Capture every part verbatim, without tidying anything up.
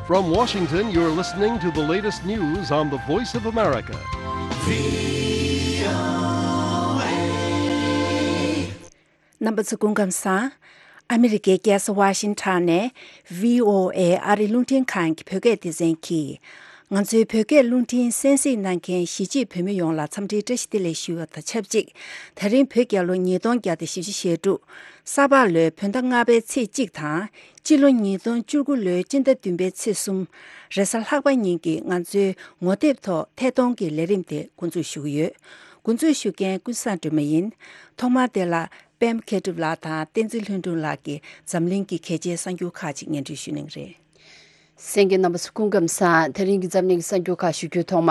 From Washington, you're listening to the latest news on the Voice of America. རྣམ་པ་ཚོ་སྐུ་ཁམས་བཟང་། ཨ་མི་རི་ཀའི་རྒྱལ་ས་ཝ་ཤིང་ཊོན་ནས་བྷི་ཨོ་ཨེ་ཨ་རིའི་རླུང་འཕྲིན་ཁང་གི་བོད་སྐད་སྡེ་ཚན་གྱིས། ང་ཚོའི་བོད་སྐད་རླུང་འཕྲིན་གསན་གཟིགས་གནང་མཁན་གཞིས་བྱེས་བོད་མི་ཡོངས་ལ་འཚམས་འདྲིའི་བཀྲ་ཤིས་བདེ་ལེགས་ཞུ་བ་དང་ཆབས་ཅིག་ད་རིང་བོད་རྒྱལ་ལོ་ཉིས་སྟོང་བརྒྱ་དང་བཞི་བཅུ་ཞེ་དྲུག་ས་ཕག་ལོའི་བོད་ཟླ་ལྔ་པའི་ཚེས་གཅིག་དང་། སྤྱི་ལོ་ཉིས་སྟོང་བཅུ་དགུ་ལོའི་སྤྱི་ཟླ་བདུན་པའི་ཚེས་གསུམ། རེས་གཟའ་ལྷག་པ་ཉིན་གྱི་ང་ཚོའི་ངོ་དེབ་ཐོག་ཐད་གཏོང་གི་ལས་རིམ་དེ་འགོ་འཛུགས་ཞུ་གི་ཡོད། འགོ་འཛུགས་ཞུ་མཁན་ཀུན་བཟང་སྒྲོལ་མ་ཡིན། ཐོག་མར་དེ་ལ་པད་མ་མཁས་གྲུབ་ལགས་དང་བསྟན་འཛིན་ལྷུན་གྲུབ་ལགས་ཀྱིས་འཛམ་གླིང་གི་གལ་ཆེའི་གསར་འགྱུར་ཁག་ཅིག་སྙན་སྒྲོན་ཞུ་གནང་གི་རེད། གསན་མཁན་རྣམ་པ་ཚོ་སྐུ་ཁམས་བཟང་། དེ་རིང་གི་འཛམ་གླིང་གི་གསར་འགྱུར་ཁག་ཞུ་རྒྱུའི་ཐོག་མ།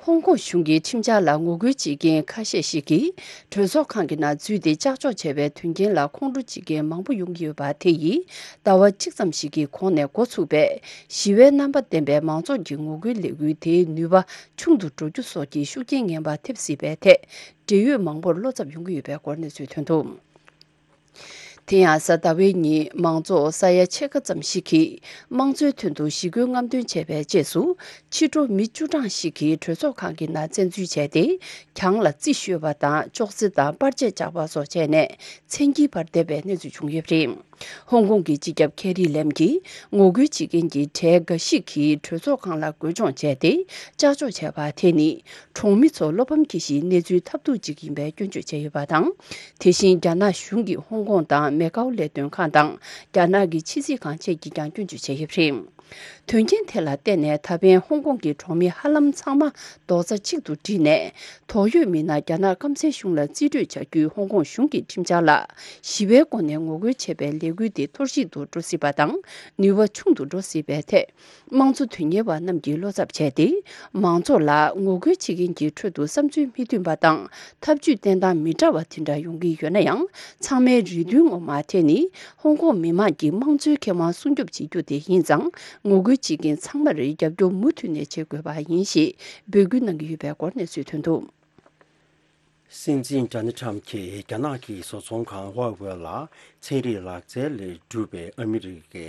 ཧོང་ཀོང་གཞུང་གི་ཁྲིམས་འཆར་ལ་ངོ་རྒོལ་བྱེད་མཁན་ཁ་ཤས་ཤིག་གིས་གྲོས་ཚོགས་ཁང་གི་ནང་འཛུལ་ཏེ་ཀྱག་ཀྱོག་བྱས་པའི་དོན་རྐྱེན་ལ་ཁོང་ཁྲོ་བྱེད་མཁན་མང་པོ་ཡོང་གི་ཡོད་པ་དེ་ཡིས་ཟླ་བ་གཅིག་ཙམ་ཞིག་གི་གོང་ནས་འགོ་ཚུགས་པའི་ཞི་བའི་རྣམ་པ་ལྡན་པའི་མང་ཚོགས་ཀྱི་ངོ་རྒོལ་ལས་འགུལ་དེའི་ནུས་པ་ཆུང་དུ་འགྲོ་རྒྱུ་སོགས་ཀྱི་ཤུགས་རྐྱེན་ངན་པ་ཐེབས་སྲིད་པའི་ཐད་འབྲེལ་ཡོད་མང་པོར་བློ་འཚབ་ཡོང་གི་ཡོད་པའི་སྐོར་གནས་ཚུལ་ཐོན་འདུག་དེ་ཡང་གཟའ་ཟླ་བའི་ཉིན་མང་ཚོགས་ས་ཡ་ཕྱེད་ཀ་ཙམ་ཞིག་གིས་དམངས་གཙོའི་དོན་དུ་ཞི་རྒོལ་རྔམ་སྟོན་བྱས་པའི་རྗེས་སུ་ཕྱི་དྲོ་མི་བཅུ་གྲངས་ཤིག་གིས་གྲོས་ཚོགས་ཁང་གི་ནང་བཙན་འཛུལ་བྱས་ཏེ་གྱང་ལ་རྩི་གཞོལ་བ་དང་ཅོག་ཙེ་དང་པར་ཆས་བཅག་པ་སོགས་བྱས་ནས་མཚན་དཀྱིལ་བར་བསྡད་པའི་གནས་ཚུལ་བྱུང་ཡོད་པ་རེད། ཧོང་ཀོང་གི་སྤྱི་ཁྱབ་ཁེ་རི་ལེམ་གྱིས་ངོ་རྒོལ་བྱེད་མཁན་གྱི་གྲས་འགའ་ཞིག་གིས་གྲོས་ཚོགས་ཁང་ལ་རྒོལ་སྦྱོང་བྱས་ཏེ་ཀྱག་ཀྱོག་བྱས་པ་དེ་ནི་གྲོང་མི་ཚོ་བློ་ཕམ་སྐྱེ་གཞིའི་གནས་ཚུལ་ཐབས་སྡུག་ཅིག་ཡིན་པའི་སྐྱོན་བརྗོད་བྱས་ཡོད་པ་དང་། དེ་བཞིན་རྒྱ་ནག་གཞུང་གིས་ཧོང་ཀོང་དང་མེ་ཀའོ་ལས་དོན་ཁང་དང་རྒྱ་ནག་གི་ཕྱི་སྲིད་ཁང་བཅས་ཀྱིས་ཀྱང་སྐྱོན་བརྗོད་བྱས་ཡོད་པ་རེད། དོན་རྐྱེན་དེ་ལ་བརྟེན་ནས་ད་ཕན་ཧོང་ཀོང་གི་གྲོང་མི་ཧ་ལམ་ཚང་མ་རྡོག་རྩ་གཅིག་ཏུ་བསྒྲིལ་ནས། དོགས་ཡོད་མི་སྣ་རྒྱ་ནག་སྐམ་སའི་གཞུང་ལ་རྩིས་སྤྲོད་བྱ་རྒྱུའི་ཧོང་ཀོང་གཞུང་གི་ཁྲིམས་འཆར་ལ་ཞི་བའི་སྒོ་ནས་ངོ་རྒོལ་བྱེད་པའི་ལས་འགུལ་དེ་འཐོར་ཞིག་ཏུ་འགྲོ་སྲིད་པ་དང་ནུས་པ་ཆུང་དུ་འགྲོ་སྲིད་པའི་ཐད། དམངས་གཙོ་དོན་གཉེར་བ་རྣམས་ཀྱིས་བློ་འཚབ་བྱས་ཏེ། མང་ཚོགས་ལ་ངོ་རྒོལ་བྱེད་མཁན་གྱི་ཁྲོད་དུ་བསམ་ཚུལ་མི་མཐུན་པ་དང་ཐབས་ཇུས་བསྟེན་སྟངས་མི་འདྲ་བ་དེ་འདྲ་ཡོང་གི་ཡོད་ན་ཡང་། ཚང་མའི་རེ་འདུན་ངོ་མ་དེ་ནི་ཧོང་ཀོང་མི་དམངས་ཀྱི་དམངས་གཙོའི་ཁེ་དབང་སྲུང་སྐྱོབ་བྱེད་རྒྱུ་དེ་ཡིན་ཙང་། ངོ་རྒོལ་བྱེད་མཁན་ཚང་མར་རྒྱབ་སྐྱོར་མུ་མཐུད་ནས་བྱེད་དགོས་པ་ཡིན་ཞེས་འབོད་སྐུལ་གནང་གི་ཡོད་པའི་སྐོར་གནས་ཚུལ་ཐོན་འདུག། སྲིད་འཛིན་ཌོ་ནལ་ཊམ་གྱིས་རྒྱ་ནག་གི་བཟོ་ཚོང་ཁང་ཧྭ་ཝེ་ལ་ཚན་རིག་ལག་རྩལ་ལས་གྲུབ་པའི་ཨ་མི་རི་ཀའི་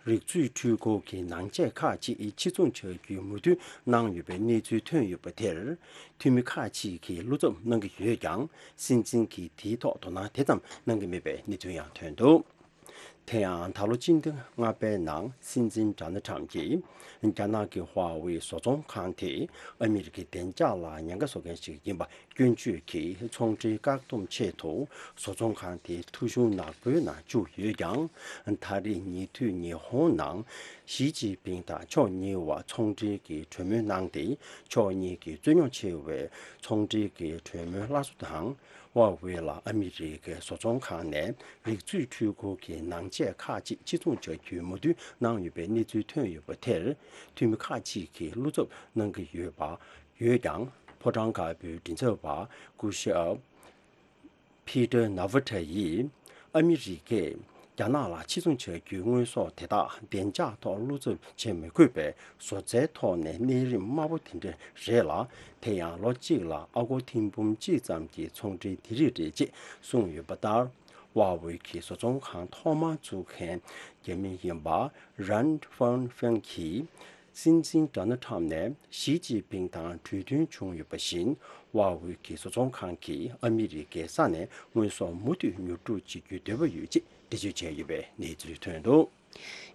རིག་མཛོད་འཕྲུལ་འཁོར་གྱི་ནང་ཆས་ཁག་ཅིག་ཕྱིར་ཚོང་བྱ་རྒྱུའི་མོས་མཐུན་གནང་ཡོད་པའི་གནས་ཚུལ་ཐོན་ཡོད་པ་དེར། འཐུས་མི་ཁག་ཅིག་གིས་བློ་འཚབ་གནང་གི་ཡོད་ཀྱང་། སྲིད་འཛིན་གྱིས་དེའི་ཐོག་དོ་སྣང་དེ་ཙམ་གནང་གི་མེད་པའི་གནས་ཚུལ་ཡང་ཐོན་འདུག། དེ་ཡང་ད་ལོ་སྤྱི་ཟླ་ལྔ་པའི་ནང་སྲིད་འཛིན་ཌོ་ནལ་ཊམ་གྱིས་རྒྱ་ནག་གི་ཧྭ་ཝེ་བཟོ་ཚོང་ཁང་དེ་ཨ་མི་རི་ཀའི་བདེ་འཇགས་ལ་ཉེན་ཁ་བཟོ་མཁན་ཞིག་ཡིན་པ་སྐྱོན་བརྗོད་ཀྱིས་ཚོང་འབྲེལ་བཀག་སྡོམ་ཆེད་དུ་བཟོ་ཚོང་ཁང་དེ་ཐོ་གཞུང་ནག་པོའི་ནང་བཅུག་ཡོད་ཀྱང་། ད་རེས་ཉེ་དུས་ཉི་ཧོང་ནང་ཞི་ཅིན་ཕིང་དང་ཕྱོགས་གཉིས་བར་ཚོང་འབྲེལ་གྱི་གྲོས་མོལ་གནང་སྟེ། ཕྱོགས་གཉིས་ཀྱི་རྩོད་རྙོག་ཆེ་བའི་ཚོང་འབྲེལ་གྱི་གྲོས་མོལ་སླར་གསོ་དང་། ཧྭ་ཝེ་ལ་ཨ་མི་རི་ཀའི་བཟོ་ཚོང་ཁང་ནས་རིག་མཛོད་འཕྲུལ་འཁོར་གྱི་ནང་ཆས་ཁག་ཅིག་ཕྱིར་ཚོང་བྱ་རྒྱུའི་མོས་མཐུན་གནང་ཡོད་པའི་གནས་ཚུལ་ཐོན་ཡོད་པ་དེར། འཐུས་མི་ཁག་ཅིག་གིས་བློ་འཚབ་གནང་གི་ཡོད་པ་ཡོད་ཀྱང་། ཕོ་བྲང་དཀར་པོའི་མགྲིན་ཚབ་པ་སྐུ་ཞབས་ཕི་ཏར་ནཱ་ཝི་ཏྲ་ཡིས། ཨ་མི་རི་ཀས་རྒྱ་ནག་ལ་ཕྱིར་ཚོང་བྱ་རྒྱུའི་དངོས་ཟོག་དེ་དག་བདེ་འཇགས་ཐོག་བློ་འཚབ་བྱེད་མི་དགོས་པའི་བཟོ་རྩལ་ཐོག་ནས་གནས་རིམ་དམའ་པོ་དེ་འདྲ་རེད་ལ། དེ་ཡང་ལོ་གཅིག་ལ་ཨ་སྒོར་ཐེར་འབུམ་གཅིག་ཙམ་གྱི་ཚོང་འབྲེལ་དེ་རིགས་རེད་ཅེས་གསུངས་ཡོད་པ་ལྟར། ཧྭ་ཝེ་གི་བཟོ་ཚོང་ཁང་ཐོག་མར་བཙུགས་མཁན་རྒྱ་མི་ཡིན་པ་རན་ཧྥང་ཧྥེང་གིས། སྲིད་འཛིན་ཌོ་ནལ་ཊམ་ནས་ཞི་ཅིན་ཕིང་དང་གྲོས་མཐུན་བྱུང་ཡོད་པ་བཞིན། ཧྭ་ཝེ་གི་བཟོ་ཚོང་ཁང་གིས་ཨ་མི་རི་ཀའི་ས་ནས་དངོས་ཟོག་མུ་མཐུད་ཉོ་སྒྲུབ་བྱེད་རྒྱུའི་འདོད་པ་ཡོད་ཅེས་འགྲེལ་བརྗོད་བྱས་ཡོད་པའི་གནས་ཚུལ་ཐོན་འདུག།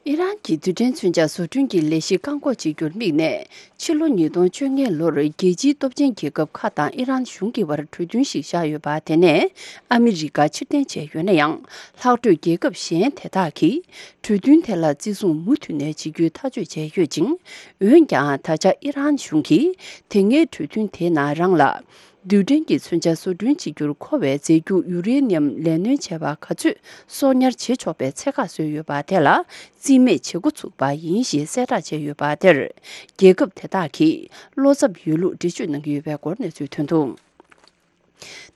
ཨི་རན་གྱི་རྡུལ་ཕྲན་མཚོན་ཆ་བཟོ་སྐྲུན་གྱི་ལས་གཞི་བཀག་འགོག་བྱེད་རྒྱུར་དམིགས་ནས། ཕྱི་ལོ་ཉིས་སྟོང་བཅོ་ལྔའི་ལོར་རྒྱལ་སྤྱིའི་སྟོབས་ཆེན་རྒྱལ་ཁབ་ཁག་དང་ཨི་རན་གཞུང་གི་བར་གྲོས་མཐུན་ཞིག་བཞག་ཡོད་པ། དེ་ནས་ཨ་མི་རི་ཀ་ཕྱིར་འཐེན་བྱས་ཡོད་ན་ཡང་། ལྷག་འཕྲོས་རྒྱལ་ཁབ་གཞན་དེ་དག་གིས་གྲོས་མཐུན་དེ་ལ་བརྩི་སྲུང་མུ་མཐུད་ནས་བྱེད་རྒྱུའི་ཐག་གཅོད་བྱས་ཡོད་ཅིང་། འོན་ཀྱང་། ད་ཆ་ཨི་རན་གཞུང་གིས་དེ་སྔའི་གྲོས་མཐུན་དེའི་ནང་རང་ལ། རྡུལ་ཕྲན་གྱི་མཚོན་ཆ་བཟོ་སྐྲུན་བྱེད་རྒྱུར་མཁོ་བའི་རྫས་འགྱུར་ཡུ་རེ་ནི་ཡམ་ལས་སྣོན་བྱས་པ་ག་ཚོད་གསོག་ཉར་བྱེད་ཆོག་པའི་ཚད་བཀག་བཟོས་ཡོད་པ་དེ་ལ་རྩིས་མེད་བྱེད་འགོ་ཚུགས་པ་ཡིན་ཞེས་གསལ་བསྒྲགས་བྱས་ཡོད་པ་དེར། རྒྱལ་ཁབ་དེ་དག་གིས་བློ་འཚབ་ཡོད་ལུགས་འགྲེལ་བརྗོད་གནང་གི་ཡོད་པའི་སྐོར་གནས་ཚུལ་ཐོན་འདུག།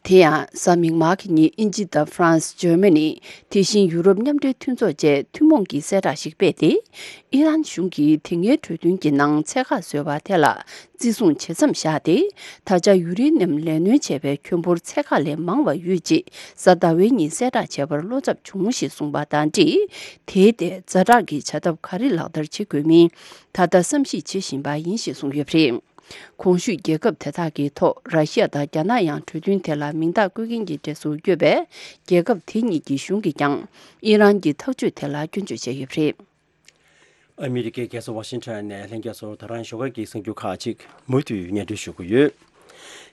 དེ་ཡང་གཟའ་མིག་དམར་གྱི་ཉིན་དབྱིན་ཇི་དང་ཧྥ་རན་སི། འཇར་མ་ནི། དེ་བཞིན་ཡུ་རོབ་མཉམ་འབྲེལ་མཐུན་ཚོགས་བཅས་ཐུན་མོང་གི་གསལ་བསྒྲགས་ཤིག་སྤེལ་ཏེ། ཨི་རན་གཞུང་གིས་དེ་སྔའི་གྲོས་མཐུན་གྱི་ནང་ཚད་བཀག་བཟོས་པ་དེ་ལ་བརྩི་སྲུང་ཇི་ཙམ་བཞག་སྟེ། ད་ཆ་ཡུ་རེ་ནི་ཡམ་ལས་སྣོན་བྱས་པའི་ཁྱོན་འབོར་ཚད་བཀག་ལས་མང་བ་ཡོད་ཅེས་གཟའ་ཟླ་བའི་ཉིན་གསལ་བསྒྲགས་བྱས་པར་བློ་འཚབ་བྱུང་ཞེས་གསུངས་པ་དང་འབྲེལ། དེའི་ཐད་ཛ་དྲག་གི་བྱ་ཐབས་ག་རེ་ལག་བསྟར་བྱེད་དགོས་མིན་ད་ལྟ་བསམ་གཞིག་བྱེད་བཞིན་པ་ཡིན་ཞེས་གསུངས་ཡོད་པ་རེད། གོང་ཞུས་རྒྱལ་ཁབ་དེ་དག་གི་ཐོག་ར་ཤི་ཡ་དང་རྒྱ་ནག་ཡང་གྲོས་མཐུན་དེ་ལ་མིང་རྟགས་བཀོད་མཁན་གྱི་གྲས་སུ་བསྐྱོད་པས། རྒྱལ་ཁབ་དེ་གཉིས་ཀྱི་གཞུང་གིས་ཀྱང་ཨི་རན་གྱི་ཐག་གཅོད་དེ་ལ་སྐྱོན་བརྗོད་བྱས་ཡོད་པ་རེད། ཨ་མི་རི་ཀའི་རྒྱལ་ས་ཝ་ཤིང་ཊོན་ནས་ལྷན་རྒྱས་ཚོར་ད་རང་ཞོགས་ཀ་གི་གསར་འགྱུར་ཁག་ཅིག་མུ་མཐུད་སྙན་སྒྲོན་ཞུ་གི་ཡོད།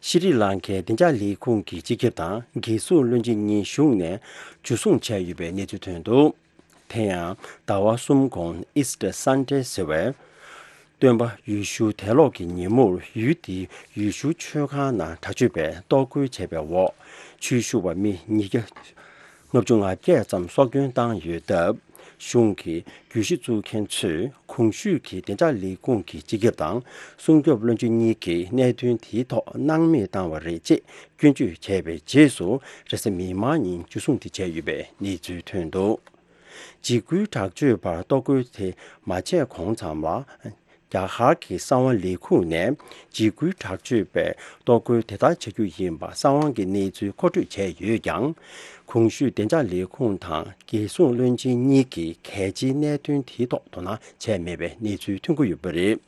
ཤྲི་ལང་ཀའི་བདེ་འཇགས་ལས་ཁུངས་ཀྱི་སྤྱི་ཁྱབ་དང་རྒྱལ་སྲུང་བློན་ཆེན་གཉིས་གཞུང་ནས་འཇུ་བཟུང་བྱས་ཡོད་པའི་གནས་ཚུལ་ཐོན་འདུག་དེ་ཡང་ཟླ་བ་གསུམ་གོང་Easter Sunday་ཟེར་བའི་སྟོན་པ་ཡེ་ཤུ་དད་ལོག་གི་ཉིན་མོར་ཡུལ་དེའི་ཡེ་ཤུ་ཆོས་ཁང་ནང་དྲག་སྤྱོད་པས་གཏོར་རྒོལ་བྱས་པའི་འོག་ཆོས་ཞུ་བ་མི་ཉིས་བརྒྱ་ལྔ་བཅུ་ང་བརྒྱད་ཙམ་སྲོག་སྐྱོན་བཏང་ཡོད་སྟབས། གཞུང་གི་གྱོད་གཞི་བཙུགས་མཁན་ཚོས་གོང་ཞུས་ཀྱི་བདེ་འཇགས་ལས་ཁུངས་ཀྱི་སྤྱི་ཁྱབ་དང་སྲུང་སྐྱོབ་བློན་ཆེན་གཉིས་ཀྱིས་གནད་དོན་དེའི་ཐོག་སྣང་མེད་བཏང་བ་རེད་ཅེས་སྐྱོན་བརྗོད་བྱས་པའི་རྗེས་སུ་རེས་གཟའ་མིག་དམར་ཉིན་འཇུ་བཟུང་དེ་བྱས་ཡོད་པའི་གནས་ཚུལ་ཐོན་འདུག་འཇིགས་སྐུལ་དྲག་སྤྱོད་པར་གཏོར་རྒོལ་དེ་མ་བྱས་གོང་ཙམ་ལ། རྒྱ་གར་གྱི་གསང་བ་ལས་ཁུངས་ནས་འཇིགས་སྐུལ་དྲག་སྤྱོད་པས་གཏོར་རྒོལ་དེ་ལྟར་བྱ་རྒྱུ་ཡིན་པ་གསང་བ་གི་གནས་ཚུལ་མཁོ་སྤྲོད་བྱས་ཡོད་ཀྱང་། གོང་ཞུས་བདེ་འཇགས་ལས་ཁུངས་དང་རྒྱལ་སྲུང་བློན་ཆེན་གཉིས་ཀྱིས་གལ་ཆེའི་གནད་དོན་དེའི་ཐོག་དོ་སྣང་བྱས་མེད་པའི་གནས་ཚུལ་ཐོན་གྱི་ཡོད་པ་རེད།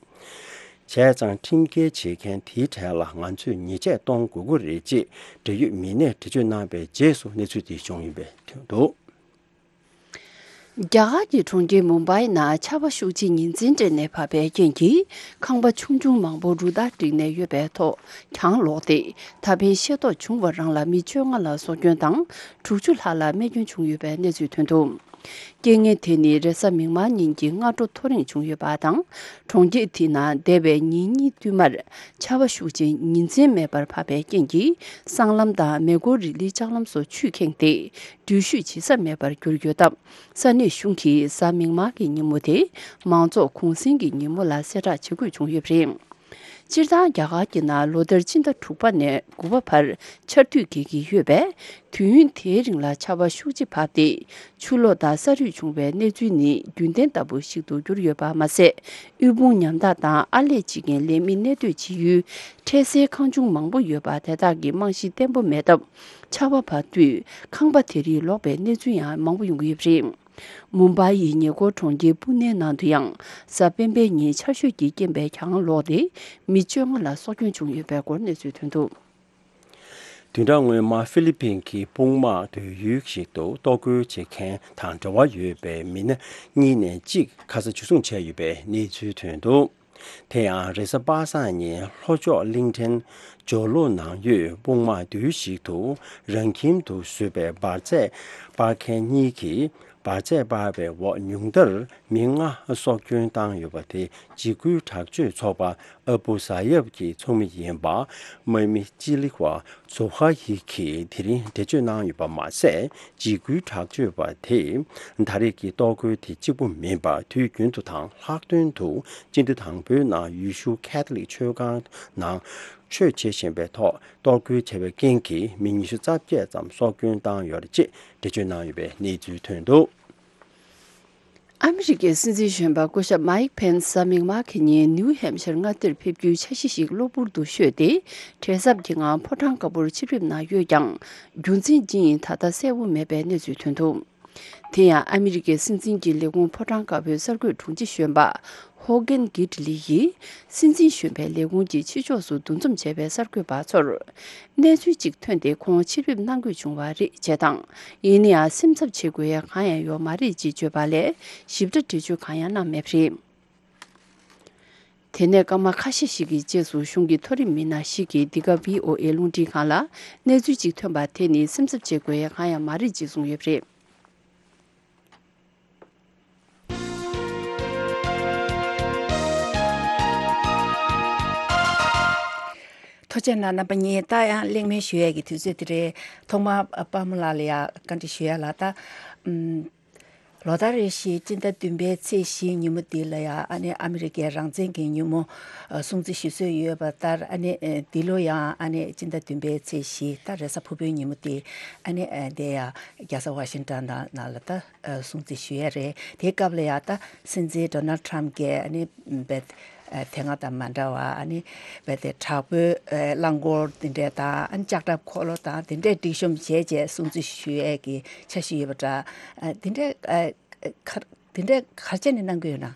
བྱས་ཙང་ཁྲིམས་འགལ་བྱེད་མཁན་དེའི་གྲས་ལ་ང་ཚོས་ཉེས་ཆད་གཏོང་དགོས་ཀྱི་རེད་ཅེས་འབྲེལ་ཡོད་མི་སྣས་འགྲེལ་བརྗོད་གནང་པའི་རྗེས་སུ་གནས་ཚུལ་དེ་བྱུང་ཡོད་པའི་ཐོན་འདུག་རྒྱ་གར་གྱི་གྲོང་ཁྱེར་མུམ་བྷའི་ནང་ཆར་པ་ཤུགས་ཆེ་ཉིན་མཚན་སྤྲད་ནས་བབས་པའི་རྐྱེན་གྱིས་ཁང་པ་ཆུང་ཆུང་མང་པོ་རུ་སྟར་བསྒྲིགས་ནས་ཡོད་པའི་ཐོག་གྱང་ལོག་སྟེ་ད་ཕན་ཤེས་རྟོགས་བྱུང་བ་རང་ལ་མི་བཅོ་ལྔ་ལ་སྲོག་སྐྱོན་དང་དྲུག་ཅུ་ལྷག་ལ་རྨས་སྐྱོན་བྱུང་ཡོད་པའི་གནས་ཚུལ་ཐོན་འདུག་རྐྱེན་ངན་དེ་ནི་རེས་གཟའ་མིག་དམར་ཉིན་གྱི་སྔ་དྲོ་ཐོ་རེངས་བྱུང་ཡོད་པ་དང་། གྲོང་ཁྱེར་དེ་ནང་འདས་པའི་ཉིན་གཉིས་བསྟུད་མར་ཆར་པ་ཤུགས་ཆེ་ཉིན་མཚན་མེད་པར་བབས་པའི་རྐྱེན་གྱིས་སྲང་ལམ་དང་མེ་འཁོར་རི་ལིའི་ལྕགས་ལམ་སོགས་ཆུས་ཁེངས་ཏེ། འགྲུལ་བཞུད་བྱེད་ས་མེད་པར་གྱུར་ཡོད་སྟབས། ས་གནས་གཞུང་གིས་གཟའ་མིག་དམར་གྱི་ཉིན་མོ་དེ་མང་ཚོགས་གུང་གསེང་གི་ཉིན་མོ་ལ་གསལ་བསྒྲགས་བྱེད་དགོས་བྱུང་ཡོད་པ་རེད། སྤྱིར་བཏང་རྒྱ་གར་གྱི་ནང་ལོ་ལྟར་སྤྱི་ཟླ་དྲུག་པ་ནས་དགུ་པ་བར་ཆར་དུས་རྒྱས་ཀྱི་ཡོད་པས། དུས་ཡུན་དེའི་རིང་ལ་ཆར་པ་ཤུགས་ཆེ་བབས་ཏེ། ཆུ་ལོག་དང་ས་རུད་བྱུང་བའི་གནས་ཚུལ་ནི་རྒྱུན་ལྡན་ལྟ་བུ་ཞིག་ཏུ་གྱུར་ཡོད་པ་མ་ཟད། དབུལ་ཕོངས་ཉམ་ཐག་དང་ཨར་ལས་བྱེད་མཁན་ལས་མི་གནས་སྡོད་བྱེད་ཡུལ་འཕྲལ་སེལ་ཁང་ཆུང་མང་པོ་ཡོད་པ་དེ་དག་གི་རྨང་གཞི་བརྟན་པོ་མེད་སྟབས། ཆར་པ་བབས་དུས་ཁང་པ་དེ་རིགས་ལོག་པའི་གནས་ཚུལ་ཡང་མང་པོ་ཡོང་གི་ཡོད་པ་རེད། མུམ་བྷའི་ཡི་ཉེ་འཁོར་གྲོང་ཁྱེར་པུ་ནེ་ནང་དུ་ཡང་གཟའ་སྤེན་པའི་ཉིན་ཆར་ཞོད་ཀྱི་རྐྱེན་པས་གྱང་ལོག་སྟེ་མི་བཅོ་ལྔ་ལ་སྲོག་སྐྱོན་བྱུང་ཡོད་པའི་སྐོར་གནས་ཚུལ་ཐོན་འདུག་བདུན་ཕྲག་སྔོན་མ་ཧྥི་ལི་པིན་གྱི་དཔུང་དམག་སྡོད་ཡུལ་ཞིག་ཏུ་གཏོར་རྒོལ་བྱེད་མཁན་དང་འབྲེལ་བ་ཡོད་པའི་མི་སྣ་གཉིས་ནས་གཅིག་ཁ་ས་འཇུ་བཟུང་བྱས་ཡོད་པའི་གནས་ཚུལ་ཐོན་འདུག་དེ་ཡང་རེས་གཟའ་པ་སངས་ཉིན་ལྷོ་ཕྱོགས་གླིང་ཕྲན་ཇོ་ལོ་ནང་ཡོད་དཔུང་དམག་སྡོད་ཡུལ་ཞིག་ཏུ་རང་ཁྱིམ་དུ་བཟོས་པའི་འབར་རྫས་སྤར་མཁན་གཉིས་ཀྱིས། འབར་རྫས་སྤར་བའི་འོག་ཉུང་མཐར་མི་ལྔ་སྲོག་སྐྱོན་བཏང་ཡོད་པ་དེ་འཇིགས་སྐུལ་དྲག་སྤྱོད་ཚོགས་པ་ཨ་བུ་ཟ་ཡབ་ཀྱི་ཚོགས་མི་ཡིན་པ་དམག་མི་ཅི་ལི་ཧྭ་ཛོ་ཧ་ཡི་གིས་དེ་རིང་འགྲེལ་བརྗོད་གནང་ཡོད་པ་མ་ཟད། འཇིགས་སྐུལ་དྲག་སྤྱོད་པ་དེས་ད་རེས་ཀྱི་གཏོར་རྒོལ་དེ་གཅིག་པུ་མིན་པར་དུས་རྒྱུན་དུ་དང་ལྷག་དོན་དུ་སྤྱི་ཟླ་དང་པོའི་ནང་ཡེ་ཤུ་ཁེ་ཐོ་ལིག་ཆོས་ཁང་ནང་ཆོས་བྱེད་བཞིན་པའི་ཐོག་གཏོར་རྒོལ་བྱས་པའི་རྐྱེན་གྱིས་མི་ཉི་ཤུ་རྩ་བརྒྱད་ཙམ་སྲོག་སྐྱོན་བཏང་ཡོད་རེད་ཅེས་འགྲེལ་བརྗོད་གནང་ཡོད་པའི་གནས་ཚུལ་ཐོན་འདུག་ཨ་མི་རི་ཀའི་སྲིད་འཛིན་གཞོན་པ་སྐུ་ཞབས་མཱིག་ཕེན་སི་གཟའ་མིག་དམར་གྱི་ཉིན་ནིའུ་ཧེམ་ཤར་མངའ་སྡེར་ཕེབས་རྒྱུའི་འཆར་གཞི་ཞིག་གློ་བུར་དུ་བཤོལ་ཏེ། བྲེལ་འཚབ་ཀྱི་ངང་ཕོ་བྲང་དཀར་པོར་ཆིབས་བསྒྱུར་གནང་ཡོད་ཀྱང་། རྒྱུ་མཚན་ཅི་ཡིན་ད་ལྟ་གསལ་པོ་མེད་པའི་གནས་ཚུལ་ཐོན་འདུག་དེ་ཡང་ཨ་མི་རི་ཀའི་སྲིད་འཛིན་གྱི་ལས་ཁུངས་ཕོ་བྲང་དཀར་པོའི་གསར་འགོད་དྲུང་ཆེ་གཞོན་པ་ཧོ་གྷན་གྷིད་ལི་ཡིས་སྲིད་འཛིན་གཞོན་པའི་ལས་ཁུངས་ཀྱི་ཕྱི་ཕྱོགས་སུ་འདུ་འཛོམས་བྱས་པའི་གསར་འགོད་པ་ཚོར། གནས་ཚུལ་གཅིག་ཐོན་ཏེ་ཁོང་ཕྱིར་ཕེབས་གནང་དགོས་བྱུང་བ་རེད་ཅེས་དང་། ཡིན་ན་ཡང་སེམས་འཚབ་བྱེད་དགོས་ཡ་གང་ཡང་ཡོད་མ་རེད་ཅེས་བརྗོད་པ་ལས་ཞིབ་ཕྲ་འགྲེལ་བརྗོད་གང་ཡང་གནང་མེད་པ་རེད། དེ་ནས་སྐར་མ་ཁ་ཤས་ཤིག་གི་རྗེས་སུ་གཞུང་གི་མཐོ་རིམ་མི་སྣ་ཞིག་གིས་འདི་ག་བྷི་ཨོ་ཨེ་རླུང་འཕྲིན་ཁང་ལ་གནས་ཚུལ་གཅིག་ཐོན་པ་དེ་ནི་སེམས་འཚབ་བྱེད་དགོས་ཡ་གང་ཡང་མ་རེད་ཅེས་གསུངས་ཡོད་པ་རེད། ཐུགས་རྗེ་གནང་རྣམ་པ་གཉིས། ད་ཡང་གླེང་མོལ་ཞུ་ཡས་ཀྱི་དུས་ཚོད་དེ་རེད། ཐོག་མར་པདྨ་ལགས་ལ་ཡང་བཀའ་འདྲི་ཞུ་ཡ་ལ། ད་ཨམ། ལོ་ལྟར་རེ་བཞིན་སྤྱི་ཟླ་བདུན་པའི་ཚེས་བཞིའི་ཉིན་མོ་འདི་ལ་ཡང་ཨ་ནི་ཨ་མི་རི་ཀའི་རང་བཙན་གྱི་ཉིན་མོ་ཨ་སྲུང་བརྩི་ཞུ་སྲོལ་ཡོད་པ་ལྟར། ཨ་ནི་ཨ་འདི་ལོ་ཡང་ཨ་ནི་སྤྱི་ཟླ་བདུན་པའི་ཚེས་བཞི་ད་རེས་གཟའ་ཕུར་བུའི་ཉིན་མོ་འདི་ཨ་ནི་ཨ་དེ་ཡང་རྒྱལ་ས་ཝ་ཤིང་ཊོན་ནང་ལ་ད་ཨ་སྲུང་བརྩི་ཞུ་ཡས་རེད། དེའི་སྐབས་ལ་ཡང་ད་སྲིད་འཛིན་ཌོ་ནལ་ཊམ་གྱིས་ཨ་ནི་བེད་ཨ་དེ་སྔ་དང་མ་འདྲ་བ་ཨ་ནི་བེད་དེ་དྲག་པོའི་ཨ་རླངས་འཁོར་དེ་འདྲས་དང་ཨ་ནི་ལྕགས་ཁྲབ་འཁོར་ལོ་དང་དེ་འདྲས་སྒྲིག་གཤོམ་བྱས་རྗེས་སྲུང་བརྩི་ཞུ་ཡས་ཀྱི་འཆར་གཞི་ཡོད་པ་འདྲ། ཨ་དེ་འདྲས་ཨ་ག་དེ་འདྲས་ག་རེ་བྱས་ནས་གནང་གི་ཡོད་ན།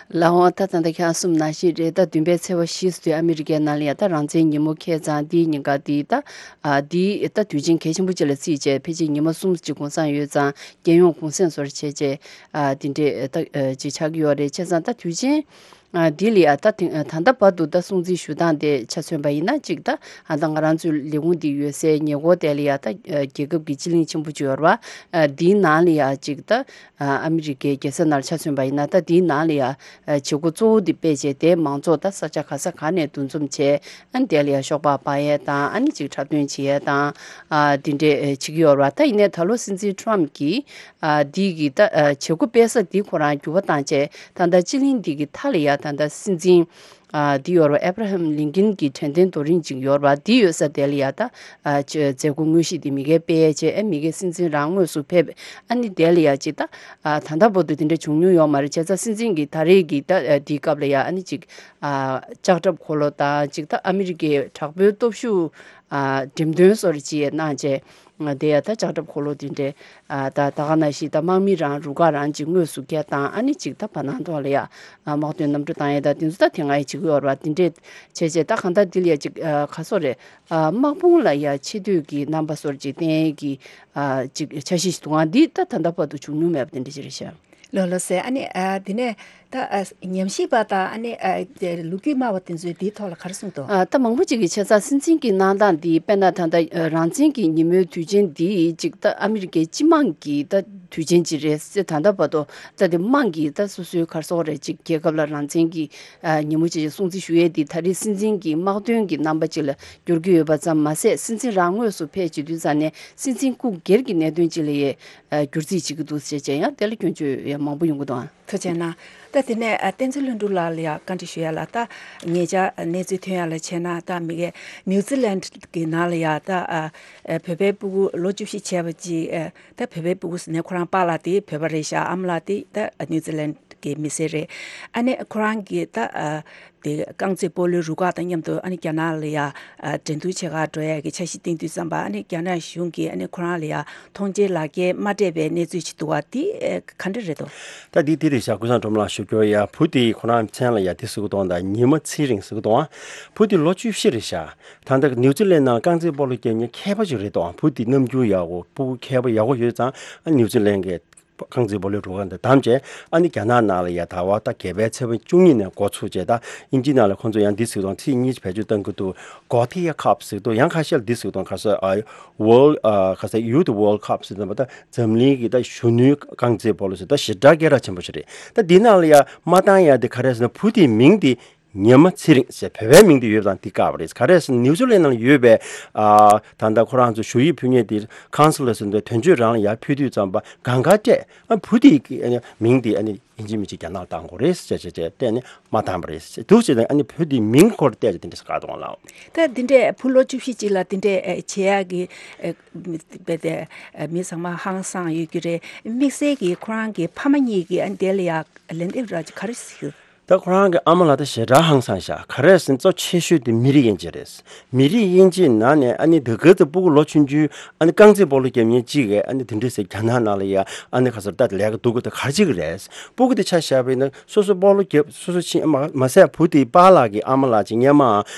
ལགས་འོང་། ད་ད་ལྟ་ཁྱེད་རང་གསུངས་ནང་བཞིན་རེད། ད་བདུན་པའི་ཚེས་པ་བཞི་ཚོ་དུས་ཨ་མི་རི་ཀའི་ནང་ལ་ཡ་ད་རང་བཙན་ཉིན་མོ་ཁེལ་ཙང་འདིའི་ཉིན་ཀ་འདི་ད་ཨ་འདི་ད་དུས་ཆེན་གལ་ཆེན་པོ་ཅིག་ལ་བརྩིས་བྱས་ཕལ་ཆེར་ཉི་མ་གསུམ་ཅིག་གུང་སེང་ཡོད་ཙང་རྒྱལ་ཡོངས་གུང་སེང་བཟོ་འདྲ་བྱས་བྱས་ཨ་འདི་འདྲས་ད་ཨ་ཅིག་ཆགས་ཀྱི་ཡོད་རེད། བྱས་ཙང་ད་དུས་ཆེན་ཨ་འདི་ལ་ཡ་ད་དེ་ད་ལྟ་བར་དུ་ད་སྲུང་བརྩི་ཞུ་སྟངས་དེ་ཆ་མཚོན་པ་ཡིན་ན་ཅིག་ད་ཨ་ད་ང་རང་ཚོའི་ལས་ཁུངས་འདི་ཡོད་སའི་ཉེ་འཁོར་དེ་ལ་ཡ་ད་ཨ་རྒྱལ་ཁབ་ཀྱི་སྤྱི་གླིང་ཆེན་པོ་ཅིག་ཡོད་རེད་པ། ཨ་འདིའི་ནང་ལ་ཡ་ཅིག་ད་ཨ་ཨ་མི་རི་ཀའི་རྒྱལ་ས་ནང་ལ་ཆ་མཚོན་པ་ཡིན་ན་ད་འདིའི་ནང་ལ་ཡ་ཨ་བྱེད་སྒོ་གཙོ་བོ་འདི་སྤེལ་བྱས་དེ་མང་ཚོགས་ད་ས་ཆ་ག་ས་ག་ནས་འདུ་འཛོམས་བྱས་ཨ་ནི་དེ་ལ་ཡ་ཤོག་སྦག་སྦག་ཡས་དང་ཨ་ནི་ཅིག་འཁྲབ་སྟོན་བྱེད་ཡས་དང་ཨ་འདི་འདྲས་ཨ་བྱེད་ཀྱི་ཡོད་རེད་པ། ད་ཡིན་ནའི་ད་ལོ་སྲིད་འཛིན་ཊམ་གྱིས་ཨ་འདི་གི་ད་ཨ་བྱེད་སྒོ་སྤེལ་ས་འདི་ཁོ་རང་འགྱུར་བ་བཏང་བྱས་ད་ལྟ་སྤྱི་གླིང་འདི་གི་མཐའ་ལ་ཡ་ད་ལྟ་སྲིད་འཛིན་ཨ་འདི་ཡོད་རེད་པ། ཨེབ་ར་ཧམ་ལིན་ཀིན་གྱི་དྲན་རྟེན་རྡོ་རིང་ཅིག་ཡོད་རེད་པ། འདི་ཡོད་ས་དེ་ལ་ཡ་ད་ཨ་ཅ་མཛད་སྒོ་དངོས་གཞི་འདི་མི་སྒེར་སྤེལ་བྱས་ཨ་མི་སྒེར་སྲིད་འཛིན་རང་དངོས་སུ་ཕེབས། ཨ་ནི་དེ་ལ་ཡ་ཅིག་ད་ཨ་ད་ལྟ་བར་དུ་དེ་འདྲ་བྱུང་མྱོང་ཡོད་མ་རེད། བྱས་ཙང་སྲིད་འཛིན་གྱིས་ད་རེས་ཀྱི་ད་ཨ་འདིའི་སྐབས་ལ་ཡ་ཨ་ནི་ཅིག་ཨ་ལྕགས་ཁྲབ་འཁོར་ལོ་དང་ཅིག་ད་ཨ་མི་རི་ཀའི་དྲག་པོའི་སྟོབས་ཤུགས་ཨ་འགྲེམས་སྟོན་བཟོ་འདྲ་ཅིག་གནང་བྱས། ང་དེ་ཡ་ད་ལྕགས་ཁྲབ་འཁོར་ལོ་དེ་འདྲས་ཨ་ད་ད་ག་ནང་བཞིན་ད་དམག་མི་རང་རུ་ཁག་རང་ཅིག་དངོས་སུ་བསྐྱལ་བཏང་ཨ་ནི་ཅིག་ད་བར་སྣང་ཐོག་ལ་ཡ་ཨ་དམག་དོན་གནམ་གྲུ་བཏང་ཡས་ད་དེ་ཚོ་ད་དེ་སྔ་ཡ་བྱེད་ཀྱི་ཡོད་རེད་པ། དེ་འདྲས་བྱས་བྱས་ད་གང་ལྟར་འདི་ལ་ཡ་ཅིག་ཨ་ག་སོ་རེད། ཨ་དམག་དཔུང་ལ་ཡ་ཆེ་བསྟོད་ཀྱི་རྣམ་པ་སོར་ཅིག་བསྟན་ཡས་ཀྱི་ཨ་ཅིག་འཆར་གཞི་ཞིག་འདུག་ཨ་འདི་ད་ད་ལྟ་བར་དུ་བྱུང་མྱོང་མེད་པ་དེ་འདྲ་ཅིག་རེད་ཤག་ལགས་ལགས་སེ། ཨ་ནི་ཨ་དེ་ནས་ད་ཨ་ཉམས་ཞིབ་པ་དང་ཨ་ནི་ཨ་དེ་ལོ་རྒྱུས་སྨྲ་བ་དེ་ཚོས་འདིའི་ཐོག་ལ་ག་རེ་གསུངས་འདུག་ཨ་ད་མང་པོ་ཅིག་གིས་བྱས་ཙང་སྲིད་འཛིན་གྱི་གནང་སྟངས་འདི་དཔེར་ན་ད་ལྟ་ཨ་རང་བཙན་གྱི་ཉིན་མོའི་དུས་ཆེན་འདི་ཅིག་ད་ཨ་མི་རི་ཀའི་སྤྱི་དམངས་ཀྱི་ད་དུས་ཆེན་ཅིག་རེད་ཟེར། ད་ལྟ་བར་དུ་ད་དེ་དམངས་ཀྱིས་ད་སོ་སོའི་ག་རེ་ཟེར་དགོས་རེད། ཅིག་རྒྱལ་ཁབ་ལ་རང་བཙན་གྱི་ཨ་ཉིན་མོ་ཅིག་སྲུང་བརྩི་ཞུ་ཡས་འདི་ད་རེས་སྲིད་འཛིན་གྱི་དམག་དོན་གྱི་རྣམ་པ་ཅིག་ལ་འགྱུར་གྱི་ཡོད་པ་ཙམ་མ་ཟད་སྲིད་འཛིན་རང་དངོས་སུ་ཕེབས་བྱེད་དུས་ཙང་ནས་སྲིད་འཛིན་སྐུ་སྒེར་གྱི་གནད་དོན་ཅིག་ལ་ཡ་ཨ་བསྒྱུར་རྩིས་བྱེད་ཀྱི་འདུག་ཟེར་བྱས་ཡང་དེ་ལ་སྐྱོན་བརྗོད་ཡང་མང་པོ་ཡོང་གི་འདུག་ཨང་། ཐུགས་རྗེ་གནང་། ད་དེ་ནས་ཨ་བསྟན་འཛིན་ལྷུན་གྲུབ་ལགས་ལ་ཡང་བཀའ་འདྲི་ཞུ་ཡ་ལ། ད་ཉེ་ཆར་གནས་ཚུལ་ཐོན་ཡ་ལ་བྱས་ན་ད་མི་གའི་ནིའུ་ཛི་ལན་གྱི་ནང་ལ་ཡ་ད་ཨ་བོད་པའི་སྤུ་གུ་ལོ་བཅུ་བཞི་བྱས་པ་ཅིག་ཨ་ད་བོད་པའི་སྤུ་གུ་ཟེར་ནས་ཁོ་རང་པཱ་ལགས་དེ་བོད་པ་རེད་ཤག་ཨ་མ་ལགས་དེ་ད་ནིའུ་ཛི་ལན་གྱི་མི་སེར་རེད། ཨ་ནི་ཁོ་རང་གིས་ད་ཨ་དེ་རྐང་རྩེད་སྤོ་ལོའི་རུ་ཁག་དང་མཉམ་དུ་ཨ་ནི་རྒྱ་ནག་ལ་ཡ་ཨ་འགྲན་བསྡུར་བྱེད་གར་འགྲོ་ཡ་གི་འཆར་གཞི་བཏིང་དུས་ཙམ་པ་ཨ་ནི་རྒྱ་ནག་གཞུང་གིས་ཨ་ནི་ཁོ་རང་ལ་ཡ་མཐོང་མཆན་ལག་འཁྱེར་མ་སྤྲད་པའི་གནས་ཚུལ་ཅིག་འདུག་པ་དེ་ཨེ་ག་འདྲ་རེད་དོ། ད་འདི་འདི་རེད་ཤག་ཀུན་བཟང་སྒྲོལ་མ་ལགས་ཞུ་རྒྱུ་ཡ། བུ་དེ་ཁོ་རང་མཚན་ལ་ཡ་དེ་ཟེར་གི་འདུག་ད་ཉི་མ་ཚེ་རིང་ཟེར་གི་འདུག་བུ་དེ་ལོ་བཅུ་བཞི་རེད་ཤག་ད་ལྟ་ནིའུ་ཛི་ལན་ནང་རྐང་རྩེད་སྤོ་ལོ་རྒྱག་མཁན་མཁས་པ་ཅིག་རེད་དོ། བུ་དེ་རྣམ་འགྱུར་ཡག་པོ་སྤུ་གུ་མཁས་པ་ཡག་པོ་ཡོད་ཙང་ཨ་ནིའུ་ཛི་ལན་གྱི་རྐང་རྩེད་སྤོ་ལོའི་རུ་ཁག་འདི་བདམས་བྱས་ཨ་ནི་རྒྱ་ནག་ནང་ལ་ཡ་ད་བར་ད་བརྒྱད་པའི་ཚེས་པ་བཅུ་གཉིས་ནས་འགོ་ཚུགས་བྱས་ད་དབྱིན་ཇི་ནང་ལ་ཁོང་ཚོ་ཡང་འདི་ཟེར་གི་འདུག་ཚིག་གཉིས་བེད་སྤྱོད་གཏང་གི་འདུག་གོ་ཐི་ཡ་ཁབ་ཟེར་གི་འདུག་ཡང་ཁ་ཤས་ལ་འདི་ཟེར་གི་འདུག་ག་ས་ཨ་World ཨ་ག་ས་Youth World Cup ཟེར་ནས་པ་ད་འཛམ་གླིང་གི་ད་གཞོན་ནུའི་རྐང་རྩེད་སྤོ་ལོ་ཟེར་ད་ཞེ་དྲག་སྐད་གྲགས་ཆེན་པོ་ཞིག་རེད། ད་འདི་ནང་ལ་ཡ་མ་བཏང་ཡ་དེ་ག་རེ་ཟེར་ན་བུ་དེའི་མིང་དེ་ཉི་མ་ཚེ་རིང་ཟེར་བོད་པའི་མིང་དེ་ཡོད་པ་དང་འདི་བཀག་པ་རེད། ག་རེ་ཟེར་ན་ནིའུ་ཛི་ལན་ནང་ཡོད་པའི་ཨ་ད་ལྟ་ཁོ་རང་ཚོ་ཞུ་ཡིག་ཕུལ་མཁན་དེ་ཁོན་སུ་ལར་ཟེར་འདུག་དོན་གཅོད་རང་ལ་ཡར་ཕུལ་དུས་ཙམ་པ་གང་ག་སྤྲད་ཨ་བུ་དེའི་མིང་དེ་ཨ་ནི་ཡིན་གཅིག་མིན་གཅིག་རྒྱ་ནག་ལ་བཏང་དགོས་རེད་ཟེར་བྱས་བྱས་བྱས་བལྟས་ནས་མ་བཏང་པ་རེད་ཟེར་འདུག་བྱས་ནས་ཨ་ནི་བུ་དེའི་མིང་སྐོར་བལྟས་བྱས་དེ་འདྲ་ཟེར་བཀག་གཏོང་ལགས། ད་འདི་འདྲས་བུ་ལོ་བཅུ་བཞི་ཅིག་ལ་འདི་འདྲས་ཨེ་བྱེད་ཡག་གི་ཨེ་མི་དེ་ཨེ་མི་ཚང་མ་ཧང་སངས་ཡོད་རྒྱུ་རེད། དམིགས་བསལ་གྱིས་ཁོ་རང་གི་ཕ་མ་གཉིས་ཀྱིས་ཨ་ནི་དེ་ལ་ཡ་ལན་འདེབས་ར་ཅིག་ག་རེ་ཟེར། ད་ཁོ་རང་གི་ཨ་མ་ལགས་ད་ཞེ་དྲག་ཧང་སངས་ཤག་ག་རེ་ཟེར་ན་གཙོ་ཆེ་ཤོས་དེ་མི་རིགས་དབྱེ་འབྱེད་རེད། མི་རིགས་དབྱེ་འབྱེད་ནང་ནས་ཨ་ནི་དེ་ག་ཚོད་སྤུ་གུ་ལོ་ཆུང་ཆུང་ཨ་ནི་རྐང་རྩེད་སྤོ་ལོ་རྒྱབ་མཁན་གཅིག་གིས་ཨ་ནི་དེ་འདྲ་ཟེར་རྒྱ་ནག་ནང་ལ་ཡ་ཨ་ནི་ག་ཚོད་ད་ལས་ཀ་སྡུག་གི་ད་ག་རེ་བྱེད་ཀྱི་རེད། སྤུ་གུ་དེ་ཆ་བཞག་པ་ཡིན་ན་སོ་སོ་སྤོ་ལོ་རྒྱབ་སོ་སོ་ཕྱིན་མ་མ་ཟད་བུ་དེའི་པཱ་ལགས་ཀྱི་ཨ་མ་ལགས་ཅིག་སྔོན་མ་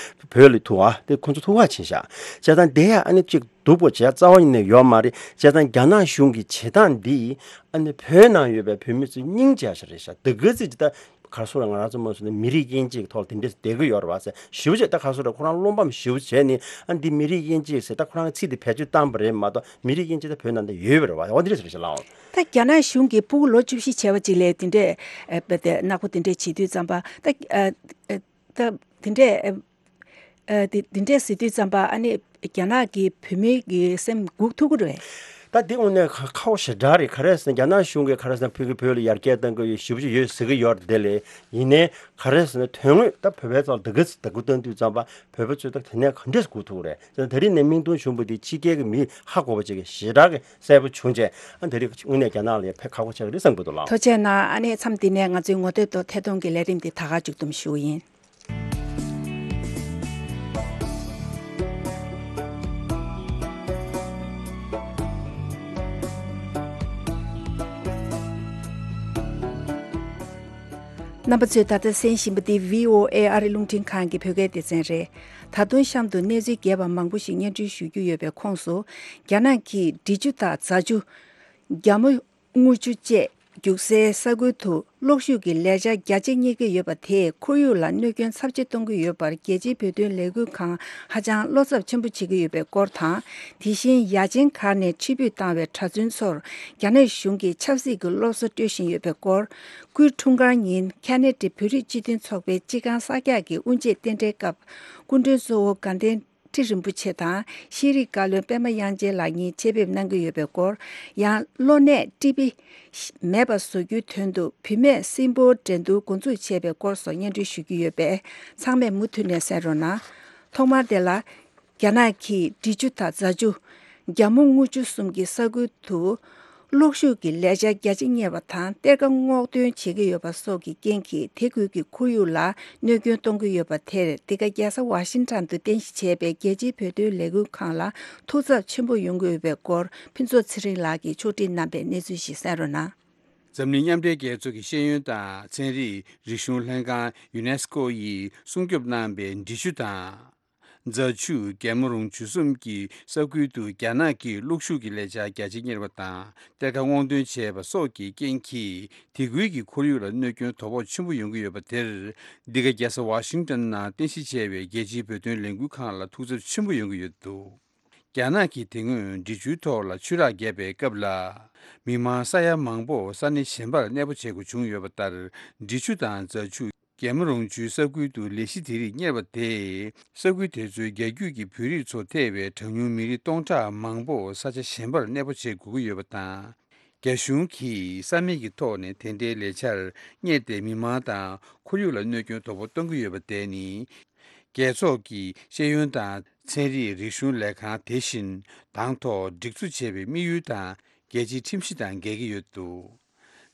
བོད་ལ་ཐུག་པ་དེ་ཁོང་ཚོ་ཐུག་པ་ཕྱིན་ཤག་བྱས་ཙང་དེ་ཡ་ཨ་ནི་གཅིག་སྡུག་པོ་བྱས་རྩ་བ་ཉིད་ནས་ཡོད་མ་རེད། བྱས་ཙང་རྒྱ་ནག་གཞུང་གི་བྱེད་སྟངས་འདིས་ཨ་ནི་བོད་ནང་ཡོད་པའི་བོད་མི་ཚོའི་སྙིང་རྗེ་ཞིག་རེད་ཤག་དེ་ག་ཚོད་ཅིག་ད་ག་རེ་ཟེར་ང་རང་ཚོ་མ་སོང་ན་མི་རིགས་དབྱེ་འབྱེད་ཀྱི་ཐོག་ལ་དེ་འདྲས་བསྡད་ཀྱི་ཡོད་རེད་བ་ཟེར་ཞེ་པོ་ཅིག་ད་ག་རེ་ཟེར་ཁོ་རང་བློ་ཕམ་ཞེ་པོ་བྱས་ནས་ཨ་འདི་མི་རིགས་དབྱེ་འབྱེད་ཟེར་ད་ཁོ་རང་གི་ཚིག་དེ་བེད་སྤྱོད་བཏང་པ་རེད་མ་གཏོགས་མི་རིགས་དབྱེ་འབྱེད་ད་བོད་ནང་ད་ཡོད་པ་རེད་བ། འོ་འདི་འདྲས་ཟེར་ཤག་ལགས། ད་རྒྱ་ནག་གཞུང་གིས་སྤུ་གུ་ལོ་བཅུ་བཞི་བྱས་པ་ཅིག་ལ་དེ་འདྲས་ཨ་ནག་པོ་དེ་འདྲས་བྱེད་དུས་ཙམ་པ་ད་ཨ་ཨ་ད་དེ་འདྲས་ཨ། ཨ་དེ་དེ་འདྲས་ཟེར་དུས་ཙམ་པ་ཨ་ནི་རྒྱ་ནག་གི་བོད་མི་གི་སེམས་འགུག་ཐུབ་ཀྱི་རེད། ད་འདི་དངོས་གནས་ཁག་པོ་ཞེ་དྲག་རེད། ག་རེ་ཟེར་ན་རྒྱ་ནག་གཞུང་གིས་ག་རེ་ཟེར་ན་བོད་ཀྱིས་བོད་ལ་ཡར་རྒྱས་གཏང་གི་ཡོད་ཞེ་པོ་ཅིག་ཡོད་ཟེར་གི་ཡོད་རེད། དེ་ལས་ཡིན་ནའི་ག་རེ་ཟེར་ན་དོན་དངོས་ད་བོད་པའི་ཐོག་ལ་དེ་ག་ཚོད་ད་གུ་བཏང་དུས་ཙམ་པ་བོད་པ་ཚོས་ད་དེ་ནས་ག་འདྲས་སྒུག་ཐུབ་རེད་ཟེར་ན། ད་རིང་ནས་མིང་ཐོ་བྱུང་བ་འདི་ཕྱི་རྒྱལ་གྱི་མི་ཧ་གོ་བ་ཅིག་གིས་ཞེ་དྲག་གི་གསལ་པོ་བྱུང་བྱས། ཨ་ད་རིང་དངོས་གནས་རྒྱ་ནག་ལ་ཡང་ཕན་ཁག་པོ་ཆགས་ཀྱི་རེད་བསམ་གྱི་འདུག་ལགས། ཐུགས་རྗེ་གནང་། ཨ་ནི་མཚམས་འདི་ནས་ང་ཚོའི་ངོ་དེབ་ཐོག་ཐད་གཏོང་གི་ལས་རིམ་འདི་ད་ག་མཇུག་བསྡོམས་ཞུ་གི་ཡིན། རྣམ་པ་ཚོས་ད་ལྟ་གསན་བཞིན་པ་འདི་བྷི་ཨོ་ཨེ་ཨ་རི་རླུང་འཕྲིན་ཁང་གི་བོད་སྐད་སྡེ་ཚན་རེད། ད་དུང་གཤམ་དུ་གནས་ཚུལ་རྒྱས་པ་མང་པོ་ཞིག་སྙན་སྒྲོན་ཞུ་རྒྱུ་ཡོད་པའི་ཁོངས་སུ། རྒྱ་ནག་གིས་འབྲི་ཆུ་དང་རྫ་ཆུ། རྒྱ་མོ། རྔུལ་ཆུ་བཅས་རྒྱུག་སའི་ས་ཁུལ་དུ་གློག་ཤུགས་ཀྱི་ལས་འཆར་རྒྱ་ཆེ་གཉེར་གྱི་ཡོད་པ་དེས་ཁོར་ཡུག་ལ་གནོད་སྐྱོན་ཚབས་ཆེ་གཏོང་གི་ཡོད་པར་རྒྱལ་སྤྱིའི་བོད་དོན་ལས་འགུལ་ཁང་ཧ་ཅང་བློ་འཚབ་ཆེན་པོ་བྱེད་ཀྱི་ཡོད་པའི་སྐོར་དང་། དེ་བཞིན་ཡ་ཆེན་གར་ནས་ཕྱིར་འབུད་བཏང་བའི་གྲྭ་བཙུན་ཚོར་རྒྱ་ནག་གཞུང་གིས་ཆབ་སྲིད་ཀྱི་སློབ་གསོ་སྤྲོད་བཞིན་ཡོད་པའི་སྐོར། སྐུའི་འཁྲུངས་སྐར་ཉིན་ཁེ་ན་ཌའི་བོད་རིགས་སྤྱི་མཐུན་ཚོགས་པའི་སྤྱི་ཁང་གསར་རྒྱག་གི་དབུ་འབྱེད་རྟེན་འབྲེལ་སྐབས་སྐུ་མགྲོན་གཙོ་བོ་དགའ་ལྡན་ཁྲི་རིན་པོ་ཆེ་དང་ཤེས་རིག་བཀའ་བློན་པད་མ་དབྱངས་ཅན་ལགས་གཉིས་ཆེད་ཕེབས་གནང་གི་ཡོད་པའི་སྐོར། ཡང་གློ་ནད་ཀྲི་པི་མེད་པ་བཟོ་རྒྱུའི་དོན་དུ་བུད་མེད་སྲིན་པོའི་འགྲན་བསྡུར་འགོ་འཛུགས་བྱས་པའི་སྐོར་སོགས་སྙན་སྒྲོན་ཞུ་རྒྱུ་ཡོད་པས་ཚང་མས་མུ་མཐུད་ནས་གསན་རོགས་གནང་། ཐོག་མར་དེ་ལ། རྒྱ་ནག་གིས་འབྲི་ཆུ་དང་རྫ་ཆུ། རྒྱ་མོ་རྔུལ་ཆུ་གསུམ་གྱི་ས་ཁུལ་དུ། གློག་ཤུགས་ཀྱི་ལས་འཆར་རྒྱ་ཆེ་གཉེར་བ་དང་གཏེར་ཁ་སྔོག་འདོན་བྱེད་ཀྱི་ཡོད་པ་སོགས་ཀྱི་རྐྱེན་གྱིས་དེ་ཁུལ་གྱི་ཁོར་ཡུག་ལ་གནོད་སྐྱོན་གཏོང་གི་ཡོད་པ་དེར་འདི་ག་རྒྱལ་ས་ཝ་ཤིང་ཊོན་དུ་རྟེན་གཞི་བྱས་པའི་རྒྱལ་སྤྱིའི་བོད་དོན་ལས་འགུལ་ཁང་ལ་ཐུགས་འཚབ་ཆེན་པོ་ཡོང་གི་ཡོད་པའི་སྐོར་ཕུན་ཚོགས་ཚེ་རིང་ལགས་ཀྱིས་ཕྱོགས་སྒྲིག་གནང་པའི་གནས་ཚུལ་ཞིག་གསན་རོགས་གནང་། འཛམ་གླིང་མཉམ་འབྲེལ་རྒྱལ་ཚོགས་ཀྱི་ཤེས་ཡོན་དང་ཚན་རིག་རིག་གཞུང་ལྷན་ཁང་ཡུ་ནེ་སི་ཀོ་ཡིས་སྲུང་སྐྱོབ་གནང་པའི་འབྲི་ཆུ་དང་། རྫ་ཆུ། རྒྱལ་མོ་རོང་ཆུ་གསུམ་གྱི་ས་ཁུལ་དུ་རྒྱ་ནག་གིས་གློག་ཤུགས་ཀྱི་ལས་འཆར་རྒྱ་ཆེ་གཉེར་བ་དང་གཏེར་ཁ་སྔོག་འདོན་བྱས་པ་སོགས་ཀྱི་རྐྱེན་གྱིས་དེ་ཁུལ་གྱི་ཁོར་ཡུག་ལ་གནོད་སྐྱོན་དོ་ཕོག་ཆེན་པོ་ཡོང་གི་ཡོད་པ་དེར། འདི་ག་རྒྱལ་ས་ཝ་ཤིང་ཊོན་ནང་རྟེན་གཞི་བྱས་པའི་རྒྱལ་སྤྱིའི་བོད་དོན་ལས་འགུལ་ཁང་ལ་ཐུགས་འཚབ་ཆེན་པོ་ཡོང་གི་ཡོད་འདུག་རྒྱ་ནག་གིས་དེ་སྔོན་འབྲི་ཆུའི་ཐོག་ལ་ཆུ་རགས་བརྒྱབ་པའི་སྐབས་ལ། མི་མང་ས་ཡ་མང་པོ་ས་གནས་གཞན་པར་གནས་སྤོ་བྱེད་དགོས་བྱུང་ཡོད་པ་ལྟར། འབྲི་ཆུ་དང་རྫ་ཆུ། རྒྱལ་མོ་རོང་ཆུའི་ས་ཁུལ་དུ་ལས་གཞི་དེ་རིགས་གཉེར་བ་དེས། ས་ཁུལ་དེ་ཚོའི་རྒྱ་རྒྱུད་ཀྱི་བོད་རིགས་ཚོ་ཐེ་བའི་གྲངས་ཉུང་མི་རིགས་སྟོང་ཕྲག་མང་པོ་ས་ཆ་གཞན་པར་གནས་སྤོ་བྱེད་དགོས་ཀྱི་ཡོད་པ་དང་། རྒྱ་གཞུང་གིས་ས་མིག་གི་ཐོག་ནས་དེ་འདྲའི་ལས་འཆར་གཉེར་ཏེ་མི་མང་དང་ཁོར་ཡུག་ལ་གནོད་སྐྱོན་དོ་ཕོག་གཏོང་གི་ཡོད་པ་དེ་ནི། རྒྱལ་ཚོགས་ཀྱི་ཤེས་ཡོན་དང་ཚན་རིག་རིག་གཞུང་ལས་ཁང་དེ་བཞིན་དང་ཐོག་སྒྲིག་འཛུགས་བྱས་པའི་དམིགས་ཡུལ་དང་རྒྱལ་སྤྱིའི་ཁྲིམས་གཞི་དང་འགལ་གྱི་ཡོད་འདུག་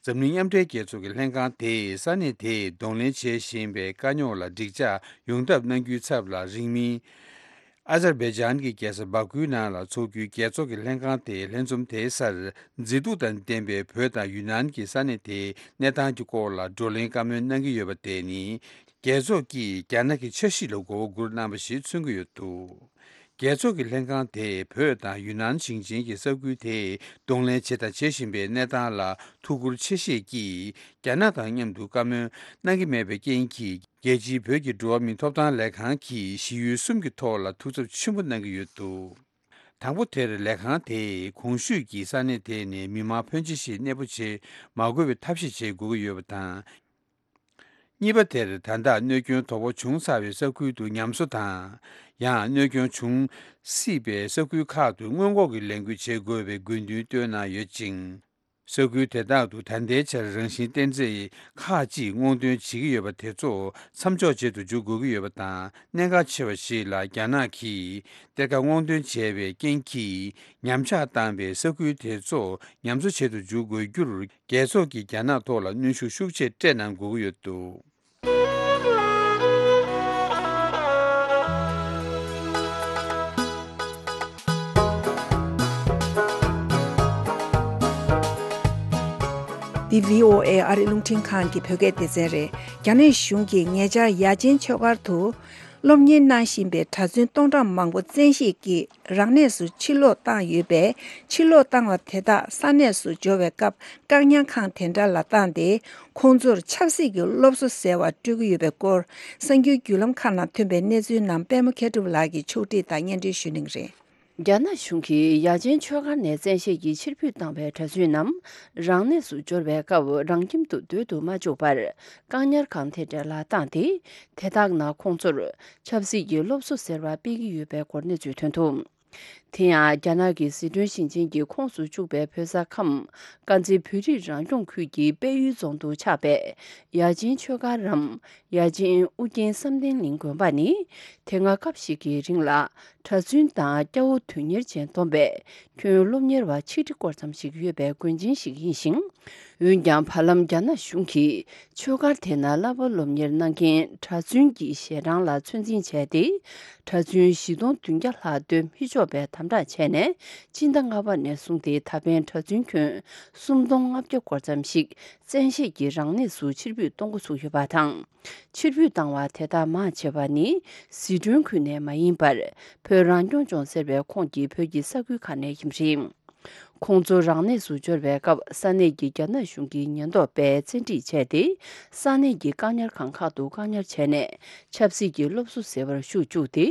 འཛམ་གླིང་མཉམ་འབྲེལ་རྒྱལ་ཚོགས་ཀྱི་ལྷན་ཁང་དེས་ས་གནས་དེས་གདོང་ལེན་བྱེད་བཞིན་པའི་དཀའ་རྙོག་ལ་འགྲིག་འཇགས་ཡོང་ཐབས་གནང་རྒྱུའི་ཚབ་ལ། རིང་མིན། ཨ་ཛར་བྷེ་ཇན་གྱི་རྒྱལ་ས་བྷ་ཁུའི་ནང་ལ་འཚོགས་རྒྱུའི་རྒྱལ་ཚོགས་ཀྱི་ལྷན་ཁང་དེས་ལྷན་འཛོམས་དེའི་སར། མཛེས་སྡུག་དང་ལྡན་པའི་བོད་དང་ཡུན་ནན་གྱི་ས་གནས་དེའི་གནས་སྟངས་ཀྱི་སྐོར་ལ་བགྲོ་གླེང་བཀའ་མོལ་གནང་གི་ཡོད་པ་དེ་ནི། རྒྱལ་ཚོགས་ཀྱིས་རྒྱ་ནག་གི་འཆར་གཞི་ལ་མགོ་བོ་སྒུར་གནང་བ་ཞིག་མཚོན་གྱི་ཡོད་འདུག་རྒྱལ་ཚོགས་ཀྱི་ལྷན་ཁང་དེས་བོད་དང་ཡུན་ནན་ཞིང་ཆེན་གྱི་ས་ཁུལ་དེས་གདོང་ལེན་བྱས་དང་བྱེད་བཞིན་པའི་གནས་སྟངས་ལ་ཐུགས་ཁུར་ཆེ་བཞེས་ཀྱིས། རྒྱ་ནག་དང་མཉམ་དུ་བཀའ་མོལ་གནང་གི་མེད་པའི་རྐྱེན་གྱིས། རྒྱལ་སྤྱིའི་བོད་ཀྱི་འགྲོ་བ་མིའི་ཐོབ་ཐང་ལས་ཁང་གིས་གཞི་ཡུལ་གསུམ་གྱི་ཐོག་ལ་ཐུགས་འཚབ་ཆེན་པོ་གནང་གི་ཡོད་འདུག་དང་པོ་དེར་ལས་ཁང་དེས་གོང་ཞུས་ཀྱི་ས་གནས་དེ་ནས་མི་མང་ཕོན་ཆེ་ཞིག་གནས་སྤོ་བྱེད་མ་དགོས་པའི་ཐབས་ཤེས་བྱེད་དགོས་ཀྱི་ཡོད་པ་དང་། གཉིས་པ་དེར་ད་ལྟ་གནོད་སྐྱོན་དོ་ཕོག་བྱུང་ཚར་བའི་ས་ཁུལ་དུ་ཉམས་གསོ་དང་། ཡང་གནོད་སྐྱོན་བྱུང་སྲིད་པའི་ས་ཁུལ་ཁག་ཏུ་སྔོན་འགོག་གི་ལས་འགུལ་བྱེད་དགོས་པའི་དགོས་འདུན་བཏོན་གནང་ཡོད་ཅིང་། ས་ཁུལ་དེ་དག་ཏུ་ད་ལྟའི་ཆར་རང་བཞིན་རྟེན་རྫས་ཁག་ཅིག་སྔོག་འདོན་བྱེད་ཀྱི་ཡོད་པ་དེ་ཚོ་མཚམས་འཇོག་བྱེད་དུ་འཇུག་དགོས་ཀྱི་ཡོད་པ་དང་། གནད་འགག་ཆེ་བ་ཞིག་ལ་རྒྱ་ནག་གིས་གཏེར་ཁ་སྔོག་འདོན་བྱས་པའི་རྐྱེན་གྱིས་ཉམས་ཆག་བཏང་བའི་ས་ཁུལ་དེ་ཚོ་ཉམས་གསོ་བྱེད་དུ་འཇུག་དགོས་རྒྱུར། རྒྱལ་ཚོགས་ཀྱིས་རྒྱ་ནག་ཐོག་ལ་གནོན་ཤུགས་ཤུགས་ཆེ་སྤྲད་གནང་དགོས་ཀྱི་ཡོད་འདུག་འདི་བྷི་ཨོ་ཨེ་ཨ་རི་རླུང་འཕྲིན་ཁང་གི་བོད་སྐད་སྡེ་ཚན་རེད། རྒྱ་ནག་གཞུང་གིས་ཉེ་ཆར་ཡ་ཆེན་ཆོས་སྒར་དུ། སློབ་གཉེར་གནང་བཞིན་པའི་གྲྭ་བཙུན་སྟོང་ཕྲག་མང་པོ་བཙན་ཤེད་ཀྱིས་རང་གནས་སུ་ཕྱིར་ལོག་བཏང་ཡོད་པས། ཕྱིར་ལོག་བཏང་བ་དེ་དག་ས་གནས་སུ་འབྱོར་བའི་སྐབས་བཀག་ཉར་ཁང་དེ་འདྲ་ལ་བཏང་སྟེ། ཁོང་ཚོར་ཆབ་སྲིད་ཀྱི་སློབ་གསོ་ཟེར་བ་སྤྲོད་ཀྱི་ཡོད་པའི་སྐོར། གསར་འགྱུར་བརྒྱུད་ལམ་ཁག་ནང་ཐོན་པའི་གནས་ཚུལ་རྣམས་པད་མ་མཁས་གྲུབ་ལགས་ཀྱིས་ཕྱོགས་སྒྲིག་དང་སྙན་སྒྲོན་ཞུ་གནང་གི་རེད། རྒྱ་ནག་གཞུང་གིས་ཡ་ཆེན་ཆོས་སྒར་ནས་བཙན་ཤེད་ཀྱིས་ཕྱིར་འབུད་བཏང་བའི་གྲྭ་བཙུན་རྣམས་རང་གནས་སུ་འབྱོར་བའི་སྐབས་རང་ཁྱིམ་དུ་སྡོད་དུ་མ་བཅུག་པར་བཀག་ཉར་ཁང་དེ་འདྲ་ལ་བཏང་སྟེ། དེ་དག་ནང་ཁོང་ཚོར་ཆབ་སྲིད་ཀྱི་སློབ་གསོ་ཟེར་བ་སྤེལ་གྱི་ཡོད་པའི་སྐོར་གནས་ཚུལ་ཐོན་འདུག་དེ་ཡང་རྒྱ་ནག་གི་ཟི་ཁྲོན་ཞིང་ཆེན་གྱི་ཁོངས་སུ་བཅུག་པའི་བོད་ས་ཁམས་དཀར་མཛེས་བོད་རིགས་རང་སྐྱོང་ཁུལ་གྱི་དཔལ་ཡུལ་རྫོང་དུ་ཆགས་པའི་ཡ་ཆེན་ཆོས་སྒར་རམ། ཡ་ཆེན་ཨུ་རྒྱན་བསམ་གཏན་གླིང་དགོན་པ་ནི། དེ་སྔ་སྐབས་ཤིག་གི་རིང་ལ་གྲྭ་བཙུན་དང་སྐྱ་བོ་དོན་གཉེར་ཅན་བསྡོམས་པའི་ཁྱོན་སློབ་གཉེར་བ་ཆིག་ཁྲི་སྐོར་ཙམ་ཞིག་ཡོད་པའི་དགོན་ཆེན་ཞིག་ཡིན་ཞིང་། འོན་ཀྱང་། བར་ལམ་རྒྱ་ནག་གཞུང་གིས་ཆོས་སྒར་དེ་ན་བསླབ་པ་སློབ་གཉེར་གནང་མཁན་གྲྭ་བཙུན་གྱི་ཞལ་གྲངས་ལ་ཚོད་འཛིན་བྱས་ཏེ། གྲྭ་བཙུན་བཞི་སྟོང་བདུན་བརྒྱ་ལྷག་སྡོད་མི་ཆོག་པའི་དམ་དྲག་བྱས་ནས། སྤྱི་ཟླ་ལྔ་པ་ནས་བཟུང་སྟེ་ད་ཕན་གྲྭ་བཙུན་ཁྱོན་སུམ་སྟོང་ལྔ་བརྒྱ་སྐོར་ཙམ་ཞིག་བཙན་ཤེད་ཀྱིས་རང་གནས་སུ་ཕྱིར་འབུད་གཏོང་འགོ་ཚུགས་ཡོད་པ་དང་། ཕྱིར་འབུད་བཏང་བ་དེ་དག་མང་ཆེ་བ་ནི་ཟི་ཁྲོན་ཁུལ་ནས་མ་ཡིན་པར། བོད་རང་སྐྱོང་ལྗོངས་ཟེར་བའི་ཁོངས་ཀྱི་བོད་ཀྱི་ས་ཁུལ་ཁག་ནས་ཡིན་པ་རེད། ཁོང་ཚོ་རང་གནས་སུ་འབྱོར་བའི་སྐབས། ས་གནས་ཀྱི་རྒྱ་ནག་གཞུང་གི་ཉེན་རྟོག་པས་བཙན་ཁྲིད་བྱས་ཏེ། ས་གནས་ཀྱི་བཀག་ཉར་ཁང་ཁག་ཏུ་བཀག་ཉར་བྱས་ནས། ཆབ་སྲིད་ཀྱི་སློབ་གསོ་ཟེར་བར་ཞུགས་བཅུག་སྟེ།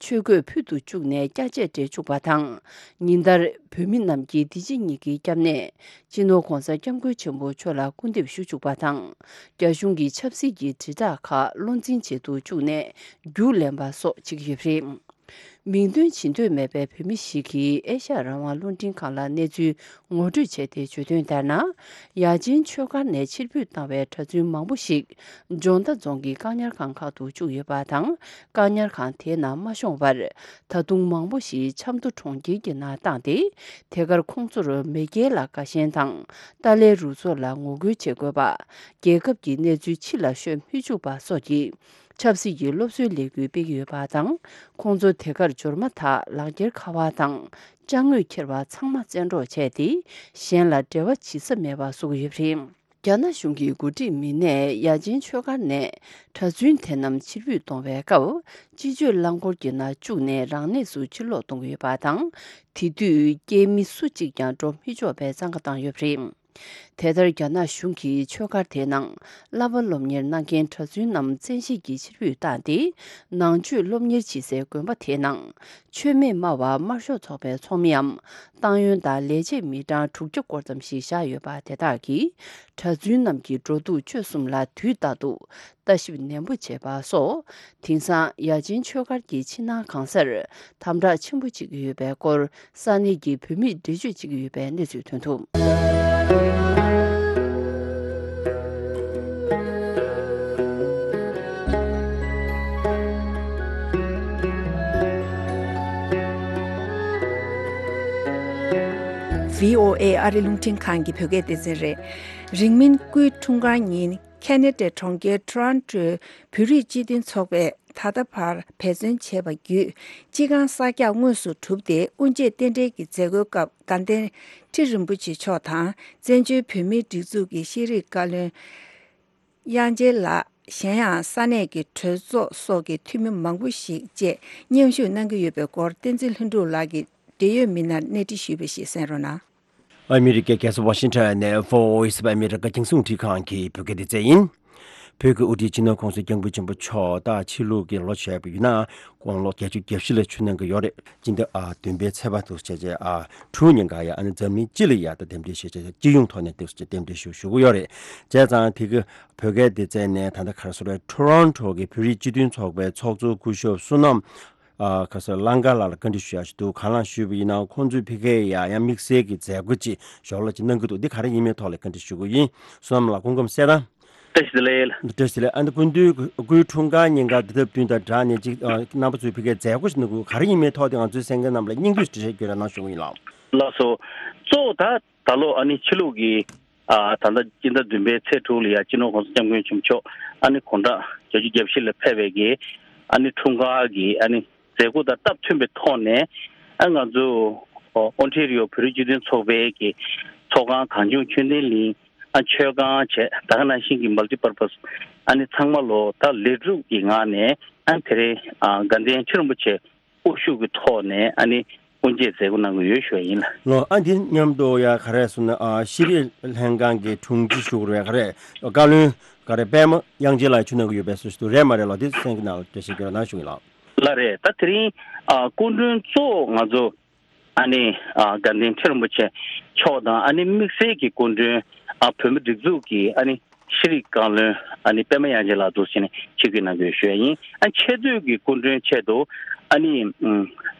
ཆོས་གོས་ཕུད་དུ་བཅུག་ནས་སྐྱ་ཆས་སྤྲས་བཅུག་པ་དང་། ཉིན་ལྟར་བོད་མི་རྣམས་ཀྱིས་འདི་ཕྱི་གཉིས་ཀྱི་སྐྱབས་གནས། སྤྱི་ནོར་༧གོང་ས་༧སྐྱབས་མགོན་ཆེན་པོ་མཆོག་ལ་སྐུར་འདེབས་ཞུ་བཅུག་པ་དང་། རྒྱ་གཞུང་གི་ཆབ་སྲིད་ཀྱི་དྲིལ་བསྒྲགས་ཁག་བློ་འཛིན་བྱེད་དུ་བཅུག་ནས། རྒྱུགས་ལེན་པ་སོགས་བྱེད་ཀྱི་ཡོད་པ་རེད། མིང་འདོན་བྱེད་འདོད་མེད་པའི་བོད་མི་ཞིག་གིས་ཨེ་ཤ་ཡ་རང་དབང་རླུང་འཕྲིན་ཁང་ལ་གནས་ཚུལ་ངོ་སྤྲོད་བྱས་ཏེ། བརྗོད་དོན་ལྟར་ན། ཡ་ཆེན་ཆོས་སྒར་ནས་ཕྱིར་འབུད་བཏང་བའི་གྲྭ་བཙུན་མང་པོ་ཞིག་འཇོ་མདའ་རྫོང་གི་བཀག་ཉར་ཁང་ཁག་ཏུ་བཅུག་ཡོད་པ་དང་། བཀག་ཉར་ཁང་དེའི་ནང་མ་ཤོང་བར། ད་དུང་མང་པོ་ཞིག་ཆབ་མདོ་གྲོང་ཁྱེར་གྱི་ནང་བཏང་སྟེ། དེ་གར་ཁོང་ཚོར་མེས་རྒྱལ་ལ་དགའ་ཞེན་དང་། ཏཱ་ལའི་རུ་ཚོགས་ལ་ངོ་རྒོལ་བྱེད་དགོས་པ། རྒྱལ་ཁབ་ཀྱི་གནས་ཚུལ་ཕྱི་ལ་ཤོད་མི་བཅུག་པ་སོགས་ཀྱི་ཆབ་སྲིད་ཀྱི་སློབ་གསོའི་ལས་འགུལ་སྤེལ་གྱི་ཡོད་པ་དང་། ཁོང་ཚོ་དེ་གར་འབྱོར་མ་ཐག་ལག་འཁྱེར་ཁ་པར་དང་ཅ་དངོས་འཁྱེར་བ་ཚང་མ་བཙན་འཕྲོག་བྱས་ཏེ། གཞན་ལ་འབྲེལ་བ་བྱེད་ས་མེད་པ་བཟོ་གི་ཡོད་པ་རེད། རྒྱ་ནག་གཞུང་གི་འགོ་ཁྲིད་མི་སྣས་ཡ་ཆེན་ཆོས་སྒར་ནས་གྲྭ་བཙུན་དེ་རྣམས་ཕྱིར་འབུད་གཏོང་བའི་སྐབས། སྤྱི་སྤྱོད་རླངས་འཁོར་གྱི་ནང་བཅུག་ནས་རང་གནས་སུ་ཕྱིར་ལོག་གཏོང་གི་ཡོད་པ་དང་། དེ་དུས་སྐྱེས་མི་སུ་གཅིག་ཀྱང་འགྲོ་མི་ཆོག་པའི་བཙན་བཀའ་བཏང་ཡོད་པ་རེད། དེ་ལྟར། རྒྱ་ནག་གཞུང་གིས་ཆོས་སྒར་དེའི་ནང་བསླབ་པ་སློབ་གཉེར་གནང་མཁན་གྲྭ་བཙུན་རྣམས་བཙན་ཤེད་ཀྱིས་ཕྱིར་འབུད་བཏང་སྟེ། ནང་ཆོས་སློབ་གཉེར་བྱེད་སའི་དགོན་པ་དེའི་ནང་། ཆོས་མེད་སྨྲ་བ་དམར་ཤོག་ཚོགས་པའི་ཚོགས་མིའམ། ཏང་ཡོན་དང་ལས་བྱེད་མི་གྲངས་དྲུག་བརྒྱ་སྐོར་ཙམ་ཞིག་བཞག་ཡོད་པ་དེ་དག་གིས། གྲྭ་བཙུན་རྣམས་ཀྱི་འགྲོ་འདུག་སྤྱོད་གསུམ་ལ་དུས་རྟག་ཏུ་ལྟ་ཞིབ་ནན་པོ་བྱེད་པ་སོགས། དེང་སང་ཡ་ཆེན་ཆོས་སྒར་གྱི་ཕྱི་ནང་གང་སར་དམ་དྲག་ཆེན་པོ་བྱེད་ཀྱི་ཡོད་པའི་སྐོར། ས་གནས་ཀྱི་བོད་མིས་འགྲེལ་བརྗོད་བྱེད་ཀྱི་ཡོད་པའི་གནས་ཚུལ་ཐོན་འདུག། བྷི་ཨོ་ཨེ་ཨ་རི་རླུང་འཕྲིན་ཁང་གི་བོད་སྐད་སྡེ་ཚན་རེད། རིང་མིན་སྐུའི་འཁྲུངས་སྐར་ཉིན། ཁེ་ན་ཌའི་གྲོང་ཁྱེར་ཊོ་རོན་ཊོའི་བོད་རིགས་སྤྱི་མཐུན་ཚོགས་པས་ད་ལྟ་བར་འབད་བརྩོན་བྱས་པ་བརྒྱུད། སྤྱི་ཁང་གསར་རྒྱག་དངོས་སུ་གྲུབ་སྟེ། དབུ་འབྱེད་རྟེན་འབྲེལ་གྱི་མཛད་སྒོའི་སྐབས། དགའ་ལྡན་ཁྲི་རིན་པོ་ཆེ་མཆོག་དང་། བཙན་བྱོལ་བོད་མིའི་སྒྲིག་འཛུགས་ཀྱི་ཤེས་རིག་བཀའ་བློན་དབྱངས་ཅན་ལགས། གཞན་ཡང་ས་གནས་ཀྱི་གྲོས་ཚོགས་སོགས་ཀྱི་འཐུས་མི་མང་པོ་ཞིག་བཅས་མཉམ་ཞུགས་གནང་གི་ཡོད་པའི་སྐོར། བསྟན་འཛིན་ལྷུན་གྲུབ་ལགས་ཀྱིས་འབྲེལ་ཡོད་མི་སྣར་གནས་འདྲི་ཞུས་པ་ཞིག་གསན་རོགས་གནང་། ཨ་མི་རི་ཀའི་རྒྱལ་ས་ཝ་ཤིང་ཊོན་ནས་Voice of America རྒྱང་སྲིང་རླུང་འཕྲིན་ཁང་གི་བོད་སྐད་སྡེ་ཚན་ཡིན། བོད་ཀྱི་དབུ་ཁྲིད་སྤྱི་ནོར་༧གོང་ས་༧སྐྱབས་མགོན་ཆེན་པོ་མཆོག་ད་ཕྱི་ལུགས་ཀྱི་ལོ་བྱས་པ་ཡིན་ན་དགུང་ལོ་བརྒྱད་ཅུ་གྱ་བཞི་ལ་ཆོས་གནང་གི་ཡོད་རེད། སྤྱི་ཟླ་ཨ་བདུན་པའི་ཚེས་པ་དུ་བྱས་རྗེས་ཨ་དྲུག་ཉིན་ཀ་ཡ་ཨ་ནི་འཛམ་གླིང་སྤྱི་ལ་ཡ་ད་རྟེན་འབྲེལ་ཞུ་བྱས་སྤྱི་ཡོངས་ཐོག་ནས་དེ་རྟེན་འབྲེལ་ཞུ་ཞུ་གི་ཡོད་རེད། བྱས་ཙང་དེ་གི་བོད་སྐད་སྡེ་ཚན་ནས་ད་ལྟ་ག་རེ་ཟེར་རེད། ཊོ་རོན་ཊོ་གི་བོད་རིགས་སྤྱི་མཐུན་ཚོགས་པའི་ཚོགས་གཙོ་སྐུ་ཞབས་བསོད་ནམས། ཨ་ཁ་སང་ལང་ཀ་ལགས་ལ་བཀའ་འདྲི་ཞུ་ཡག་ཞིག་འདུག། གང་ལགས་ཞུས་པ་ཡིན་ན་ཁོང་ཚོས་ཕ་གིར་ཡ་ཡང་དམིགས་བསལ་གྱི་མཛད་སྒོ་ཅིག་ཞོར་ལ་ཅིག་གནང་གི་འདུག། འདི་ག་རེ་ཡིན་མིན་ཐོག་ལ་བཀའ་འདྲི་ཞུ་གི་ཡིན། བསོད་ནམས་ལགས་སྐུ་ཁམས་གསལ་ཐང་། བཀྲ་ཤིས་བདེ་ལེགས། བཀྲ་ཤིས་བདེ་ལེགས། ཨ་ནི་སྐུ་མདུན་སྐུའི་འཁྲུངས་སྐར་ཉིན་ཀ་འདི་ལྟར་བསྟུན་དང་སྦྲགས་ནས་ཅིག་ཨ་རྣམ་པ་ཚོས་ཕ་གིར་མཛད་སྒོ་ཞིག་གནང་གི་འདུག། ག་རེ་ཡིན་མིན་ཐོག་དེ་ང་ཚོའི་གསན་མཁན་རྣམས་ལ་སྙིང་བསྡུས་ཤིག་བཀྲ་ཤིས་བདེ་ལེགས་གནང་ཞུ་གི་ཡིན་ལགས། ལགས་སོ། གཙོ་བོ་ད་ད་ལོ་ཨ་ནི་ཕྱི་ལུགས་ཀྱི་ཨ་ད་ལྟ་སྤྱི་ཟླ་བདུན་པའི་ཚེས་དྲུག་ལ་ཡ་སྤྱི་ནོར་༧གོང་ས་༧སྐྱབས་མགོན་ཆེན་པོ་མཆོག་ཨ་ནི་དགུང་གྲངས་བརྒྱད་ཅུ་གྱ་བཞི་ལ་ཕེབས་པའི་གི་ཨ་ནི་འཁྲུངས་སྐར་གྱི་ཨ་ནི་མཛད་སྒོ་དང་སྟབས་མཐུན་པའི་ཐོག་ནས། ཨ་ང་ཚོ་ཨོ་ཨོན་ཊེ་རི་ཡོ་བོད་རིགས་སྤྱི་མཐུན་ཚོགས་པའི་གི་ཚོགས་ཁང་གངས་ལྗོངས་ཆོས་ལྡན་གླིང་ཨ་མཆོད་ཁང་བཅས་ད་ག་ནང་བཞིན་གྱི་མལ་ཊི་པར་པ་སི་ཨ་ནི་ཚང་མ་ལོ་ད་ལས་སྒྲུབ་ཀྱི་ངང་ནས་ཨ་དེ་རིང་ཨ་དགའ་ལྡན་ཁྲི་རིན་པོ་ཆེ་དབུ་བཞུགས་ཀྱི་ཐོག་ནས་ཨ་ནི་དབུ་འབྱེད་མཛད་སྒོ་གནང་གི་ཡོད་ཞུ་བ་ཡིན་ལགས། ལགས། ཨ་འདི་མཉམ་དུ་ཡ་ག་རེ་ཟེར་ན་ཨ་ཤེས་རིག་ལྷན་ཁང་གི་དྲུང་ཆེ་ཞུ་དགོས་རེད། ག་རེ་བཀའ་བློན་ག་རེ་པད་མ་དབྱངས་ཅན་ལགས་ཞུ་གནང་གི་ཡོད་པའི་སྲོལ་ཞིག་འདུག། རེད་མ་རེད་ལགས། འདི་གསན་གྱི་ནང་ལ་འགྲེལ་བཤད་རྒྱག་རོགས་གནང་ཞུ་གི་ལགས། ལགས་རེད། ད་དེ་རིང་ཨ་སྐུ་མགྲོན་གཙོ་བོ་ང་ཚོ་ཨ་ནི་ཨ་དགའ་ལྡན་ཁྲི་རིན་པོ་ཆེ་མཆོག་དང་ཨ་ནི་དམིགས་བསལ་གྱི་སྐུ་མགྲོན་ཨ་བོད་མི་སྒྲིག་འཛུགས་ཀྱི་ཨ་ནི་ཤེས་རིག་བཀའ་བློན་ཨ་ནི་པད་མ་དབྱངས་ཅན་ལགས་འདུག་ཟེར་ནས་ཆིབས་བསྒྱུར་གནང་གི་ཡོད་ཞུ་ཡ་ཡིན། ཨ་ཆེ་བསྟོད་ཀྱི་སྐུ་མགྲོན་ཆེད་དུ་ཨ་ནི་ཨ་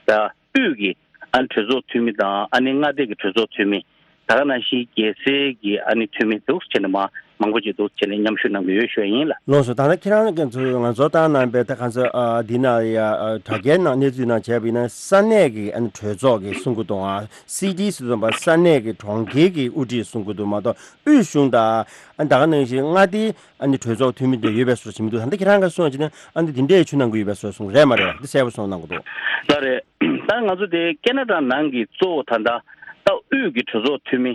ད་ དབུས་ཀྱི་ཨ་ནི་གྲོས་ཚོགས་འཐུས་མི་དང་ཨ་ནི་མངའ་སྡེ་གི་གྲོས་ཚོགས་འཐུས་མི། ད་ག་ནང་བཞིན་རྒྱལ་སའི་གི་ཨ་ནི་འཐུས་མི་འདུག་བྱས་ནས་མ་མང་པོ་ཅིག་འདུག་བྱས་ནས་མཉམ་ཞུགས་གནང་གི་ཡོད་ཞུ་ཡ་ཡིན་ལ། ལགས་སོ། ད་ལྟ་ཁྱེད་རང་གིས་ཚོ་ང་ཚོ་བཏང་གནང་པའི་ད་གང་ཚོ་ཨ་འདི་ན་ཡ་ཨ་དྲ་རྒྱའི་ནང་གནས་ཚུལ་ནང་བྱས་པ་ཡིན་ན་ས་གནས་ཀྱི་ཨ་ནི་གྲོས་ཚོགས་ཀྱི་གསུང་གི་འདུག་ཨ་སི་ཊི་ཟེར་བ་ས་གནས་ཀྱི་གྲོང་ཁྱེར་གྱི་དབུ་ཁྲིད་གསུང་གི་འདུག་མ་གཏོགས་དབུས་གཞུང་དང་ཨ་ད་ག་ནང་བཞིན་མངའ་སྡེའི་ཨ་ནི་གྲོས་ཚོགས་འཐུས་མི་དེ་ཡོད་པའི་བཟོ་ཞིག་མི་འདུག་ད་ལྟ་ཁྱེད་རང་གིས་གསུངས་ཡ་ཅིག་ན་ཨ་ནི་འདི་འདྲས་ཆུ་ནང་གི་ཡོད་པའི་བཟོ་གསུང་རེད་མ་རེད་འདི་གསལ་པོ་གསུངས་གནང་གི་འདུག་ལགས་རེད། ད་ང་ཚོ་དེ་ཁེ་ན་ཌ་ནང་གི་གཙོ་བོ་ད་ལྟ་ད་དབུས་ཀྱི་གྲོས་ཚོགས་འཐུས་མི་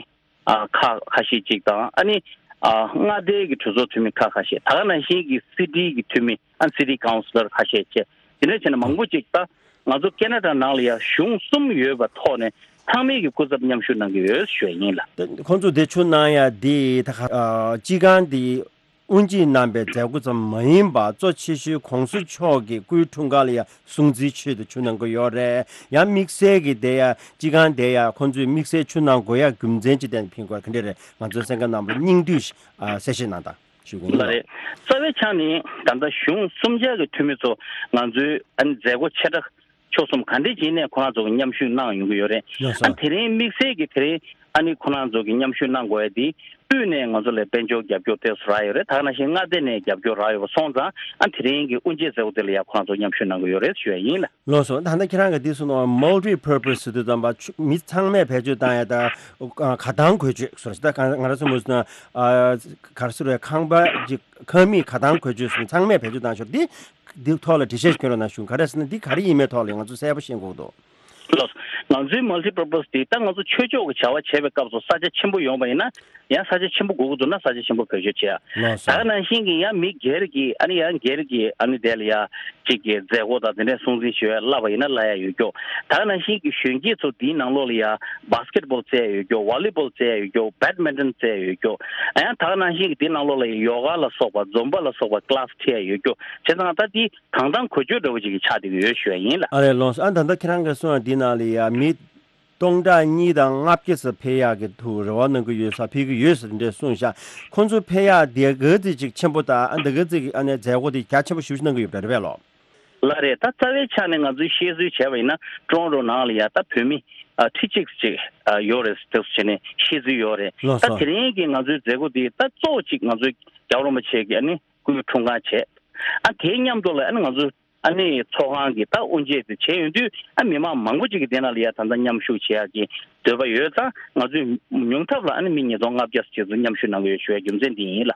ཨ་ཁག་ཁ་ཤས་ཅིག་དང་ཨ་ནི་ཨ་མངའ་སྡེའི་གི་གྲོས་ཚོགས་འཐུས་མི་ཁག་ཁ་ཤས་ད་ག་ནང་བཞིན་གྱི་སི་ཊི་གི་འཐུས་མི་ཨ་སི་ཊི་ཀའུན་སི་ལར་ཁ་ཤས་བཅས་དེ་འདྲ་བྱས་ནས་མང་པོ་ཅིག་ད་ང་ཚོ་ཁེ་ན་ཌ་ནང་ལ་ཡ་གཞུང་གསུམ་ཡོད་པ་ཐོག་ནས་ཚང་མས་ཀྱི་སྐུ་ཚབ་མཉམ་ཞུགས་གནང་གི་ཡོད་ཞུ་ཡ་ཡིན་ལ། ད་ཁོང་ཚོ་དེ་ཆུ་གནང་ཡ་དེ་ད་ག་ཨ་སྤྱི་ཁང་དེ་དབུ་འབྱེད་གནང་པའི་མཛད་སྒོ་ཙམ་མ་ཡིན་པར་གཙོ་ཆེ་ཤོས་༸གོང་ས་མཆོག་གི་སྐུའི་འཁྲུངས་སྐར་ལ་ཡང་སྲུང་བརྩིའི་ཆེད་དུ་ཆུ་གནང་གི་ཡོད་རེད། ཡང་དམིགས་བསལ་གྱི་དེ་ཡང་སྤྱི་ཁང་དེ་ཡང་ཁོང་ཚོས་དམིགས་བསལ་ཆུ་གནང་དགོས་ཡ་རྒྱུ་མཚན་ཅི་བསྟན་ཕིང་གོ་ག་འདྲ་རེད། ང་ཚོའི་གསན་མཁན་རྣམས་ལ་སྙིང་བསྡུས་ཤིག་ཨ་གསལ་བཤད་གནང་དང་ཞུ་གི་ཡིན་ལགས་ལགས། རེད། རྩ་བའི་ཆ་ནས་ད་ལྟ་གཞུང་གསུམ་ཆར་གྱི་འཐུས་མི་ཚོ་ང་ཚོའི་ཨ་ནི་མཛད་སྒོ་ཆེ་ཕྲ་ཕྱོགས་གསུམ་ག་འདྲས་ཅིག་ནས་ཁོ་རང་ཚོ་གི་མཉམ་ཞུགས་གནང་ཡོང་གི་ཡོད་རེད། ཡོད་ས། ཨ་དེ་རིང་དམིགས་བསལ་གྱི་དེ་རིང་ཨ་ནི་ཁོ་རང་ཚོ་གི་མཉམ་ཞུགས་གནང་དགོས་ཡ་དེ་དབུས་ནས་ང་ཚོ་ལ་དཔལ་འབྱོར་རྒྱབ་སྐྱོར་དེ་ཚོ་རག་ཡོད་རེད། ད་ག་ནང་བཞིན་མངའ་སྡེ་ནས་རྒྱབ་སྐྱོར་རག་ཡོད་པ་སོང་ཙང་ཨ་དེ་རིང་གི་དབུ་འབྱེད་མཛད་སྒོ་དེ་ལ་ཡ་ཁོ་རང་ཚོ་མཉམ་ཞུགས་གནང་གི་ཡོད་རེད་ཞུ་ཡ་ཡིན་ལ། ལགས་སོ། ད་ལྟ་ཁྱེད་རང་གིས་འདི་གསུངས་ནོ་མལ་ཊི་པར་པོ་སི་ཟེར་དུས་ཙམ་པ་ཆུ་མི་ཚང་མས་བེད་སྤྱོད་བཏང་ཡ་ད་ཨ་ག་དང་གོས་ཆོད་ཟེར་ད་ག་ང་རང་ཚོ་མོས་སུ་ན་ཨ་ག་རེ་ཟེར་བའི་ཁང་པ་ཅིག་ཁང་མིག་ག་དང་གོས་ཆོད་སོང་ཚང་མས་བེད་སྤྱོད་བཏང་ཤོར་འདི་འདི་ཐོག་ལ་འགྲེལ་བཤད་ཞིག་སྐྱོན་རོགས་གནང་ཞུ། ག་རེ་ཟེར་ན་འདི་ག་རེ་ཡིན་མེད་ཐོག་ལ་ང་ཚོ་གསལ་པོ་ཤེས་དགོས་འདུག་ལགས། ང་ཚོའི་མལ་ཊི་པར་པོ་སི་དེ་ད་ང་ཚོ་ཆོས་ཕྱོགས་ཀྱི་བྱ་བ་བྱེད་པའི་སྐབས་སུ་ས་ཆ་ཆེན་པོ་ཡོང་པ་ཡིན་ན་ཡང་ས་ཆ་ཆེན་པོ་དགོས་ཀྱི་འདུག་ན་ས་ཆ་ཆེན་པོ་བེད་སྤྱོད་བྱེད་ཡ། ལགས་སོ། ད་ག་ནང་བཞིན་གྱི་ཡང་མི་སྒེར་གྱི་ཨ་ནི་ཡང་སྒེར་གྱི་ཨ་ནི་དེ་ལ་ཡ་གཅིག་གི་མཛད་སྒོ་དང་དེ་འདྲའི་སྲུང་བརྩི་ཞུ་ཡ་བསླབ་པ་ཡིན་ན་བསླབ་ཡ་ཡོད་ཀྱོག་ད་ག་ནང་བཞིན་གྱི་གཞོན་སྐྱེས་ཚོ་དེའི་ནང་ལོགས་ལ་ཡ་བྷ་སི་ཀེ་ཊི་བྷོལ་རྩེ་ཡ་ཡོད་ཀྱོག་ཝོ་ལི་བྷོལ་རྩེ་ཡ་ཡོད་ཀྱོག་བྷེ་ཌི་མིན་ཊོན་རྩེ་ཡ་ཡོད་ཀྱོག་ཨ་ཡང་ད་ག་ནང་བཞིན་གྱི་དེའི་ནང་ལོགས་ལ་ཡ་ཡོ་ག་ལ་སོགས་པ་ཛོམ་བྷ་ལ་སོགས་པ་ཀི་ལ་སི་ཁྲིད་ཡ་ཡོད་ཀྱོག་བྱས་ཙང་ད་དེ་གང་དང་གོ་ཆོད་འདྲ་བོ་ཅིག་གི་ཆགས་བསྡད་ཀྱི་ཡོད་ཞུ་ཡ་ཡིན་ལ། ཨ་རེ་ལོངས་སུ་ཨ་ད་ལྟ་ཁྱེད་རང་གིས་གསུངས་པ་འདི་ནང་ལ་ཡ་མི་སྟོང་ཕྲག་གཉིས་དང་ལྔ་བརྒྱ་ཙམ་ཕེབས་ཡག་གི་ཐུགས་རེ་བ་གནང་གི་ཡོད་ས་ཕེབས་ཀྱི་ཡོད་ས་འདྲ་གསུངས་ཤག་ཁོང་ཚོ་ཕེབས་ཡག་དེ་ག་ཚོད་ཅིག་ཆེན་པོ་དང་ཨ་འདི་ག་ཚོད་ཀྱི་ཨ་ནི་མཛད་སྒོ་དེ་རྒྱ་ཆེན་པོ་ཞེ་པོ་ཅིག་གནང་གི་ཡོད་པ་རེད་པས་ལོ། ལགས་རེད། ད་རྩ་བའི་ཆ་ནས་ང་ཚོས་བཤད་ཚུལ་བྱས་པ་ཡིན་ན་ཀྲོན་རོ་ནང་ལ་ཡ་ད་བོད་མི་ཨ་ཁྲི་གཅིག་ཅིག་ཨ་ཡོད་རེད་ཟེར་བྱས་ནས་བཤད་ཚུལ་ཡོད་རེད། ལགས་སོ། ད་དེ་རིང་གི་ང་ཚོའི་མཛད་སྒོ་དེ་ད་གཙོ་བོ་ཅིག་ང་ཚོའི་རྒྱལ་བ་རིན་པོ་ཆེ་གི་ཨ་ནི་སྐུའི་འཁྲུངས་སྐར་བྱས། ཨ་དེའི་མཉམ་དུ་ལ་ཨ་ནི་ང་ཚོ་ཨ་ནི་ཚོགས་ཁང་གི་ད་དབུ་འབྱེད་དེ་བྱས་ཡོང་དུས་ཨ་མི་མང་མང་པོ་ཅིག་གི་དེ་ནང་ལ་ཡ་ད་ལྟ་མཉམ་ཞུགས་བྱེད་ཡག་གི་འདོད་པ་ཡོད་ཙང་ང་ཚོས་ཉུང་མཐའ་ལ་ཨ་ནི་མི་ཉིས་སྟོང་ལྔ་བརྒྱ་ཙམ་ཅིག་ཚོ་མཉམ་ཞུགས་གནང་གི་ཡོད་ཞུ་བའི་རྒྱུ་མཚན་འདི་ཡིན་ལ།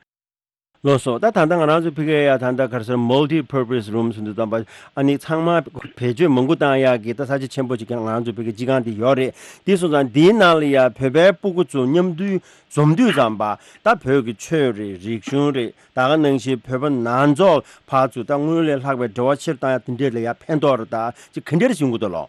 ལགས་སོ། ད་ད་ལྟ་ང་རང་ཚོ་ཕ་གིར་ཡ་ད་ལྟ་ག་རེ་ཟེར་མལ་ཊི་པར་པོ་སི་རུམ་ཟེར་དུས་ཙམ་པ་ཨ་ནི་ཚང་མ་བེད་སྤྱོད་མང་པོ་བཏང་ཡག་གི་ད་ས་ཆ་ཆེན་པོ་ཅིག་ང་རང་ཚོ་ཕ་གིར་སྤྱི་ཁང་འདི་ཡོད་རེད། དེ་སོང་ཙང་འདིའི་ནང་ལ་ཡ་བོད་པའི་སྤུ་གུ་ཚོ་མཉམ་དུ་འཛོམས་དུས་ཙམ་པ་ད་བོད་ཀྱི་ཆོས་རེད། རིག་གཞུང་རེད། ད་ག་ནང་བཞིན་བོད་པ་ནང་ཚོགས་བར་དུ་ད་སྔོན་ལས་ལྷག་པའི་འབྲེལ་བ་ཆེར་བཏང་ཡ་དེ་འདྲས་ལ་ཡ་ཕན་ཐོགས་རེད། ད་ཅིག་ག་འདྲས་བྱུང་གི་འདུག་ལོ།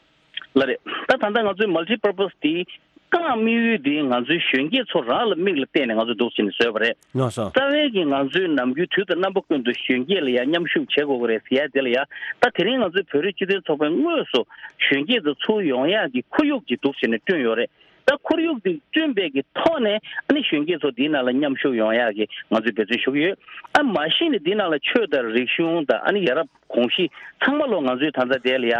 ལགས་རེད། ད་ད་ལྟ་ང་ཚོའི་མལ་ཊི་པར་པོ་སི་དེའི་རྐང་དམིགས་ཡུལ་དེ་ང་ཚོའི་གཞོན་སྐྱེས་ཚོ་རང་ལ་མིག་ལ་བལྟས་ནས་ང་ཚོས་འདུག་བྱས་ནས་བཟོས་པ་རེད། ལགས་སོ། རྩ་བའི་གི་ང་ཚོའི་ནམ་རྒྱུན་དུས་དང་རྣམ་པ་ཀུན་ཏུ་གཞོན་སྐྱེས་ལ་ཡང་མཉམ་ཞུགས་བྱེད་དགོས་ཀྱི་རེད་ཟེར་ཡ་དེ་ལ་ཡ་ད་དེ་རིང་ང་ཚོའི་བོད་རིགས་སྤྱི་མཐུན་ཚོགས་པའི་དངོས་སུ་གཞོན་སྐྱེས་ཚོ་ཚུར་ཡོང་ཡག་གི་ཁོར་ཡུག་ཅིག་འདུག་བྱས་ནས་བསྐྲུན་ཡོད་རེད། ད་ཁོར་ཡུག་དེ་བསྐྲུན་པའི་གི་ཐོག་ནས་ཨ་ནི་གཞོན་སྐྱེས་ཚོ་འདིའི་ནང་ལ་མཉམ་ཞུགས་ཡོང་ཡག་གི་ང་ཚོས་འབད་བརྩོན་ཞུ་གི་ཡོད། ཨ་མ་གཞི་ནས་འདི་ནང་ལ་ཆོས་དང་རིག་གཞུང་དང་ཨ་ནི་ཡ་རབས་གོམས་གཤིས་ཚང་མ་ལོ་ང་ཚོའི་ད་ལྟ་དེ་ལ་ཡ་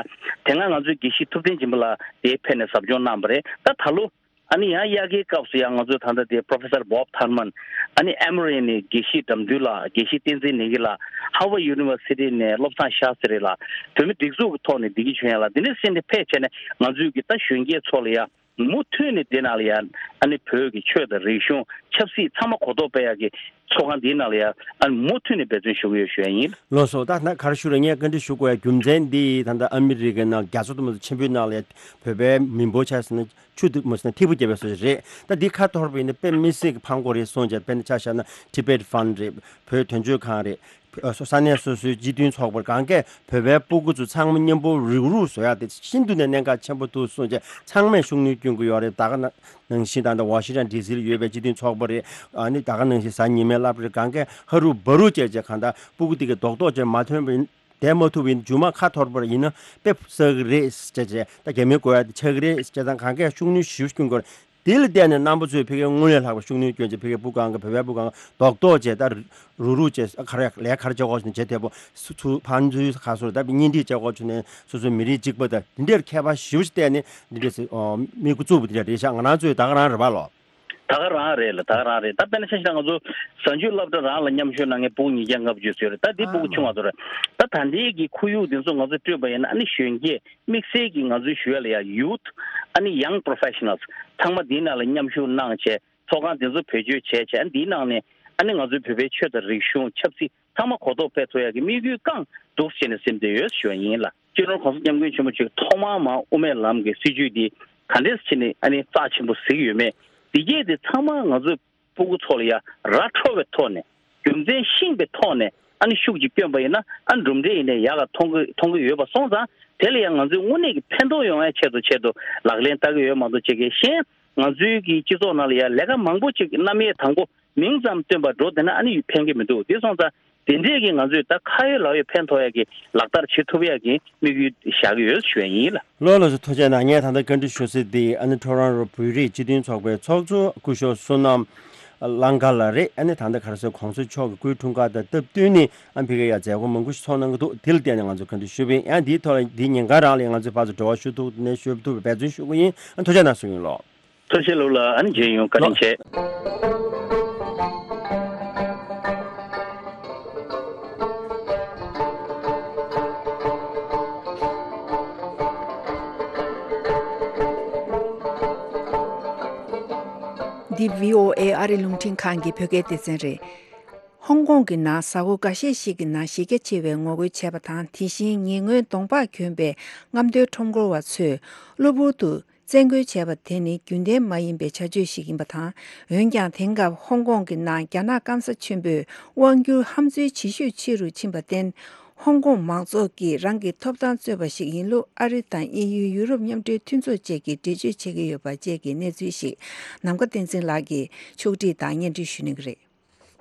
དེ་སྔ་ང་ཚོའི་དགེ་བཤེས་ཐུབ་བསྟན་སྦྱིན་པ་ལགས་དེ་ཕེབས་ནས་ཟབ་སྦྱོང་གནང་བ་རེད། ད་ད་ལོ་ཨ་ནི་ཡང་དབྱར་ཁའི་སྐབས་སུ་ཡང་ང་ཚོའི་ད་ལྟ་དེ་Professor Bob Thurman ཨ་ནི་ཨེ་མོ་རི་ནས་དགེ་བཤེས་དགྲ་འདུལ་ལགས། དགེ་བཤེས་བསྟན་འཛིན་ནེ་གི་ལགས། Harvard University ནས་བློ་བཟང་ཤཱ་སི་རི་ལགས། བོད་མི་སྒྲིག་འཛུགས་ཀྱི་ཐོག་ནས་བདེ་སྐྱིད་ཆོས་དབྱངས་ལགས། འདི་འདྲ་བྱས་ནས་ཕེབས་བྱས་ནས་ང་ཚོའི་གི་ད་གཞོན་སྐྱེས་ཚོ་ལ་ཡ་མུ་མཐུད་ནས་འདི་ནང་ལ་ཡ་ཨ་ནི་བོད་ཀྱི་ཆོས་དང་རིག་གཞུང་ཆབ་སྲིད་ཚང་མ་གོ་རྟོགས་སྤེལ་ཡག་གི་ཚོགས་ཁང་འདིའི་ནང་ལ་ཡ་ཨ་ནི་མུ་མཐུད་ནས་འབད་བརྩོན་ཞུ་གི་ཡོད་ཞུ་ཡ་ཡིན། ལགས་སོ། ད་ད་ག་རེ་ཞུ་རེད། ངས་བཀའ་འདྲི་ཞུ་དགོས་ཡ་རྒྱུ་མཚན་འདི་ད་ལྟ་ཨ་མི་རི་ཀའི་ནང་རྒྱ་མཚོ་དུ་མ་ཆེན་པོའི་ནང་ལ་ཡ་བོད་པའི་མི་འབོར་ཆ་ཟེར་ན་ཆུ་དུ་མ་ཟེར་ན་ཐིགས་པ་བརྒྱབ་པའི་བཟོ་ཞིག་རེད། ད་འདི་ཁ་འཐོར་བ་ཡིན་ན་དཔེ་མི་སྲིད་ཀྱི་ཕངས་པོ་རེད་གསུངས་བྱས། དཔེར་ན་ཆ་བཞག་ན་Tibet Fund རེད། བོད་དོན་གཅོད་ཁང་རེད། ས་གནས་སོ་སོའི་སྤྱི་མཐུན་ཚོགས་པར་གང་གས་བོད་པའི་སྤུ་གུ་ཚོ་ཚང་མ་མཉམ་པོ་རུག་རུག་བཟོ་ཡག་དེ་ཤིན་ཏུ་ནས་གནད་འགག་ཆེན་པོ་འདུག་གསུངས་བྱས། ཚང་མས་ཤུགས་སྣོན་སྐྱོན་གྱི་ཡོད་རེད། ད་ག་ནང་བཞིན་ད་ལྟ་ཝ་ཤིང་ཊོན་ཌི་སི་ལ་ཡོད་པའི་སྤྱི་མཐུན་ཚོགས་པ་རེད། ཨ་ནི་ད་ག་ནང་བཞིན་གཟའ་ཉི་མའི་སློབ་གྲྭ་རེད། གང་གས་ཧ་རུ་བ་རུ་བྱས་བྱས་གང་ལྟར་སྤུ་གུ་དེ་གས་རྡོག་རྡོག་བྱས་མ་ཐོན་པ་ཡིན། བསྡད་མ་ཐུབ་པ་ཡིན། མཇུག་མ་ཁ་འཐོར་བ་ཡིན་ན་དཔེ་བསགས་ཀྱི་རེད་ཟེར་བྱས། ད་རྒྱ་མིའི་གོ་ཡག་དེ་ཆགས་ཀྱི་རེད་ཟེར་བྱས་ཙང་གང་གས་ཤུགས་སྣོན་ཞེ་པོ་སྐྱོན་དགོས་རེད། དེ་ལ་བརྟེན་ནས་རྣམ་པ་ཚོས་ཕ་གིའི་དངུལ་ལས་ལྷག་པའི་ཤུགས་སྣོན་སྐྱོན་བྱས། ཕ་གིའི་བུ་གང་གི་བོད་པའི་བུ་གང་གི་རྡོག་རྡོག་བྱས། ད་རུག་རུག་བྱས། ཨ་ག་རེ་ལས་ག་རེ་བྱེད་དགོས་ནས་བྱེད་བདེ་པོ་སུ་ཚུར་ཕར་ཚུར་ག་སོ་རེད། ད་བརྙན་འཕྲིན་བྱེད་དགོས་བྱུང་ནས་སོ་སོའི་མི་རིགས་གཅིག་པ་དང་དེ་འདྲའི་ཁྱད་པར་ཞེ་པོ་ཞིག་བལྟས་ནས་འདི་འདྲས་སེ་ཨོ་དམིགས་ཡུལ་བཙུགས་པ་དེ་འདྲ་རེད་ཤག་ང་རང་ཚོའི་ད་ག་རང་རེད་པ་ལོ། ད་ག་རང་རེད་ལ། ད་ག་རང་རེད། ད་དཔེར་ན་ཆ་བཞག་ན་ང་ཚོ་གཟའ་མཇུག་སློབ་གྲྭ་རང་ལ་མཉམ་ཞུགས་གནང་མཁན་སྤུ་གུ་ཉིས་བརྒྱ་ལྔ་བཅུ་ཙམ་ཡོད་རེད། ད་འདི་ཨ་སྤུ་གུ་ཆུང་བ་ཚོ་རེད། ད་ད་ལྟའི་གི་ཁོར་ཡུག་འདི་ཚོ་ང་ཚོས་སྤྲོད་པ་ཡིན་ན། ཨ་ནི་གཞོན་སྐྱེས་དམིགས་བསལ་གྱི་ང་ཚོའི་ཞུ་ཡ་ལ་ཡ་ཡུཐ། ཨ་ནི་ཡང་པོ་རོ་ཕེ་ཤ་ནལ་ཚང་མ་འདིའི་ནང་ལ་མཉམ་ཞུགས་གནང་བྱས། ཚོགས་ཁང་འདི་ཚོ་བེད་སྤྱོད་བྱས་བྱས། ཨ་འདིའི་ནང་ནས་ཨ་ནི་ང་ཚོའི་བོད་པའི་ཆོས་དང་རིག་གཞུང་ཆབ་སྲིད་ཚང་མ་གོ་རྟོགས་སྤེལ་ཐུབ་ཡ་གི་དམིགས་ཡུལ་བསྐངས་འདུག་ཟེར་ནས་སེམས་བདེ་ཡོད་ཞུ་བ་ཡིན་ལ། སྤྱི་ནོར་༸གོང་ས་༸སྐྱབས་མགོན་ཆེན་པོ་མཆོག་ཐོག་མར་མར་དབུ་མའི་ལམ་གྱི་སྲིད་བྱུས་འདི་ག་འདྲས་བྱས་ནས་ཨ་ནི་རྩ་ཆེན་པོ་གཟིགས་ཡོད་མེད། འདི་གས་དེ་ཚང་མ་ང་ཚོའི་སྤུ་གུ་ཚོ་ལ་ཡ་ར་འཕྲོད་པའི་ཐོག་ནས། རྒྱུ་མཚན་ཤེས་པའི་ཐོག་ནས་ཨ་ནི་ཤུགས་ཀྱིས་བསྐྱོན་པ་ཡིན་ན། ཨ་གྲུབ་འབྲས་ཡིན་ནའི་ཡག་ག་མཐོང་གི་མཐོང་གི་ཡོད་པ་སོང་ཙང་། དེ་ལ་ཡང་ང་ཚོས་དངོས་གནས་ཀྱི་ཕན་ཐོགས་ཡོང་ཡའི་ཆེད་དུ་ཆེད་དུ་ལག་ལེན་བསྟར་གྱི་ཡོད་མ་གཏོགས། ཅིག་གི་གཞན་ང་ཚོའི་གི་སྤྱི་ཚོགས་ནང་ལ་ཡང་ལས་ཀ་མང་པོ་ཅིག་རྣམ་དབྱེ་དང་པོ་མིང་ཙམ་བཏོན་པ་འགྲོ་བསྡད་ན་ཨ་ནི་ཕན་གྱི་མི་འདུག་དེ་སོང་ཙང་དེ་འདྲས་ཀྱི་ང་ཚོས་ད་ཁ་ཡོད་ལག་ཡོད་ཕན་ཐོགས་ཡ་གི་ལག་བསྟར་བྱེད་ཐུབ་ཡ་གི་དམིགས་ཡུལ་བཞག་གི་ཡོད་ཞུ་ཡ་ཡིན་ལ། ལགས་ལགས་སོ། ཐུགས་རྗེ་གནང་། ངས་ད་ལྟ་བཀའ་འདྲི་ཞུ་ས་དེ་ཨ་ནི་ཊོ་རོན་རོ་བོད་རིགས་སྤྱི་མཐུན་ཚོགས་པའི་ཚོགས་གཙོ་སྐུ་ཞབས་བསོད་ནམས་ལང་ཀ་ལགས་རེད། ཨ་ནི་ད་ལྟ་ག་རེ་ཟེར། གོང་ས་མཆོག་གི་སྐུའི་འཁྲུངས་སྐར་དང་སྟབས་བསྟུན་ནས་ཨ་ཕ་གིར་ཡ་མཛད་སྒོ་མང་པོ་ཞིག་ཚོགས་གནང་གི་འདུག་དེ་ལ་བརྟེན་ནས་ང་ཚོས་བཀའ་འདྲི་ཞུས་པ་ཡིན། ཡང་འདིའི་ཐོག་ལ་འདིའི་ཉིན་གང་རང་ལ་ང་ཚོས་ཕར་ཚུར་འབྲེལ་བ་ཞུ་ཐུབ་ནས་ཞུ་ཐུབ་པའི་འབད་བརྩོན་ཞུ་གི་ཡིན། ཨ་ཐུགས་རྗེ་གནང་ཞུ་གི་ཡིན་ལགས། ཐུགས་རྗེ་ཆེ་ལགས། ཨ་ནི་མཇལ་ཡོང་། བཀའ་དྲིན་ཆེ། འདི་བྷི་ཨོ་ཨེ་ཨ་རི་རླུང་འཕྲིན་ཁང་གི་བོད་སྐད་སྡེ་ཚན་རེད། ཧོང་ཀོང་གི་ནང་གཟའ་འཁོར་འགའ་ཤས་ཤིག་གི་ནང་གཞི་རྒྱ་ཆེ་བའི་ངོ་རྒོལ་བྱས་པ་དང་། དེ་བཞིན་ཉེ་སྔོན་གདོང་པགས་གྱོན་པའི་རྔམ་སྟོན་ཁྲོམ་སྐོར་བ་ཚོས་གློ་བུར་དུ་བཙན་རྒོལ་བྱས་པ་དེ་ནི་རྒྱུན་ལྡན་མ་ཡིན་པའི་བྱ་སྤྱོད་ཞིག་ཡིན་པ་དང་། འོན་ཀྱང་དེང་སྐབས་ཧོང་ཀོང་གི་ནང་རྒྱ་ནག་སྐམ་ས་ཆེན་པོས་དབང་སྒྱུར་ཧམ་འཛུལ་ཇེ་ཤུགས་ཆེ་རུ་ཕྱིན་པར་བརྟེན། ཧོང་ཀོང་མང་ཚོགས་ཀྱིས་རང་གི་ཐོབ་ཐང་རྩོད་པ་ཞིག་ཡིན་ལུགས་ཨ་རི་དང་དབྱིན་ཡུལ། ཡུ་རོབ་མཉམ་འབྲེལ་མཐུན་ཚོགས་བཅས་ཀྱིས་འགྲེལ་བརྗོད་བྱེད་ཀྱི་ཡོད་པ་བཅས་ཀྱི་གནས་ཚུལ་ཞིག་ནམ་མཁའ་བསྟན་འཛིན་ལགས་ཀྱིས་ཕྱོགས་སྒྲིག་དང་སྙན་སྒྲོན་ཞུ་གནང་གི་རེད།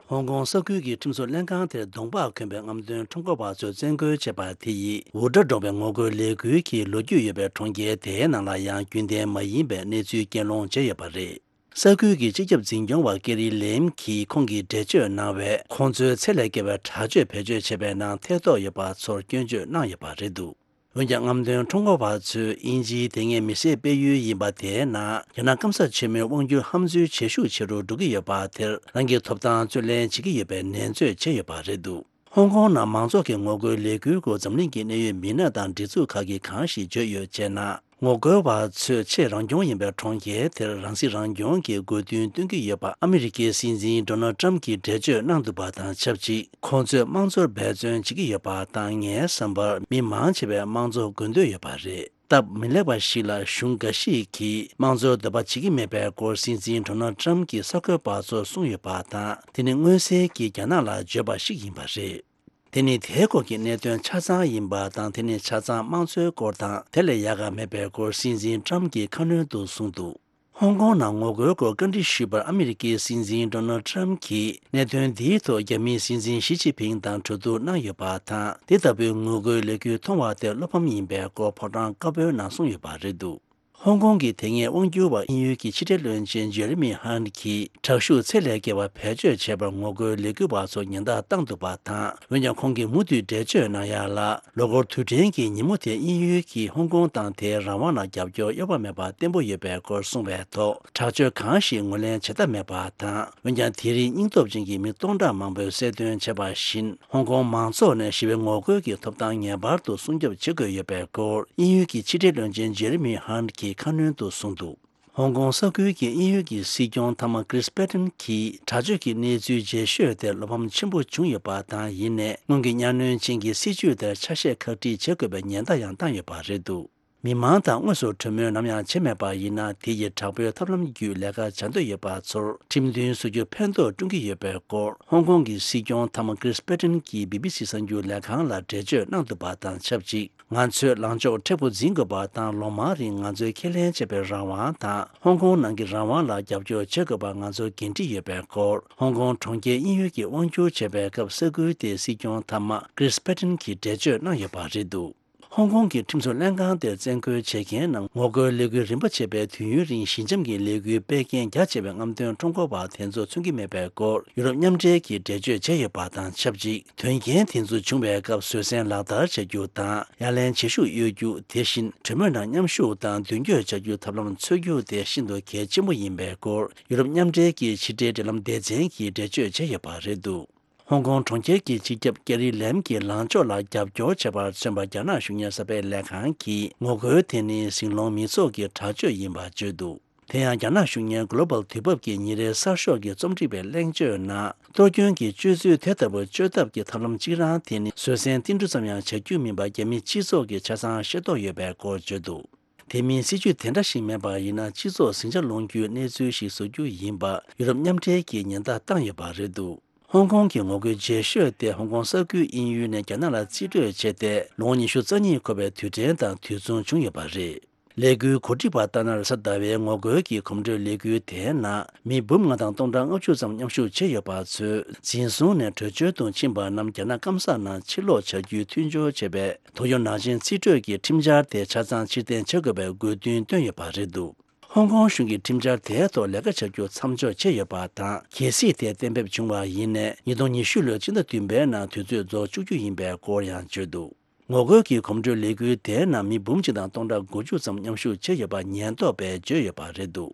ཧོང་ཀོང་ས་ཁུལ་གྱི་ཁྲིམས་བཟོ་ལྷན་ཁང་དེར་གདོང་པགས་གྱོན་པའི་རྔམ་སྟོན་ཁྲོམ་སྐོར་བ་ཚོས་བཙན་རྒོལ་བྱས་པ་དེ་ཡིས་འུར་སྒྲ་སྒྲོག་པའི་ངོ་རྒོལ་ལས་འགུལ་གྱི་ལོ་རྒྱུས་ཡོད་པའི་གྲོང་ཁྱེར་དེའི་ནང་ལ་ཡང་རྒྱུན་ལྡན་མ་ཡིན་པའི་གནས་ཚུལ་སྐྱེལ་སློང་བྱས་ཡོད་པ་རེད། ས་ཁུལ་གྱི་སྤྱི་ཁྱབ་འཛིན་སྐྱོང་བ་ཀེ་རི་ལེམ་གྱིས་ཁོང་གིས་འགྲེལ་བརྗོད་གནང་བས། ཁོང་ཚོའི་ཚད་ལས་བརྒལ་བའི་དྲག་སྤྱོད་བེད་སྤྱོད་བྱས་པའི་ནང་ཐེ་གཏོགས་ཡོད་པ་ཚོར་སྐྱོན་བརྗོད་གནང་ཡོད་པ་རེད་འདུག་འོན་ཀྱང་། རྔམ་སྟོན་ཁྲོམ་སྐོར་བ་ཚོས་དབྱིན་ཇིའི་དེ་སྔའི་མི་སེར་སྤེལ་ཡུལ་ཡིན་པ་དེའི་ནང་རྒྱ་ནག་སྐམ་ས་ཆེན་མོའི་དབང་སྒྱུར་ཧམ་འཛུལ་ཇེ་ཤུགས་ཆེ་རུ་འགྲོ་གི་ཡོད་པ་དེར། རང་གི་ཐོབ་ཐང་རྩོད་ལེན་བྱེད་ཀྱི་ཡོད་པའི་ནན་བརྗོད་བྱས་ཡོད་པ་རེད་འདུག་ཧོང་ཀོང་ནང་མང་ཚོགས་ཀྱི་ངོ་རྒོལ་ལས་འགུལ་སྐོར་འཛམ་གླིང་གི་གནད་ཡོད་མི་སྣ་དང་སྒྲིག་འཛུགས་ཁག་གིས་གང་ཞིག་བརྗོད་ཡོད་ཅེ་ན། ངོ་རྒོལ་བ་ཚོས་ཆེས་རང་སྐྱོང་ཡིན་པའི་གྲོང་ཁྱེར་དེར་རང་སྲིད་རང་སྐྱོང་གི་དགོས་འདུན་བཏོན་གྱི་ཡོད་པ་ཨ་མི་རི་ཀའི་སྲིད་འཛིན་ཌོ་ནལ་ཊམ་གྱིས་འགྲེལ་བརྗོད་གནང་འདུག་པ་དང་ཆབས་ཅིག་ཁོང་ཚོས་དམངས་གཙོར་འབད་བརྩོན་བྱེད་ཀྱི་ཡོད་པ་དང་། ངའི་བསམ་པར་མི་མང་ཆེ་བས་དམངས་གཙོ་དགོས་འདོད་ཡོད་པ་རེད། སྟབས་མི་ལེགས་པ་ཞིག་ལ་གཞུང་འགའ་ཤས་ཀྱིས་དམངས་གཙོར་འདོད་པ་བྱེད་ཀྱི་མེད་པའི་སྐོར་སྲིད་འཛིན་ཌོ་ནལ་ཊམ་གྱིས་གསར་འགོད་པ་ཚོར་གསུངས་ཡོད་པ་དང་། དེ་ནི་མངོན་གསལ་གྱིས་རྒྱ་ནག་ལ་བརྗོད་པ་ཞིག་ཡིན་པ་རེད། དེ་ནི་དེའི་སྐོར་གྱི་གནད་དོན་ཆ་ཚང་ཡིན་པ་དང་། དེ་ནི་ཆ་ཚང་དམངས་གཙོའི་སྐོར་དང་དེ་ལས་ཡག་ག་མེད་པའི་སྐོར་སྲིད་འཛིན་ཊམ་གྱིས་ཁ་སྣོན་དུ་གསུངས་འདུག་ཧོང་ཀོང་ནང་ངོ་རྒོལ་སྐོར་བཀའ་འདྲི་ཞུས་པར་ཨ་མི་རི་ཀའི་སྲིད་འཛིན་ཌོ་ནལ་ཊམ་གྱིས་གནད་དོན་འདིའི་ཐོག་རྒྱ་མིའི་སྲིད་འཛིན་ཞི་ཅིན་ཕིང་དང་གྲོས་བསྡུར་གནང་ཡོད་པ་དང་། དེ་ལྟ་བུའི་ངོ་རྒོལ་ལས་འགུལ་མཐོང་བ་དེར་བློ་ཕམ་ཡིན་པའི་སྐོར་ཕོ་བྲང་དཀར་པོའི་ནང་གསུངས་ཡོད་པ་རེད་འདུག་ཧོང་ཀོང་གི་དེ་སྔའི་དབང་སྒྱུར་བ་དབྱིན་ཡུལ་གྱི་ཕྱི་འབྲེལ་བློན་ཆེན་ཇེ་རི་མི་ཧན་གྱིས་དྲག་ཤུགས་ཚད་ལས་བརྒལ་བ་བེད་སྤྱོད་བྱས་པར་ངོ་རྒོལ་ལས་འགུལ་བ་ཚོར་ཉེན་བརྡ་བཏང་འདུག་པ་དང་། འོན་ཀྱང་ཁོང་གིས་མུ་མཐུད་འགྲེལ་བརྗོད་གནང་ཡ་ལ། ལོ་འཁོར་དུས་དྲན་གྱི་ཉིན་མོ་དེར་དབྱིན་ཡུལ་གྱིས་ཧོང་ཀོང་དང་དེའི་རང་དབང་ལ་རྒྱབ་སྐྱོར་གཡོ་བ་མེད་པ་བརྟན་པོ་ཡོད་པའི་སྐོར་གསུངས་པའི་ཐོག་དྲག་སྤྱོད་གང་ཞིག་ངོས་ལེན་བྱེད་ཐབས་མེད་པ་དང་། འོན་ཀྱང་དེ་རིང་སྙིང་སྟོབས་ཅན་གྱི་མི་སྟོང་ཕྲག་མང་པོས་གསལ་སྟོན་བྱས་པ་བཞིན། ཧོང་ཀོང་མང་ཚོགས་ནས་ཞི་བའི་ངོ་རྒོལ་གྱི་ཐོབ་ཐང་ངེས་པར་དུ་སྲུང་སྐྱོབ་བྱེད་དགོས་ཡོད་པའི་སྐོར་དབྱིན་ཡུལ་གྱི་ཕྱི་འབྲེལ་བློན་ཆེན་ཇེ་རི་མི་ཧན་གྱིས་ཁ་སྣོན་དུ་གསུངས་འདུག་ཧོང་ཀོང་ས་ཁུལ་གྱི་དབྱིན་ཡུལ་གྱི་སྲིད་སྐྱོང་མཐའ་མ་ཀྲིས་པེ་ཏན་གྱིས་དྲག་སྤྱོད་ཀྱི་གནས་ཚུལ་རྗེས་ཤོད་དེར་བློ་ཕམ་ཆེན་པོ་བྱུང་ཡོད་པ་དང་། ཡིན་ནའི་སྔོན་གྱི་གཉའ་གནོན་ཅན་གྱི་སྲིད་བྱུས་དེར་ཆ་ཤས་ཁག་དཀྲིས་བྱེད་དགོས་པའི་ཉེན་བརྡ་ཡང་བཏང་ཡོད་པ་རེད་འདུག་མི་མང་དང་དངོས་སུ་གྲོས་མོལ་ནམ་ཡང་བྱས་མེད་པ་ཡིན་ན། དེ་ཡི་དྲག་པོའི་ཐབས་ལམ་བརྒྱུད་ལས་ཀ་བྱ་འདོད་ཡོད་པ་ཚོར་ཁྲིམས་མཐུན་བཟོ་རྒྱུ་ཕན་ཐོགས་བསྐྲུན་གྱི་ཡོད་པའི་སྐོར་ཧོང་ཀོང་གི་སྲིད་སྐྱོང་མཐའ་མ་ཀྲིས་པེ་ཏན་གྱིས་བི་བི་སི་གསར་འགྱུར་ལས་ཁང་ལ་འགྲེལ་བརྗོད་གནང་འདུག་པ་དང་ཆབས་ཅིག་ང་ཚོས་ལངས་ཕྱོགས་མཁྲེགས་པོ་འཛིན་དགོས་པ་དང་། ལོ་མང་རིང་ང་ཚོས་ཁས་ལེན་བྱས་པའི་རང་དབང་དང་ཧོང་ཀོང་ནང་གི་རང་དབང་ལ་རྒྱབ་སྐྱོར་བྱེད་དགོས་པ་ང་ཚོར་འགན་འཁྲི་ཡོད་པའི་སྐོར། ཧོང་ཀོང་གྲོང་ཁྱེར་དབྱིན་ཡུལ་གྱིས་དབང་བསྒྱུར་བྱས་པའི་སྐབས་ས་ཁུལ་དེའི་སྲིད་སྐྱོང་མཐའ་མ་ཀྲིས་པེ་ཏན་གྱིས་འགྲེལ་བརྗོད་གནང་ཡོད་པ་རེད་འདུག་ཧོང་ཀོང་གི་ཁྲིམས་བཟོ་ལྷན་ཁང་དེར་བཙན་རྒོལ་བྱེད་མཁན་རྣམས་ངོ་རྒོལ་ལས་འགུལ་རིམ་པ་བྱས་པའི་དུས་ཡུན་རིང་ཞི་འཇམ་གྱི་ལས་འགུལ་སྤེལ་མཁན་རྒྱ་ཆེ་བའི་རྔམ་སྟོན་ཁྲོམ་སྐོར་བ་དེ་ཚོ་མཚོན་གྱི་མེད་པའི་སྐོར་ཡུ་རོབ་མཉམ་འབྲེལ་གྱིས་འགྲེལ་བརྗོད་བྱས་ཡོད་པ་དང་ཆབས་ཅིག་དོན་རྐྱེན་དེ་ཚོ་བྱུང་བའི་སྐབས་བཟོད་བསྲན་ལག་བསྟར་བྱ་རྒྱུ་དང་། ཡ་ལན་བྱེད་ཤུགས་གཡོ་རྒྱུ། དེ་བཞིན་གྲོས་མོལ་ནང་མཉམ་ཞུགས་དང་མདུན་སྐྱོད་བྱ་རྒྱུའི་ཐབས་ལམ་འཚོལ་རྒྱུ་དེ་ཤིན་ཏུ་གལ་ཆེན་པོ་ཡིན་པའི་སྐོར་ཡུ་རོབ་མཉམ་འབྲེལ་གྱི་ཕྱི་འབྲེལ་འབྲེལ་ལམ་སྡེ་ཚན་གྱིས་འགྲེལ་བརྗོད་བྱས་ཡོད་པ་རེད་འདུག་ཧོང་ཀོང་གྲོང་ཁྱེར་གྱི་སྤྱི་ཁྱབ་ཀེ་རི་ལེམ་གྱི་ལངས་ཕྱོགས་ལ་རྒྱབ་སྐྱོར་བྱས་པར་མཚོན་པ་རྒྱ་ནག་གཞུང་གཉེར་གསར་སྤེལ་ལས་ཁང་གིས་ངོ་རྒོལ་དེ་ནི་ཟིང་སློང་མི་ཚོགས་ཀྱི་དྲག་སྤྱོད་ཡིན་པ་བརྗོད་འདུག་དེ་ཡང་རྒྱ་ནག་གཞུང་གཉེར་གྷོ་ལོ་བལ་དུས་བབ་ཀྱི་ཉིན་རེའི་གསར་ཤོག་གི་རྩོམ་སྒྲིག་པའི་གླེང་བརྗོད་ནང་གཏོར་སྐྱོན་གྱི་སྤྱོད་ཚུལ་དེ་ལྟ་བུ་སྤྱོད་ཐབས་ཀྱི་ཐབས་ལམ་གཅིག་རང་དེ་ནི་བཟོད་བསྲན་ཏིལ་འབྲུ་ཙམ་ཡང་བྱ་རྒྱུ་མིན་པ་རྒྱ་མི་སྤྱི་ཚོགས་ཀྱིས་ཆ་ཚང་ཤེས་རྟོགས་ཡོད་པའི་སྐོར་བརྗོད་འདུག་དེ་མིན་སྲིད་ཇུས་དེ་འདྲ་ཞིག་མེད་པ་ཡིན་ན། སྤྱི་ཚོགས་ཟིང་ཆ་སློང་རྒྱུའི་གནས་ཚུལ་ཞིག་བཟོ་རྒྱུ་ཡིན་པ་ཡུ་རོབ་མཉམ་འབྲེལ་གྱིས་ཉེན་བརྡ་བཏང་ཡོད་པ་རེད་འདུག་ཧོང་ཀོང་གི་ངོ་རྒོལ་རྗེས་ཤོས་དེ་ཧོང་ཀོང་ས་ཁུལ་དབྱིན་ཡུལ་ནས་རྒྱ་ནག་ལ་རྩིས་སྤྲོད་བྱས་ཏེ། ལོ་ངོ་ཉི་ཤུ་རྩ་གཉིས་འཁོར་བའི་དུས་དྲན་དང་དུས་མཚུངས་བྱུང་ཡོད་པ་རེད། ལས་འགུལ་གོ་སྒྲིག་པ་ལྟར་ན། རེས་གཟའ་ཟླ་བའི་ངོ་རྒོལ་གྱི་གོམ་བགྲོད་ལས་འགུལ་དེའི་ནང་མི་འབུམ་ལྔ་དང་སྟོང་ཕྲག་ལྔ་བཅུ་ཙམ་མཉམ་ཞུགས་བྱས་ཡོད་པ་ཚོས། འཛིན་བཟུང་ནས་བྲོས་བྱོལ་དུ་ཕྱིན་པ་རྣམས་རྒྱ་ནག་སྐམ་ས་ནང་ཕྱིར་ལོག་བྱ་རྒྱུའི་མཐུན་སྦྱོར་བྱས་པའི་ཏོག་དབྱིབས་ནང་ཆེན་རྩིས་སྤྲོད་ཀྱི་ཁྲིམས་འཆར་དེ་ཆ་ཚང་ཕྱིར་འཐེན་བྱ་དགོས་པའི་དགོས་འདུན་བཏོན་ཡོད་པ་རེད་འདུག་ཧོང་ཀོང་གཞུང་གིས་ཁྲིམས་འཆར་དེའི་ཐོག་ལས་ཀ་བྱ་རྒྱུ་མཚམས་འཇོག་བྱས་ཡོད་པ་དང་། གལ་སྲིད་དེ་གཏན་འབེབས་བྱུང་བ་ཡིན་ནའི། ཉིས་སྟོང་ཉི་ཤུ་ལོའི་ཕྱི་ཟླ་བདུན་པའི་ནང་དུས་ཚོད་རྫོགས་བཅུག་རྒྱུ་ཡིན་པའི་སྐོར་ཡང་བརྗོད་འདུག་ངོ་རྒོལ་གྱི་གོམ་བགྲོད་ལས་འགུལ་དེའི་ནང་མི་འབུམ་གཅིག་དང་སྟོང་ཕྲག་དགུ་བཅུ་ཙམ་མཉམ་ཞུགས་བྱས་ཡོད་པ་ཉེན་རྟོག་པས་བརྗོད་ཡོད་པ་རེད་འདུག་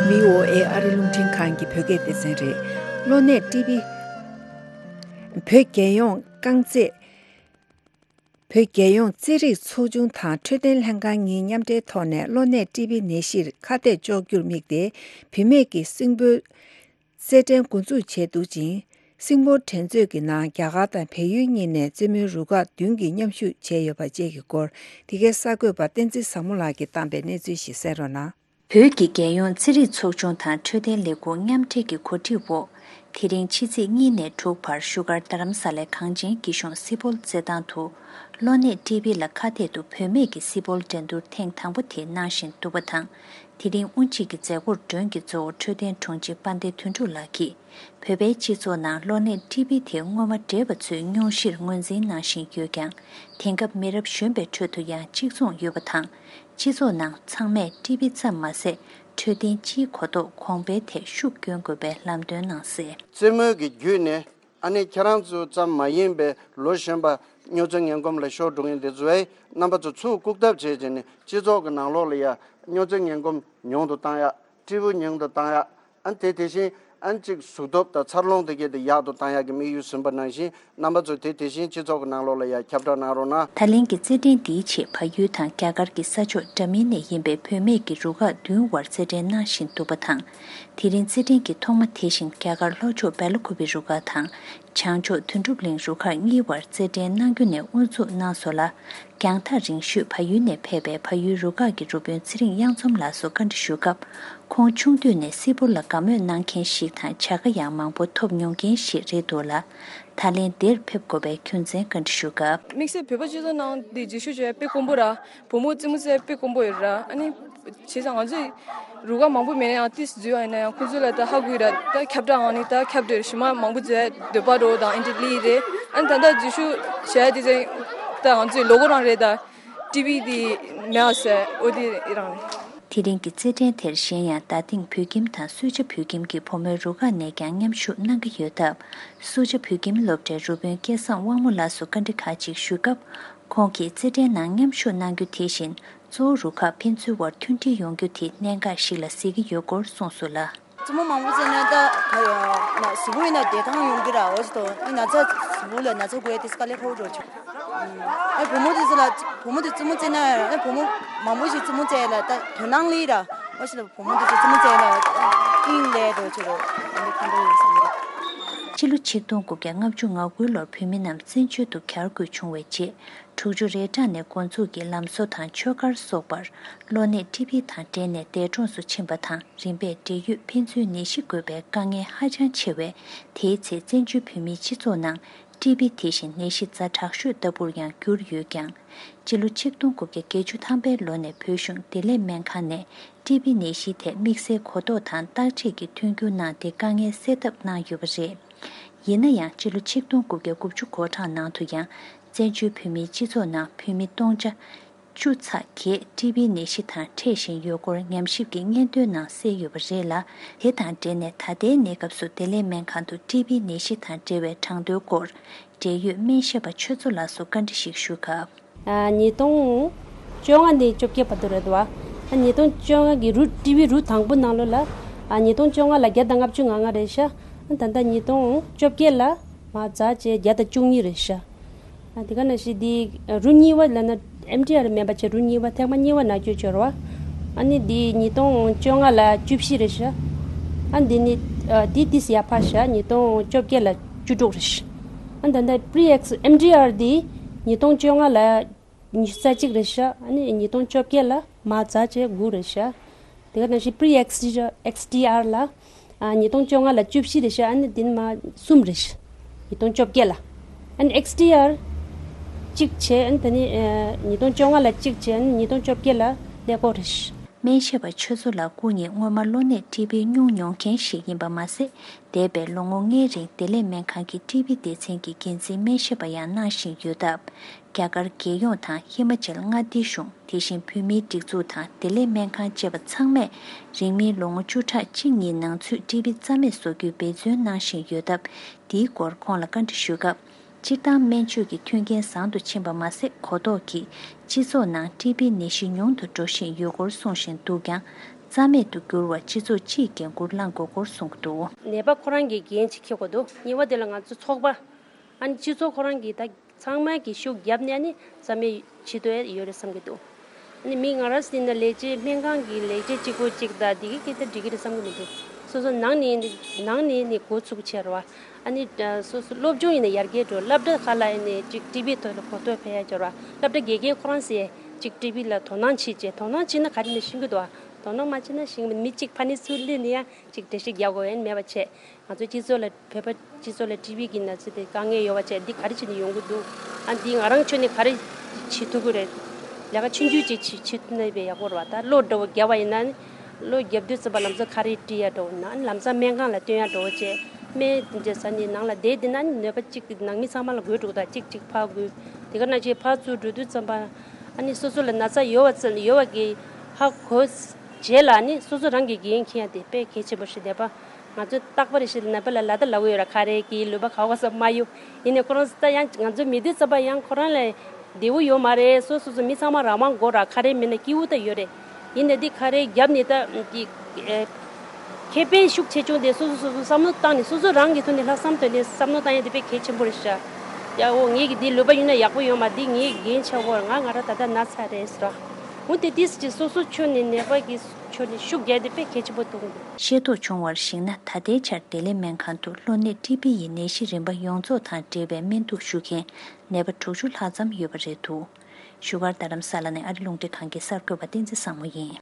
བྷི་ཨོ་ཨེ་ཨ་རི་རླུང་འཕྲིན་ཁང་གི་བོད་སྐད་སྡེ་ཚན་རེད། གློ་ནད་ཀྲི་བི། བོད་རྒྱལ་ཡོངས་རྐང་རྩེད། བོད་རྒྱལ་ཡོངས་རྩེད་རིགས་ཚོགས་ཆུང་དང་འཕྲོད་བསྟེན་ལྷན་ཁང་གཉིས་མཉམ་འབྲེལ་ཐོག་ནས་གློ་ནད་ཀྲི་བི་ནད་གཞིར་ཁ་གཏད་གཅོག་རྒྱུར་དམིགས་ཏེ། བུད་མེད་ཀྱི་སྲིན་པོའི་རྩེད་འགྲན་འགོ་འཛུགས་བྱས་འདུག་ཅིང་། སྲིན་པོ་འགྲན་རྩོད་ཀྱི་ནང་རྒྱ་གར་དང་བལ་ཡུལ་གཉིས་ནས་རྩེད་མོའི་རུ་ཁག་བདུན་གྱིས་མཉམ་ཞུགས་བྱས་ཡོད་པ་བཅས་ཀྱི་སྐོར། འདི་གའི་གསར་འགོད་པ་བསྟན་འཛིན་བཟང་མོ་ལགས་ཀྱིས་བཏང་པའི་གནས་ཚུལ་ཞིག་གསན་རོགས་གནང་། བོད་ཀྱི་རྒྱལ་ཡོངས་རྩེད་རིགས་ཚོགས་ཆུང་དང་འཕྲོད་བསྟེན་ལས་ཁུངས་མཉམ་འབྲེལ་གྱི་གོ་སྒྲིག་འོག་དེ་རིང་ཕྱི་ཚེས་གཉིས་ནས་དྲུག་བར་བཞུགས་སྒར་རྡ་རམ་ས་ལའི་གངས་ཅན་སྐྱིད་གཤོངས་སི་པོལ་རྩེད་ཐང་དུ། གློ་ནད་ཀྲི་བི་ལ་ཁ་གཏད་དུ་བུད་མེད་ཀྱི་སི་པོལ་འགྲན་བསྡུར་ཐེངས་དང་པོ་དེ་གནང་བཞིན་འདུག་པ་དང་། དེ་རིང་དབུ་འབྱེད་ཀྱི་མཛད་སྒོར་མགྲོན་གྱི་གཙོ་བོ་འཕྲོད་བསྟེན་དྲུང་ཆེ་དཔལ་ལྡན་དོན་གྲུབ་ལགས་ཀྱིས། བོད་པའི་སྤྱི་ཚོགས་ནང་གློ་ནད་ཀྲི་བི་དེ་སྔོན་མ་འདྲེས་པ་ཚོས་སྙུང་གཞིར་ངོས་འཛིན་གནང་བཞིན་ཡོད་ཀྱང་། དེང་སྐབས་མི་རབས་གཞོན་པའི་ཁྲོད་དུ་ཡང་གཅིག་མཚུངས་ཡོད་པ་དང་། སྤྱི་ཚོགས་ནང་ཚང་མས་ཀྲི་བི་ཙམ་མ་ཟད། འཕྲོད་བསྟེན་སྤྱིའི་གོ་རྟོགས་གོང་འཕེལ་ཐད་ཤུགས་སྐྱོན་དགོས་པའི་ལམ་སྟོན་གནང་གསལ། རྩེད་མོ་གི་བརྒྱུད་ནས། ཨ་ནི་ཁྱེད་རང་ཚོ་ཙམ་མ་ཡིན་པའི་ལོ་གཞོན་པ་སྨྱོ་རྫས་ངན་གོམས་ལ་ཤོར་འགྲོ་མཁན་དེ་ཚོ་ཨེ་རྣམ་པ་ཚོ་ཚུར་བཀུག་ཐབས་བྱས་བྱས་ནས་སྤྱི་ཚོགས་ཀྱི་ནང་ལོགས་ལ་ཡ་སྨྱོ་རྫས་ངན་གོམས་ཉུང་དུ་བཏང་ཡ། ཀྲི་བི་ཉུང་དུ་བཏང་ཡ། ཨ་ནི་དེ་དེ་བཞིན་ཨ་ནི་གཅིག་གཟུགས་སྟོབས་དང་འཚར་ལོངས་དེ་གས་དེ་ཡག་ཏུ་བཏང་ཡ་གི་དམིགས་ཡུལ་ཟིན་པ་ནང་བཞིན། རྣམ་པ་ཚོས་དེ་དེ་བཞིན་སྤྱི་ཚོགས་ཀྱི་ནང་ལོགས་ལ་ཡང་ཁྱབ་བསྒྲགས་གནང་རོགས་གནང་། ད་ལན་གྱི་རྩེད་འགྲན་འདིའི་ཆེད་བལ་ཡུལ་དང་རྒྱ་གར་གྱི་ས་ཕྱོགས་འདྲ་མིན་ནས་ཡིན་པའི་བུད་མེད་ཀྱི་རུ་ཁག་བདུན་བར་རྩེད་འགྲན་གནང་བཞིན་འདུག་པ་དང་། དེ་རིང་རྩེད་འགྲན་གྱི་ཐོག་མ་དེ་བཞིན་རྒྱ་གར་ལྷོ་ཕྱོགས་སྦེལ་ཀོབ་པི་རུ་ཁག་དང་། བྱང་ཕྱོགས་དོན་གྲུབ་གླིང་རུ་ཁག་གཉིས་བར་རྩེད་འགྲན་གནང་རྒྱུ་ནས་དབུ་འཛུགས་གནང་སོང་ལ། རྒྱང་ཐག་རིང་ཤོས་བལ་ཡུལ་ནས་ཕེབས་པའི་བལ་ཡུལ་རུ་ཁག་གི་རུ་དཔོན་ཚེ་རིང་གཡང་འཛོམས་ལགས་སུ་བཀའ་འདྲི་ཞུ་སྐབས། ཁོང་ཆུང་དུས་ནས་སི་པོལ་ལ་དགའ་མོས་གནང་མཁན་ཞིག་དང་བྱ་དགའ་ཡང་མང་པོ་ཐོབ་མྱོང་མཁན་ཞིག་རེད་འདུག་ལ། ད་ལན་འདིར་ཕེབས་དགོས་པའི་རྒྱུ་མཚན་བཀའ་འདྲི་ཞུ་སྐབས། དམིགས་བསལ་བོད་པ་སྤྱི་ཚོགས་ནང་འདི་རྗེས་ཤུལ་བྱས་དཔེ་དཀོན་པོ་ར། བུ་མོ་རྩེད་མོ་རྩེ་དཔེ་དཀོན་པོ་ཡོད་ར། ཨ་ནི་བྱས་ཙང་ང་ཚོས་རུ་ཁག་མང་པོ་མེད་ན་ཡང་ཏིས་འཛུལ་བ་ཡིན་ན་ཡང་ཁོང་ཚོ་ལ་ད་ཧ་གོ་ཡི་ར། ད་ཁྱབ་བསྒྲགས་ཨང་ནི་ད་ཁྱབ་བསྒྲགས་ཞུ་མ་མང་པོ་མཛད་འདོད་པ་རོ་དང་ཨེན་ཏི་ལི་རེད། ཨ་ནི་ད་ལྟ་རྗེས་ཤུལ་བྱས་དེ་ཚེ་ད་ང་ཚོས་ལོ་གོ་རང་རེད་ད། ཀྲི་བི་དེ་མེད་ཟེར་འོ་དེ་རང་རེད། དེ་རིང་གི་རྩེད་འགྲན་དེར་གཞན་ཡང་རྡ་སྟེང་བོད་ཁྱིམ་དང་སུ་ཇཱ་བོད་ཁྱིམ་གྱི་བུ་མོའི་རུ་ཁག་ནས་ཀྱང་མཉམ་ཞུགས་གནང་གི་ཡོད་སྟབས། སུ་ཇཱ་བོད་ཁྱིམ་སློབ་གྲྭའི་རུ་དཔོན་སྐལ་བཟང་དབང་མོ་ལགས་སུ་བཀའ་འདྲི་ཁག་ཅིག་ཞུས་སྐབས། ཁོང་གིས་རྩེད་འགྲན་ནང་མཉམ་ཞུགས་གནང་རྒྱུ་དེ་བཞིན་གཙོ་བོ་རུ་ཁག་ཕན་ཚུན་དབར་མཐུན་སྒྲིལ་ཡོང་རྒྱུ་དེ་གནད་འགག་ཞིག་ལ་གཟིགས་ཀྱི་ཡོད་སྐོར་གསུངས་སོང་ལ། རྩེད་མོ་མང་པོ་རྩེས་ན་ད་གཟུགས་པོ་ཡིན་ན་བདེ་ཐང་ཡོང་གི་ར། འོ་ཅི་ཐོག་ཨི་ན་ཚ་གཟུགས་པོ་ལ་ན་ཚ་འགོས་ཏེ་དཀའ་ལས་ཁག་པོ་འགྲོ་ཆོག་ཨ་བུ་མོ་དེ་ཚོ་ལ་བུ་མོ་དེ་རྩེད་མོ་རྩེས་ན་ཨ་བུ་མོ་མང་པོ་ཞིག་རྩེད་མོ་རྩེས་ལ་ད་དོ་སྣང་སླེབས་ར། འོ་ཅི་ལ་བུ་མོ་དེ་ཚོ་རྩེད་མོ་རྩེས་ལ་ཨིན་ལས་འགྲོ་ཆོག་རོ། ཨ་འདི་ཕན་ཐོགས་ཡོད་བསམ་གི། སྤྱི་ལོ་ཆིག་སྟོང་དགུ་བརྒྱ་ལྔ་བཅུ་ང་དགུ་ལོར་བོད་མི་རྣམས་བཙན་བྱོལ་དུ་གྱར་དགོས་བྱུང་བའི་རྗེས། དྲུག་ཅུ་རེ་གྲངས་ནས་འགོ་འཛུགས་ཀྱིས་ལམ་བཟོ་དང་ཆོས་སྒར་སོགས་པར་གློ་ནད་ཀྲི་བི་དང་འབྲེལ་ནས་འདས་གྲོངས་སུ་ཕྱིན་པ་དང་། རིམ་པས་འབྲེལ་ཡོད་ཕན་ཚུན་ནད་གཞི་འགོས་པའི་དཀའ་ངལ་ཧ་ཅང་ཆེ་བས། དེའི་ཚེ་བཙན་བྱོལ་བོད་མིའི་སྤྱི་ཚོགས་ནང་ ཊི་བི་དེ་བཞིན་ནད་གཞི་ཛ་དྲག་ཤོས་ལྟ་བུར་ཡང་གྱུར་ཡོད་ཀྱང་། སྤྱི་ལོ་ཆིག་སྟོང་དགུ་བརྒྱ་བརྒྱད་ཅུ་ཐམ་པའི་ལོ་ནས་བོད་གཞུང་བདེ་ལེགས་སྨན་ཁང་ནས་ཊི་བི་ནད་གཞིའི་ཐད་དམིགས་བསལ་གོ་རྟོགས་དང་བརྟག་དཔྱད་ཀྱི་མཐུན་འགྱུར་གནང་སྟེ་དཀའ་ངལ་སེལ་ཐབས་གནང་ཡོད་པ་རེད། ཡིན་ན་ཡང་སྤྱི་ལོ་ཆིག་སྟོང་དགུ་བརྒྱ་དགུ་བཅུ་གོ་གྲངས་ནང་དུ་ཡང་བཙན་བྱོལ་བོད་མིའི་སྤྱི་ཚོགས་ནང་བོད་མི་སྟོང་ཆ་བཅུ་ཚེག་བརྒྱད་ཊི་བི་ནད་གཞི་དང་འཕྲད་བཞིན་ཡོད་སྐོར་ཉམས་ཞིབ་ཀྱི་སྙན་ཐོའི་ནང་གསལ་ཡོད་པ་རེད་ལ། དེ་དང་འབྲེལ་ནས་ད་ལྟའི་གནས་སྐབས་སུ་བདེ་ལེགས་སྨན་ཁང་དུ་ཊི་བི་ནད་གཞི་དང་འབྲེལ་བའི་གྲངས་ཐོའི་སྐོར་འབྲེལ་ཡོད་སྨན་ཞབས་པ་ཆོས་མཚོ་ལགས་སུ་བཀའ་འདྲི་ཞིག་ཞུས་སྐབས། ཨ། ཉིས་སྟོང་བཅོ་ལྔ་ནས་བཅོ་བརྒྱད་བར་དུ་རེད་བ། ཨ། ཉིས་སྟོང་བཅོ་ལྔ་གི་རུ་ཊི་བི་རུ་དང་པོ་ནང་ལོགས་ལ། ཨ། ཉིས་སྟོང་བཅོ་ལྔ་ལ་བརྒྱ་དང་ལྔ་བཅུ་ང་ལྔ་རེད་ཤག་ཨ། ད་ལྟ་ཉིས་སྟོང་བཅོ་བརྒྱད་ལ་མར་ཛ་བྱས་བརྒྱ་དང་བཅུ་གཉིས་རེད་ཤག་ཨ། དེ་ག་ནང་བཞིན་འདི་རུ་གཉིས་པ་ལབ་ན་ཨེམ་ཊི་ཨར་མིན་པ་བྱས་རུ་གཉིས་པ་ཐེངས་མ་གཉིས་པ་ནང་བཅུག་ཡོད་རེད་བ། ཨ་ནི་འདི་ཉིས་སྟོང་བཅོ་ལྔ་ལ་བཅུ་བཞི་རེད་ཤག་ཨ། འདི་ནི་ཨ། འདི་ཏོག་ཙམ་ཡར་འཕར་ཤག་ཉིས་སྟོང་བཅོ་བརྒྱད་ལ་བཅུ་དྲུག་རེད་ཤག་ཨ། ད་ལྟ་པི་རི་ཨེགས་ཨེམ་ཊི་ཨར་འདི་ཉིས་སྟོང་བཅོ་ལྔ་ལ་ཉི་ཤུ་རྩ་གཅིག་རེད་ཤག་ཨ་ནི་ཉིས་སྟོང་བཅོ་བརྒྱད་ལ་མར་ཛ་བྱས་དགུ་རེད་ཤག་དེ་ག་ནང་བཞིན་པི་རི་ཨེགས་ཊི་ཨར་ཨེགས་ཊི་ཨར་ལ། ཨ། ཉིས་སྟོང་བཅོ་ལྔ་ལ་བཅུ་བཞི་རེད་ཤག་ཨ་ནི་འདི་ནི་མར་གསུམ་རེད་ཤག་ཉིས་སྟོང་བཅོ་བརྒྱད་ལ། ཨ་ནི་ཨེགས་ཊི་ཨར་གཅིག་བྱས། ཨ་ནི་ད་ནི་ཨ། ཉིས་སྟོང་བཅོ་ལྔ་ལ་གཅིག་བྱས། ཨ་ནི་ཉིས་སྟོང་བཅོ་བརྒྱད་ལ་ཀླད་ཀོར་རེད་ཤག་སྨན་ཞབས་པ་ཆོས་མཚོ་ལགས་སྐུ་ཉིད་སྔོན་མ་གློ་ནད་ཊི་བི་མྱོང་མྱོང་མཁན་ཞིག་ཡིན་པ་མ་ཟད། འདས་པའི་ལོ་ངོ་ལྔའི་རིང་བདེ་ལེགས་སྨན་ཁང་གི་ཊི་བི་སྡེ་ཚན་གྱི་འགན་འཛིན་སྨན་ཞབས་པ་ཡང་གནང་བཞིན་ཡོད་སྟབས། རྒྱ་གར་རྒྱལ་ཡོངས་དང་ཧི་མ་ཅལ་མངའ་སྡེའི་གཞུང་། དེ་བཞིན་བོད་མིའི་སྒྲིག་འཛུགས་དང་བདེ་ལེགས་སྨན་ཁང་བཅས་པ་ཚང་མས་རིང་མིན་ལོ་ངོ་བཅུ་ཕྲག་གཅིག་གཉིས་ནང་ཚུད་ཊི་བི་རྩ་མེད་བཟོ་རྒྱུའི་འབད་བརྩོན་གནང་བཞིན་ཡོད་སྟབས། འདིའི་སྐོར་ཁོང་ལ་བཀའ་འདྲི་ཞུས་སྐབས། སྤྱིར་བཏང་སྨན་བཅོས་ཀྱི་མཐུན་རྐྱེན་བཟང་དུ་ཕྱིན་པ་མ་ཟད། གོ་རྟོགས་ཀྱིས་སྤྱི་ཚོགས་ནང་ཊི་བི་ནད་གཞི་ཉུང་དུ་འགྲོ་བཞིན་ཡོད་སྐོར་གསུངས་བཞིན་འདུག་ཀྱང་། རྩ་མེད་དུ་གྱུར་བར་སྤྱི་ཚོགས་སྤྱིའི་འགན་འཁུར་བླང་དགོས་སྐོར་གསུངས་འདུག་ནད་པ་ཁོ་རང་གི་འགན་ཅིག་འཁྱེར་དགོས་འདུག་གཉིས་པ་དེ་ལ་ང་ཚོ་ཚོགས་པ། ཨ་ནི་སྤྱི་ཚོགས་ཁོ་རང་གིས་ད་ཚང་མས་ཀྱི་ཤུགས་བརྒྱབ་ནས་ཨ་ནི་རྩ་མེད་བྱེད་འདོད་ཡོད་རེད་བསམ་གྱི་འདུག་ཨ་ནི་མི་ང་རང་ཟེར་ན་ལས་བྱེད་སྨན་ཁང་གི་ལས་བྱེད་གཅིག་པོ་གཅིག་དང་འདི་གི་སྐད་ཆ་འགྲིག་གི་རེད་བསམ་གྱི་མི་འདུག་སོ་སོ་ནང་ནས་ནང་ནས་ནས་འགོ་ཚུགས་བྱས་རེད་བ། ཨ་ནི་སོ་སོ་སློབ་སྦྱོང་ཡིན་ན་ཡར་རྒྱས་འགྲོ། སློབ་གྲྭ་ཁག་ལ་ཡིན་ནས་ཅིག་ཊི་བི་ཐོག་ལ་གོ་རྟོགས་འཕེལ་ཡ་འགྱུར་བ། སློབ་གྲྭ་དགེ་རྒན་ཁོ་རང་ཟེར་ཅིག་ཊི་བི་ལ་དོ་སྣང་བྱེད་ཅེས། དོ་སྣང་བྱེད་ན་ག་རེ་ནས་ཤེས་ཀྱི་འདུག་བ། དོ་སྣང་མ་བྱེད་ན་ཤེས་ཀྱི་མི་གཅིག་ཕ་ནི་ཚུར་སླེབས་ནས་ཡང་ཅིག་འགྲེལ་བཤད་རྒྱག་དགོས་ཡ་མེད་པ་བྱས། ང་ཚོ་སྤྱི་ཚོགས་ལ་བོད་པ་སྤྱི་ཚོགས་ལ་ཊི་བི་གི་ན་ཚ་དེ་དཀའ་ངལ་ཡོད་པ་བྱས། འདི་ག་རེ་བྱས་ནས་ཡོང་གི་འདུག་ཨ་འདི་ང་རང་ཁྱོན་ནས་ག་རེ་བྱེད་ཐུབ་ཀྱི་རེད། ལས་ཀ་ཆུང་ཆུང་ཅིག་བྱེད་བྱེད་ཐུབ་ན་དཔེ་ཡག་པོ་རེད་བ། ད་གློ་འདྲ་བོ་བརྒྱབ་པ་ཡིན་ན་ནི་གློ་བརྒྱབ་དུས་ཙམ་པ་ལམ་སང་ག་རེ་སྤྲད་ཡ་འདྲ་བོ་ན་ནི་ལམ་སང་སྨན་ཁང་ལ་སྟོན་ཡ་འདྲ་བོ་བྱས། སྨན་དེ་འདྲ་ཟ་ནས་ནང་ལ་བསྡད་བསྡད་ན་ནི་ནད་པ་གཅིག་གི་ནང་མི་ཚང་མ་ལ་འགོས་འགྲོ་གི། ད་གཅིག་གཅིག་ཕར་འགོས། དེ་ག་ནང་བཞིན་ཕར་ཚུར་འགྲོ་དུས་ཙམ་པ་ཨ་ནི་སོ་སོ་ལ་ན་ཚ་ཡོད་པ་ཙམ་ཡོད་པ་གི་ཧ་གོ་རྗེས་ལ་ནི་སོ་སོ་རང་གི་འགན་འཁྱེར་ཡ་དེ་དཔེ་གལ་ཆེན་པོ་ཞིག་རེད་པ། ང་ཚོས་རྟག་པར་ཞིག་ནད་པ་ལ་ལབ་ད་ལབ་ཀྱི་ཡོད་ར། ཁ་རས་གྱིས་ལུས་པ་ག་བ་ག་ས་མ་གཡུག་ཡིན་ནའི་ཁོ་རང་ད་ཡང་ང་ཚོ་མི་དེ་ཚོ་པ་ཡང་ཁོ་རང་ལ་བདེ་བོ་ཡོད་མ་རེད། སོ་སོ་སོ་མི་ཚང་མ་རང་དབང་དགོས་ར། ཁ་རས་མེད་ན་སྐྱིད་པོ་ད་ཡོད་རེད། ཡིན་ནའི་འདི་ཁ་རས་བརྒྱབ་ནས་ད་འདི་ཨེ། ཁེ་ཕན་ཤུགས་ཆེ་ཆུང་དེ་སོ་སོ་སོ་སོ་བསམ་བློ་བཏང་ནས་སོ་སོ་རང་གི་ཐོག་ནས་ལྷག་བསམ་བཏོན་ནས་བསམ་བློ་བཏང་ཡ་དེ་དཔེ་གལ་ཆེན་པོ་རེད་ཤག་ཡ་འོ་ངེད་ཀྱི་འདི་ལུས་པ་ཡིན་ན་ཡག་པོ་ཡོད་མ། འདི་ངའི་འགན་ཆགས་གོ། ང་ང་རང་ད་ལྟ་ན་ཚ་རེད་ཟེར་ར། འོ་དེ་དུས་ཀྱི་སོ་སོ་ཁྱོན་ནས་ནད་པ་གི་ཕྱོགས་ནས་ཤུགས་རྒྱག་དེ་དཔེ་གལ་ཆེན་པོ་མཐོང་གི། ཤེས་རྟོགས་བྱུང་བར་གཞིགས་ན། ད་ལྟའི་ཆར་བདེ་ལེགས་སྨན་ཁང་དུ་གློ་ནད་ཊི་བི་ཡི་ནད་གཞི་རིམ་པ་ཡོངས་རྫོགས་དང་འབྲེལ་བའི་སྨན་གཏུགས་ཞུ་མཁན་ནད་པ་དྲུག་ཅུ་ལྷག་ཙམ་ཡོད་པ་རེད་འདུག་བཞུགས་སྒར་རྡ་རམ་ས་ལ་ནས་ཨ་རི་རླུང་འཕྲིན་ཁང་གི་གསར་འགོད་པ་བསྟན་འཛིན་བཟང་མོ་ཡིན།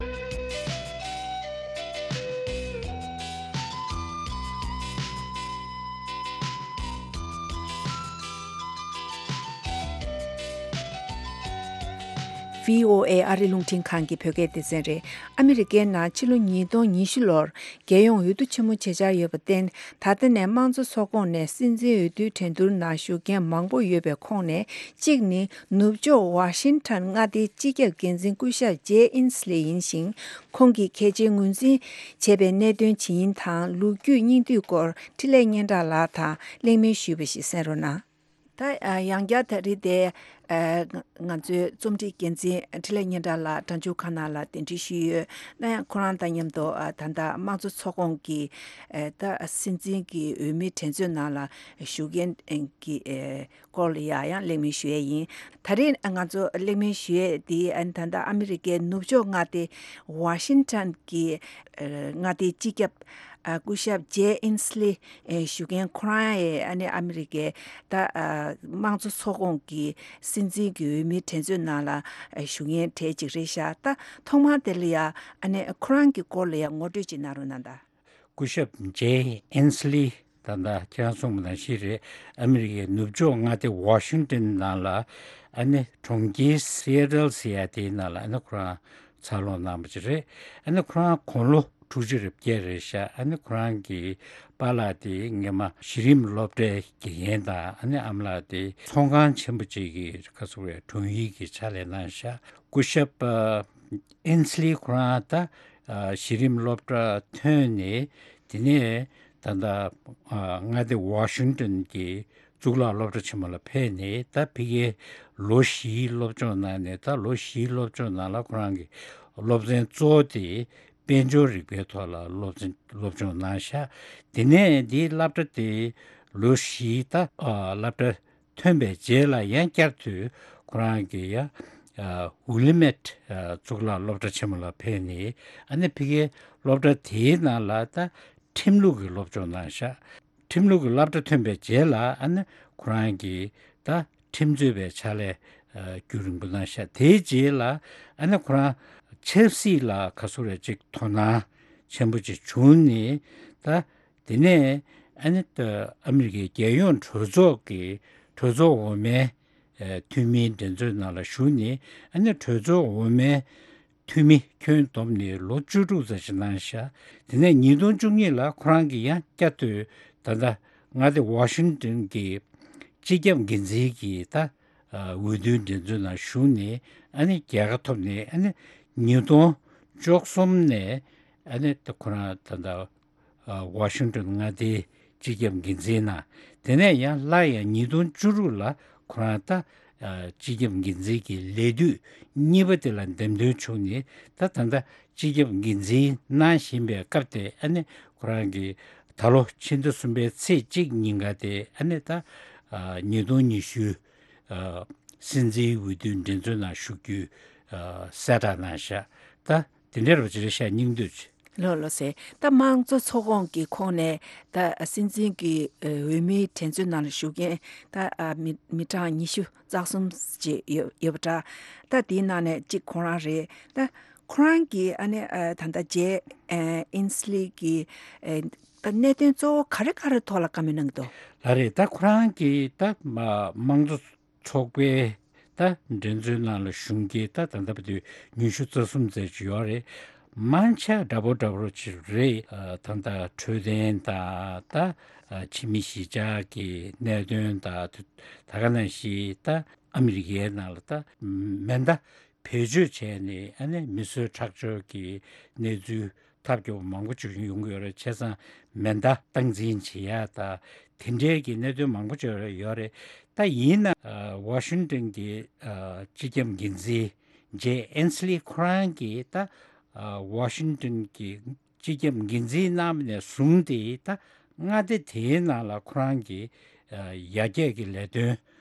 བྷི་ཨོ་ཨེ་ཨ་རི་རླུང་འཕྲིན་ཁང་གི་བོད་སྐད་སྡེ་ཚན་རེད། ཨ་མི་རི་ཀའི་ནང་ཕྱི་ལོ་ཉིས་སྟོང་ཉི་ཤུ་ལོར་རྒྱལ་ཡོངས་འོས་བསྡུ་ཆེན་མོ་བྱེད་འཆར་ཡོད་པར་བརྟེན། ད་ལྟ་ནས་དམངས་གཙོ་ཚོགས་ཁོངས་ནས་སྲིད་འཛིན་འོས་བསྡུའི་འགྲན་བསྡུར་ནང་ཞུགས་མཁན་མང་པོ་ཡོད་པའི་ཁོངས་ནས་གཅིག་ནི། ནུབ་ཕྱོགས་ཝ་ཤིང་ཊོན་མངའ་སྡེའི་སྤྱི་ཁྱབ་འགན་འཛིན་སྐུ་ཞབས་ཇེ་ཨིན་སི་ལི་ཡིན་ཞིང་། ཁོང་གིས་གལ་ཆེའི་ངོས་འཛིན་བྱས་པའི་གནད་དོན་ཇི་ཡིན་དང་། ལོ་རྒྱུས་སྙིང་བསྡུས་སྐོར་འཕྲིན་ལས་སྙན་གྲགས་ལགས་དང་གླེང་མོལ་ཞུས་པ་ཞིག་གསན་རོགས་གནང་། ད་ཡང་བསྐྱར་ད་རེས་དེ་ང་ཚོའི་རྩོམ་སྒྲིག་འགན་འཛིན་འཕྲིན་ལས་སྙན་གྲགས་ལགས་གྲྭ་ཆུང་ཁ་ནང་ལ་གདན་འདྲེན་ཞུས་ཡོད། ན་ཡང་ཁོ་རང་དང་མཉམ་དུ་ད་ལྟ་དམངས་གཙོ་ཚོགས་ཁོངས་ཀྱི་ད་སྲིད་འཛིན་གྱི་འོས་མིའི་འགྲན་རྩོད་ནང་ལ་ཞུགས་མཁན་གྱི་སྐོར་ལ་ཡང་ཡང་གླེང་མོལ་ཞུ་ཡས་ཡིན། ད་རེས་ང་ཚོ་གླེང་མོལ་ཞུ་ཡས་འདི་ད་ལྟ་ཨ་མི་རི་ཀའི་ནུབ་ཕྱོགས་མངའ་སྡེ་ཝ་ཤིང་ཊོན་གྱི་མངའ་སྡེའི་སྤྱི་ཁྱབ་སྐུ་ཞབས་ཇེ་ཨིན་སི་ལི་ཞུ་མཁན་ཁོ་རང་ཡང་ཨ་ནི་ཨ་མི་རི་ཀའི་ད་དམངས་གཙོ་ཚོགས་ཁོངས་ཀྱི་སྲིད་འཛིན་གྱི་འོས་མིའི་འགྲན་རྩོད་ནང་ལ་ཞུགས་མཁན་གྲས་ཅིག་རེད་ཤག་ད་ཐོག་མར་དེ་ལ་ཡང་ཨ་ནི་ཁོ་རང་གི་སྐོར་ལ་ཡང་ངོ་སྤྲོད་ཅིག་གནང་རོགས་གནང་དང་། སྐུ་ཞབས་ཇེ་ཨིན་སི་ལི་ ད་ལྟ་ཁྱེད་རང་གསུངས་པ་ནང་བཞིན་རེད། ཨ་མི་རི་ཀའི་ནུབ་ཕྱོགས་མངའ་སྡེ་ཝ་ཤིང་ཏོན་ནང་ལ་ཨ་ནི་གྲོང་ཁྱེར་སི་ཨེ་ཊལ་ཟེར་ཡ་དེའི་ནང་ལ་ཨ་ནི་ཁོ་རང་འཚར་ལོངས་གནང་བ་ཅིག་རེད། ཨ་ནི་ཁོ་རང་དགུང་ལོ་དྲུག་ཅུ་རེ་བརྒྱད་རེད་ཤག་ཨ་ནི་ཁོ་རང་གི་པཱ་ལགས་དེ་སྔོན་མ་གཞི་རིམ་སློབ་གྲྭའི་དགེ་རྒན་དང་ཨ་ནི་ཨ་མ་ལགས་དེ་ཚོང་ཁང་ཆེན་པོ་ཅིག་གི་ག་ཟེར་བའི་དྲུང་ཡིག་གི་ཕྱག་ལས་གནང་ཤག་སྐུ་ཞབས་ཨེན་སི་ལི་ཁོ་རང་ད་གཞི་རིམ་སློབ་གྲྭ་ཐོན་ནས་དེ་ནས་ད་ལྟ་མངའ་སྡེ་ཝ་ཤིང་ཏོན་གྱི་གཙུག་ལག་སློབ་གྲྭ་ཆེན་མོ་ལ་ཕེབས་ནས་ད་ཕ་གིར་ལོ་བཞིའི་སློབ་སྦྱོང་གནང་ནས། ད་ལོ་བཞིའི་སློབ་སྦྱོང་ནང་ལ་ཁོ་རང་གི་སློབ་ཚན་གཙོ་བོ་དེ་དཔལ་འབྱོར་རིག་པའི་ཐོག་ལ་སློབ་ཚན་སློབ་སྦྱོང་གནང་ཤག་དེ་ནས་འདིའི་སློབ་གྲྭ་དེ་ལོ་བཞིའི་ད་སློབ་གྲྭ་ཐོན་པའི་རྗེས་ལ་ཡང་བསྐྱར་དུ་ཁོ་རང་གི་ཡ་ཝི་ལི་མེད་གཙུག་ལག་སློབ་གྲྭ་ཆེན་མོ་ལ་ཕེབས་ནས་ཨ་ནི་ཕ་གིའི་སློབ་གྲྭ་དེའི་ནང་ལ་ད་ཁྲིམས་ལུགས་ཀྱི་སློབ་སྦྱོང་གནང་ཤག་ཁྲིམས་ལུགས་ཀྱི་སློབ་གྲྭ་ཐོན་པའི་རྗེས་ལ་ཨ་ནི་ཁོ་རང་གིས་ད་ཁྲིམས་རྩོད་པའི་ཕྱག་ལས་རྒྱུན་རིང་པོ་གནང་ཤག་དེའི་རྗེས་ལ་ཨ་ནི་ཁོ་རང་ཆབ་སྲིད་ལ་ག་ཟེར་རེད་ཅིག་དོ་སྣང་ཆེན་པོ་ཅིག་བྱུང་ནས། ད་དེ་ནས་ཨ་ནི་ད་ཨ་མི་རི་ཀའི་རྒྱལ་ཡོངས་གྲོས་ཚོགས་ཀྱི་གྲོས་ཚོགས་འོག་མའི་འཐུས་མིའི་འགྲན་རྩོད་ནང་ལ་ཞུགས་ནས། ཨ་ནི་གྲོས་ཚོགས་འོག་མའི་འཐུས་མི་ཁྱོན་བསྡོམས་ནས་ལོ་བཅུ་དྲུག་ཙམ་ཞིག་གནང་ཤག་དེ་ནས་ཉིས་སྟོང་བཅུ་གཉིས་ལ་ཁོ་རང་གིས་ཡང་བསྐྱར་དུ་ད་ལྟ་མངའ་སྡེ་ཝ་ཤིང་ཏོན་གྱི་སྤྱི་ཁྱབ་འགན་འཛིན་གྱི་ད་འོས་བསྡུའི་འགྲན་རྩོད་ནང་ཞུགས་ནས་ཨ་ནི་རྒྱལ་ཁ་ཐོབ་ནས། ཨ་ནི་ཉིས་སྟོང་བཅུ་གསུམ་ནས་ཨ་ནི་ད་ཁོ་རང་ད་ལྟ་ཝ་ཤིང་ཏོན་མངའ་སྡེའི་སྤྱི་ཁྱབ་འགན་འཛིན་གནང་། དེ་ནས་ཡང་སླར་ཡང་ཉིས་སྟོང་བཅུ་དྲུག་ལ་ཁོ་རང་ད་སྤྱི་ཁྱབ་འགན་འཛིན་གྱི་ལས་དུས་གཉིས་པ་དེ་ལ་འདེམས་ཐོན་བྱུང་ནས། ད་ད་ལྟ་སྤྱི་ཁྱབ་འགན་འཛིན་གནང་བཞིན་པའི་སྐབས་དེ་ཨ་ནི་ཁོ་རང་གིས་ད་ལོ་ཕྱི་ཟླ་གསུམ་པའི་ཚེས་གཅིག་ཉིན་ཀ་དེ་ཨ་ནི་ད་ཉིས་སྟོང་ཉི་ཤུ་སྲིད་འཛིན་འོས་བསྡུའི་འགྲན་རྩོད་ནང་ཞུགས་རྒྱུའི་གསལ་བསྒྲགས་གནང་ཤག་ད་དེ་འདྲ་རོ་ཅི་རེད་ཤག་སྙིང་བསྡུས་ཅིག་ལོ་ལོ་ཟེར། ད་དམངས་གཙོ་ཚོགས་ཁོངས་ཀྱི་ཁོངས་ནས་ད་སྲིད་འཛིན་གྱི་འོས་མིའི་འགྲན་རྩོད་ནང་ལ་ཞུགས་མཁན་ད་མི་མི་གྲངས་ཉི་ཤུ་རྩ་གསུམ་ཅིག་ཡོད་ཡོད་པ་འདྲ། ད་དེའི་ནང་ནས་གཅིག་ཁོང་རང་རེད། ད་ཁོ་རང་གིས་ཨ་ནི་ད་ལྟ་ཇེ་ཨིན་སི་ལི་གི་ད་གནད་དོན་གཙོ་བོ་ག་རེ་ག་རེ་ཐོག་ལ་བཀའ་མོལ་གནང་གི་འདུག་ལགས་རེད། ད་ཁོ་རང་གིས་ད་དམངས་གཙོ་ཚོགས་པའི་ད་འགྲན་རྩོད་ནང་ལ་ཞུགས་མཁན་ད་ད་ལྟ་བར་དུ་ཉི་ཤུ་རྩ་གསུམ་ཙམ་ཅིག་ཡོད་རེད། མང་ཆེ་འདྲ་པོ་འདྲ་པོ་ཅིག་རེད། ད་ལྟ་འཕྲོད་བསྟེན་དང་ད་ཕྱི་མི་གཞིས་ཆགས་ཀྱི་གནད་དོན་དང་། ད་ག་ནང་བཞིན་ད་ཨ་མི་རི་ཀའི་ནང་ལ་ད་མེ་མདའ་བེད་སྤྱོད་བྱས་ནས་ཨ་ནི་མི་གསོད་ཁྲག་སྦྱོར་གྱི་གནས་ཚུལ་ཐབས་སྐྱོ་པོ་མང་པོ་ཅིག་ཡོང་གི་ཡོད་རེད། བྱས་ཙང་མེ་མདའ་སྟངས་འཛིན་བྱེད་ཡ་ད་དེ་འདྲའི་གི་གནད་དོན་མང་པོ་ཅིག་ཡོད་རེད། ད་ཡིན་ན་ཝ་ཤིང་ཏོན་གྱི་སྤྱི་ཁྱབ་འགན་འཛིན་ཇེ་ཨེན་སི་ལི་ཁོ་རང་གིས་ད་ཝ་ཤིང་ཏོན་གྱི་སྤྱི་ཁྱབ་འགན་འཛིན་གནང་བ་ནས་བཟུང་སྟེ་ད་མངའ་སྡེ་དེའི་ནང་ལ་ཁོ་རང་གིས་ཡར་རྒྱས་ཀྱི་ལས་དོན་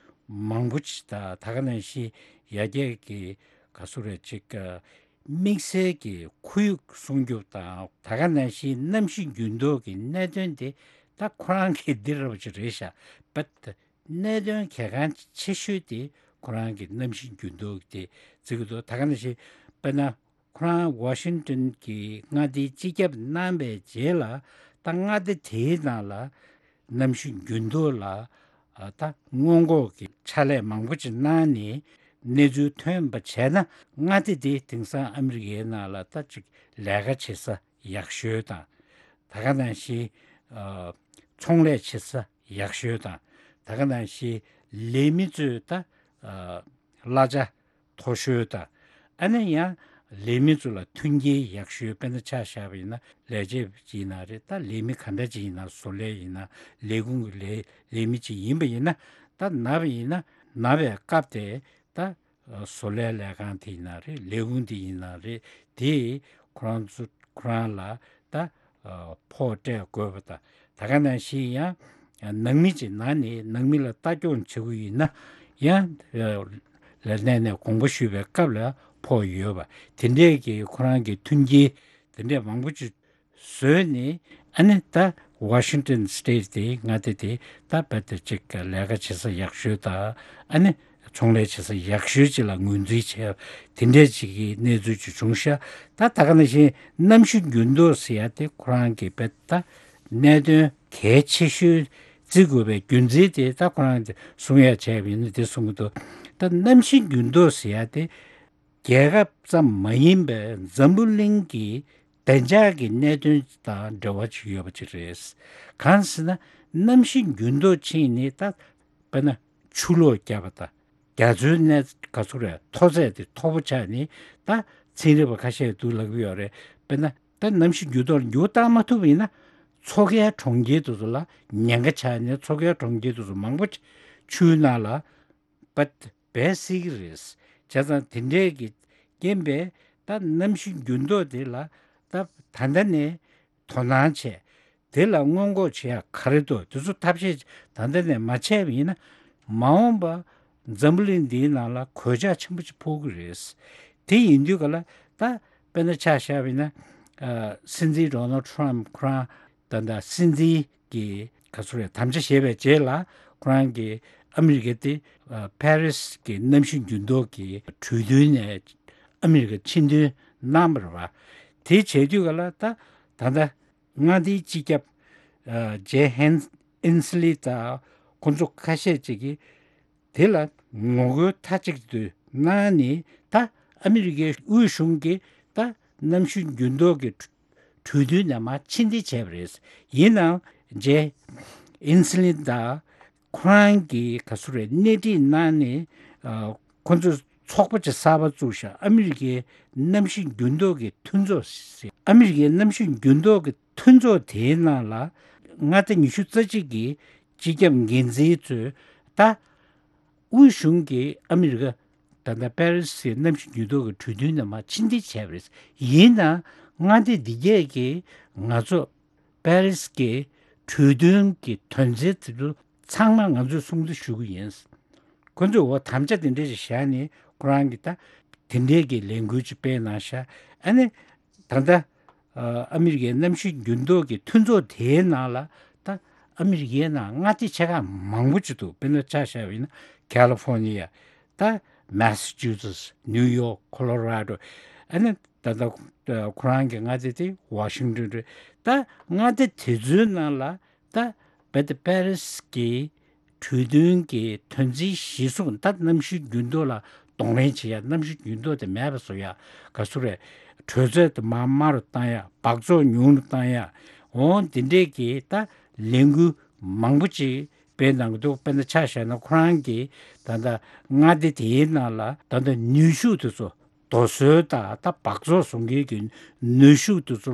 མང་པོ་ཅིག་དང་། ད་ག་ནང་བཞིན་ཡར་རྒྱས་ཀྱི་ག་ཟེར་རེད་ཅིག་དམིགས་བསལ་གྱི་ཁོར་ཡུག་སྲུང་སྐྱོབ་དང་། ད་ག་ནང་བཞིན་གནམ་གཤིས་འགྱུར་ལྡོག་གི་གནད་དོན་དེ་ད་ཁོ་རང་གི་འདི་ར་བ་ཅིག་རེད་ཤག་བད་གནད་དོན་གལ་འགངས་ཆེ་ཤོས་དེ་ཁོ་རང་གི་གནམ་གཤིས་འགྱུར་ལྡོག་དེ་བརྩི་གི་འདུག་ད་ག་ནང་བཞིན་དཔེར་ན་ཁོ་རང་ཝ་ཤིང་ཏོན་གྱི་མངའ་སྡེའི་སྤྱི་ཁྱབ་གནང་བའི་རྗེས་ལ་ད་མངའ་སྡེ་དེའི་ནང་ལ་གནམ་གཤིས་འགྱུར་ལྡོག་ལ་ཨ་ད་སྔོན་འགོག་གི་ཕྱག་ལས་མང་པོ་ཅིག་གནང་ནས་གནས་ཚུལ་ཐོན་པ་བྱས་ན། མངའ་སྡེ་དེ་དེང་སང་ཨ་མི་རི་ཀའི་ནང་ལ་ད་ཅིག་ལས་ཀ་བྱེད་ས་ཡག་ཤོས་དང་། ད་ག་ནང་བཞིན་ཨ་ཚོང་ལས་བྱེད་ས་ཡག་ཤོས་དང་། ད་ག་ནང་བཞིན་ལས་མི་ཚོས་ད་ཨ་གླ་ཆ་མཐོ་ཤོས་དང་། ཨ་ནི་ཡང་ལས་མི་ཚོ་ལ་མཐུན་རྐྱེན་ཡག་ཤོས། དཔེར་ན་ཆ་བཞག་པ་ཡིན་ན་ལས་བྱེད་ཅིག་ཡིན་ན་རེད། ད་ལས་མི་ག་འདྲ་ཅིག་ཡིན་ན། བཟོ་ལས་ཡིན་ན། ལས་ཁུངས་ཀྱི་ལས་ལས་མི་ཅིག་ཡིན་པ་ཡིན་ན། ད་ན་བ་ཡིན་ན་ན་བའི་སྐབས་དེ་ད་བཟོ་ལས་ལས་ཁང་དེ་ཡིན་ན་རེད། ལས་ཁུངས་དེ་ཡིན་ན་རེད། དེས་ཁོ་རང་ཚོ་ཁོ་རང་ལ་ད་ཕོགས་སྤྲད་དགོས་པ་དང་། ད་ག་ནང་བཞིན་ཡང་ནང་མི་ཅིག་ན་ནས་ནང་མི་ལ་ལྟ་སྐྱོང་བྱེད་དགོས་ཡིན་ན་ཡང་ལས་གནས་ནས་དགོངས་པ་ཞུས་པའི་སྐབས་ལ་ཕོགས་ཡོད་པ། དེ་འདྲས་ཀྱི་ཁོ་རང་གི་མཐུན་རྐྱེན་དེ་འདྲས་མང་པོ་ཅིག་བཟོས་ནས། ཨ་ནི་ད་ཝ་ཤིང་ཏོན་སི་ཊེཊ་དེ་མངའ་སྡེ་དེ་ད་རྦད་དེ་ཅིག་ལས་ཀ་བྱེད་ས་ཡག་ཤོས་དང་། ཨ་ནི་ཚོང་ལས་བྱེད་ས་ཡག་ཤོས་ཅིག་ལ་ངོས་འཛིན་བྱས་དེ་འདྲས་ཅིག་གི་གནས་ཚུལ་ཅིག་བྱུང་ཤག་ད་ད་ག་ནང་བཞིན་གནམ་གཤིས་འགྱུར་ལྡོག་ཟེར་ཡ་དེ་ཁོ་རང་གི་རྦད་ད་ གནད་དོན་གལ་ཆེ་ཤོས་བརྩི་དགོས་པའི་རྒྱུ་མཚན་དེ་ད་ཁོ་རང་གིས་གསུང་ཡ་བྱས་པ་ཡིན་ན་དེ་གསུང་གི་འདུག་ད་གནམ་གཤིས་འགྱུར་ལྡོག་ཟེར་ཡ་དེ་རྒྱལ་ཁབ་ཙམ་མ་ཡིན་པའི་འཛམ་བུ་གླིང་གི་བདེ་འཇགས་ཀྱི་གནད་དོན་དང་འབྲེལ་བ་ཅིག་ཡོད་པ་ཅིག་རེད། གང་ཟེར་ན་གནམ་གཤིས་འགྱུར་ལྡོག་ཕྱིན་ནས་ད་དཔེར་ན་ཆུ་ལོག་བརྒྱབ་པ་དང་རྒྱ་མཚོའི་གནས་ག་ཚོད་རེད། མཐོ་ཚད་དེ་མཐོ་པོ་ཆགས་ནས་ད་ཚན་རིག་པ་ཁ་ཤས་འདུག་ལབ་ཀྱི་ཡོད་རེད། དཔེར་ན་ད་གནམ་གཤིས་འགྱུར་ལྡོག་ལ་འགྱུར་བ་བཏང་མ་ཐུབ་པ་ཡིན་ན་མཚོ་ཁའི་གྲོང་ཁྱེར་དེ་ཚོ་ལ་ཉེན་ཁ་ཆགས་ནས་མཚོ་ཁའི་གྲོང་ཁྱེར་དེ་ཚོ་མང་པོ་ཆུའི་ནང་ལ་པད་སྦས་སྲིད་ཀྱི་རེད། བྱས་ཙང་དེ་འདྲས་ཀྱི་རྐྱེན་པས་ད་གནམ་གཤིས་འགྱུར་ལྡོག་དེ་ལ་ད་ད་ལྟ་ནས་དོ་སྣང་བྱས། དེ་ལ་སྔོན་འགོག་བྱེད་ཡ་ག་རེ་འདུག་དེ་ཚོ་ཐབས་ཤེས་ད་ལྟ་ནས་མ་བྱས་པ་ཡིན་ན་མ་འོངས་པ་འཛམ་བུ་གླིང་འདིའི་ནང་ལ་གོད་ཆག་ཆེན་པོ་ཅིག་ཕོག་གི་རེད། དེ་ཡིན་དུས་ག་ལ་ད་དཔེར་ན་ཆ་བཞག་པ་ཡིན་ན་ཨ་སྲིད་འཛིན་ཌོ་ནལ་ཊམ་ཁོ་རང་ད་ལྟ་སྲིད་འཛིན་གྱི་ག་ཚོད་རེད་དམ་བཅའ་བཞེས་པའི་རྗེས་ལ་ཁོ་རང་གིས་ཨ་མི་རི་ཀ་དེ་ཨ་པེ་རིས་ཀྱི་གནམ་གཤིས་འགྱུར་ལྡོག་གི་གྲོས་མཐུན་ནས་ཨ་མི་རི་ཀ་ཕྱིར་འདོན་གནང་བ་རེད་བ། དེ་བྱས་དུས་ག་ལ་ད་ད་ལྟ་མངའ་སྡེའི་སྤྱི་ཁྱབ་ཨ་ཇེ་ཧན་ཨིན་སི་ལི་དང་ཁོ་ཚོ་ཁ་ཤས་ཅིག་གིས་དེ་ལ་ངོ་རྒོལ་མཐའ་གཅིག་ཏུ་གནང་ནས་ད་ཨ་མི་རི་ཀའི་དབུས་གཞུང་གིས་ད་གནམ་གཤིས་འགྱུར་ལྡོག་གི་གྲོས་མཐུན་ནས་མར་ཕྱིར་འཐེན་བྱས་པ་རེད། ཡིན་ནའང་ཇེ་ཨིན་སི་ལིན་དང་ཁོ་རང་གིས་ག་ཚོད་རེད་སྣེ་ཁྲིད་གནང་ནས་ཨ་ཁོ་ཚོས་ཚོགས་པ་ཅིག་གསར་པ་བཙུགས་ཤག་ཨ་མི་རི་ཀའི་གནམ་གཤིས་འགྱུར་ལྡོག་གི་མཐུན་ཚོགས་ཟེར། ཨ་མི་རི་ཀའི་གནམ་གཤིས་འགྱུར་ལྡོག་གི་མཐུན་ཚོགས་དེའི་ནང་ལ་མངའ་སྡེ་ཉི་ཤུ་རྩ་གཅིག་གི་སྤྱི་ཁྱབ་འགན་འཛིན་ཚོས་ད་དབུས་གཞུང་གིས་ཨ་མི་རི་ཀ་ད་ལྟ་པེ་རི་སི་གནམ་གཤིས་འགྱུར་ལྡོག་གི་གྲོས་མཐུན་ནང་མར་ཕྱིར་འཐེན་བྱས་པ་རེད། ཡིན་ནའང་མངའ་སྡེ་འདི་གས་ཀྱིས་ང་ཚོ་པེ་རི་སི་གི་གྲོས་མཐུན་གྱི་དོན་ཚན་དེ་ཚོ་ཚང་མ་ང་ཚོས་སྲུང་བརྩི་ཞུ་གི་ཡིན། ཁོ་ཚོས་འོ་དམ་བཅའ་དེ་འདྲས་ཞིག་བཞག་ནས་ཁོ་རང་གིས་ད་དེ་འདྲས་ཀྱི་ལས་འགུལ་ཅིག་སྤེལ་གནང་ཤག་ཨ་ནི་ད་ལྟ་ཨ་མི་རི་ཀའི་གནམ་གཤིས་འགྱུར་ལྡོག་གི་མཐུན་ཚོགས་དེའི་ནང་ལ་ད་ཨ་མི་རི་ཀའི་ནང་མངའ་སྡེ་ཆེ་ཁག་མང་པོ་ཅིག་འདུག་དཔེར་ན་ཆ་བཞག་པ་ཡིན་ན་ཁ་ལི་ཧྥོ་ནི་ཡ། ད་མེ་སི་ཆུ་སེ་ཊི། ནིའུ་ཡོག་ཁོ་ལོ་ར་ཌོ། ཨ་ནི་ད་ལྟ་ཁོ་རང་གི་མངའ་སྡེ་དེ་ཝ་ཤིང་ཊོན་རེད། ད་མངའ་སྡེ་དེ་ཚོའི་ནང་ལ་ད་རྦད་དེ་པེ་རི་སི་གི་གྲོས་མཐུན་གྱི་དོན་ཚན་གཞིར་བཟུང་ད་གནམ་གཤིས་འགྱུར་ལྡོག་ལ་གདོང་ལེན་བྱེད་ཡ། གནམ་གཤིས་འགྱུར་ལྡོག་དེ་མེད་པ་བཟོ་ཡ། ག་ཚོད་རེད། དྲོད་ཚད་དེ་མར་དམའ་རུ་བཏང་ཡ། སྦགས་བཙོག་ཉུང་རུ་བཏང་ཡ། འོ་འདི་འདྲས་ཀྱི་ད་ལས་འགུལ་མང་པོ་ཅིག་སྤེལ་གནང་གི་འདུག་དཔེར་ན་ཆ་བཞག་ན་ཁོ་རང་གི་ད་ལྟ་མངའ་སྡེ་དེའི་ནང་ལ་ད་ལྟ་ནུས་ཤུགས་དེ་ཚོ་རྡོ་སོལ་དང་ད་སྦགས་བཙོག་བཟོ་མཁན་གྱི་ནུས་ཤུགས་དེ་ཚོ་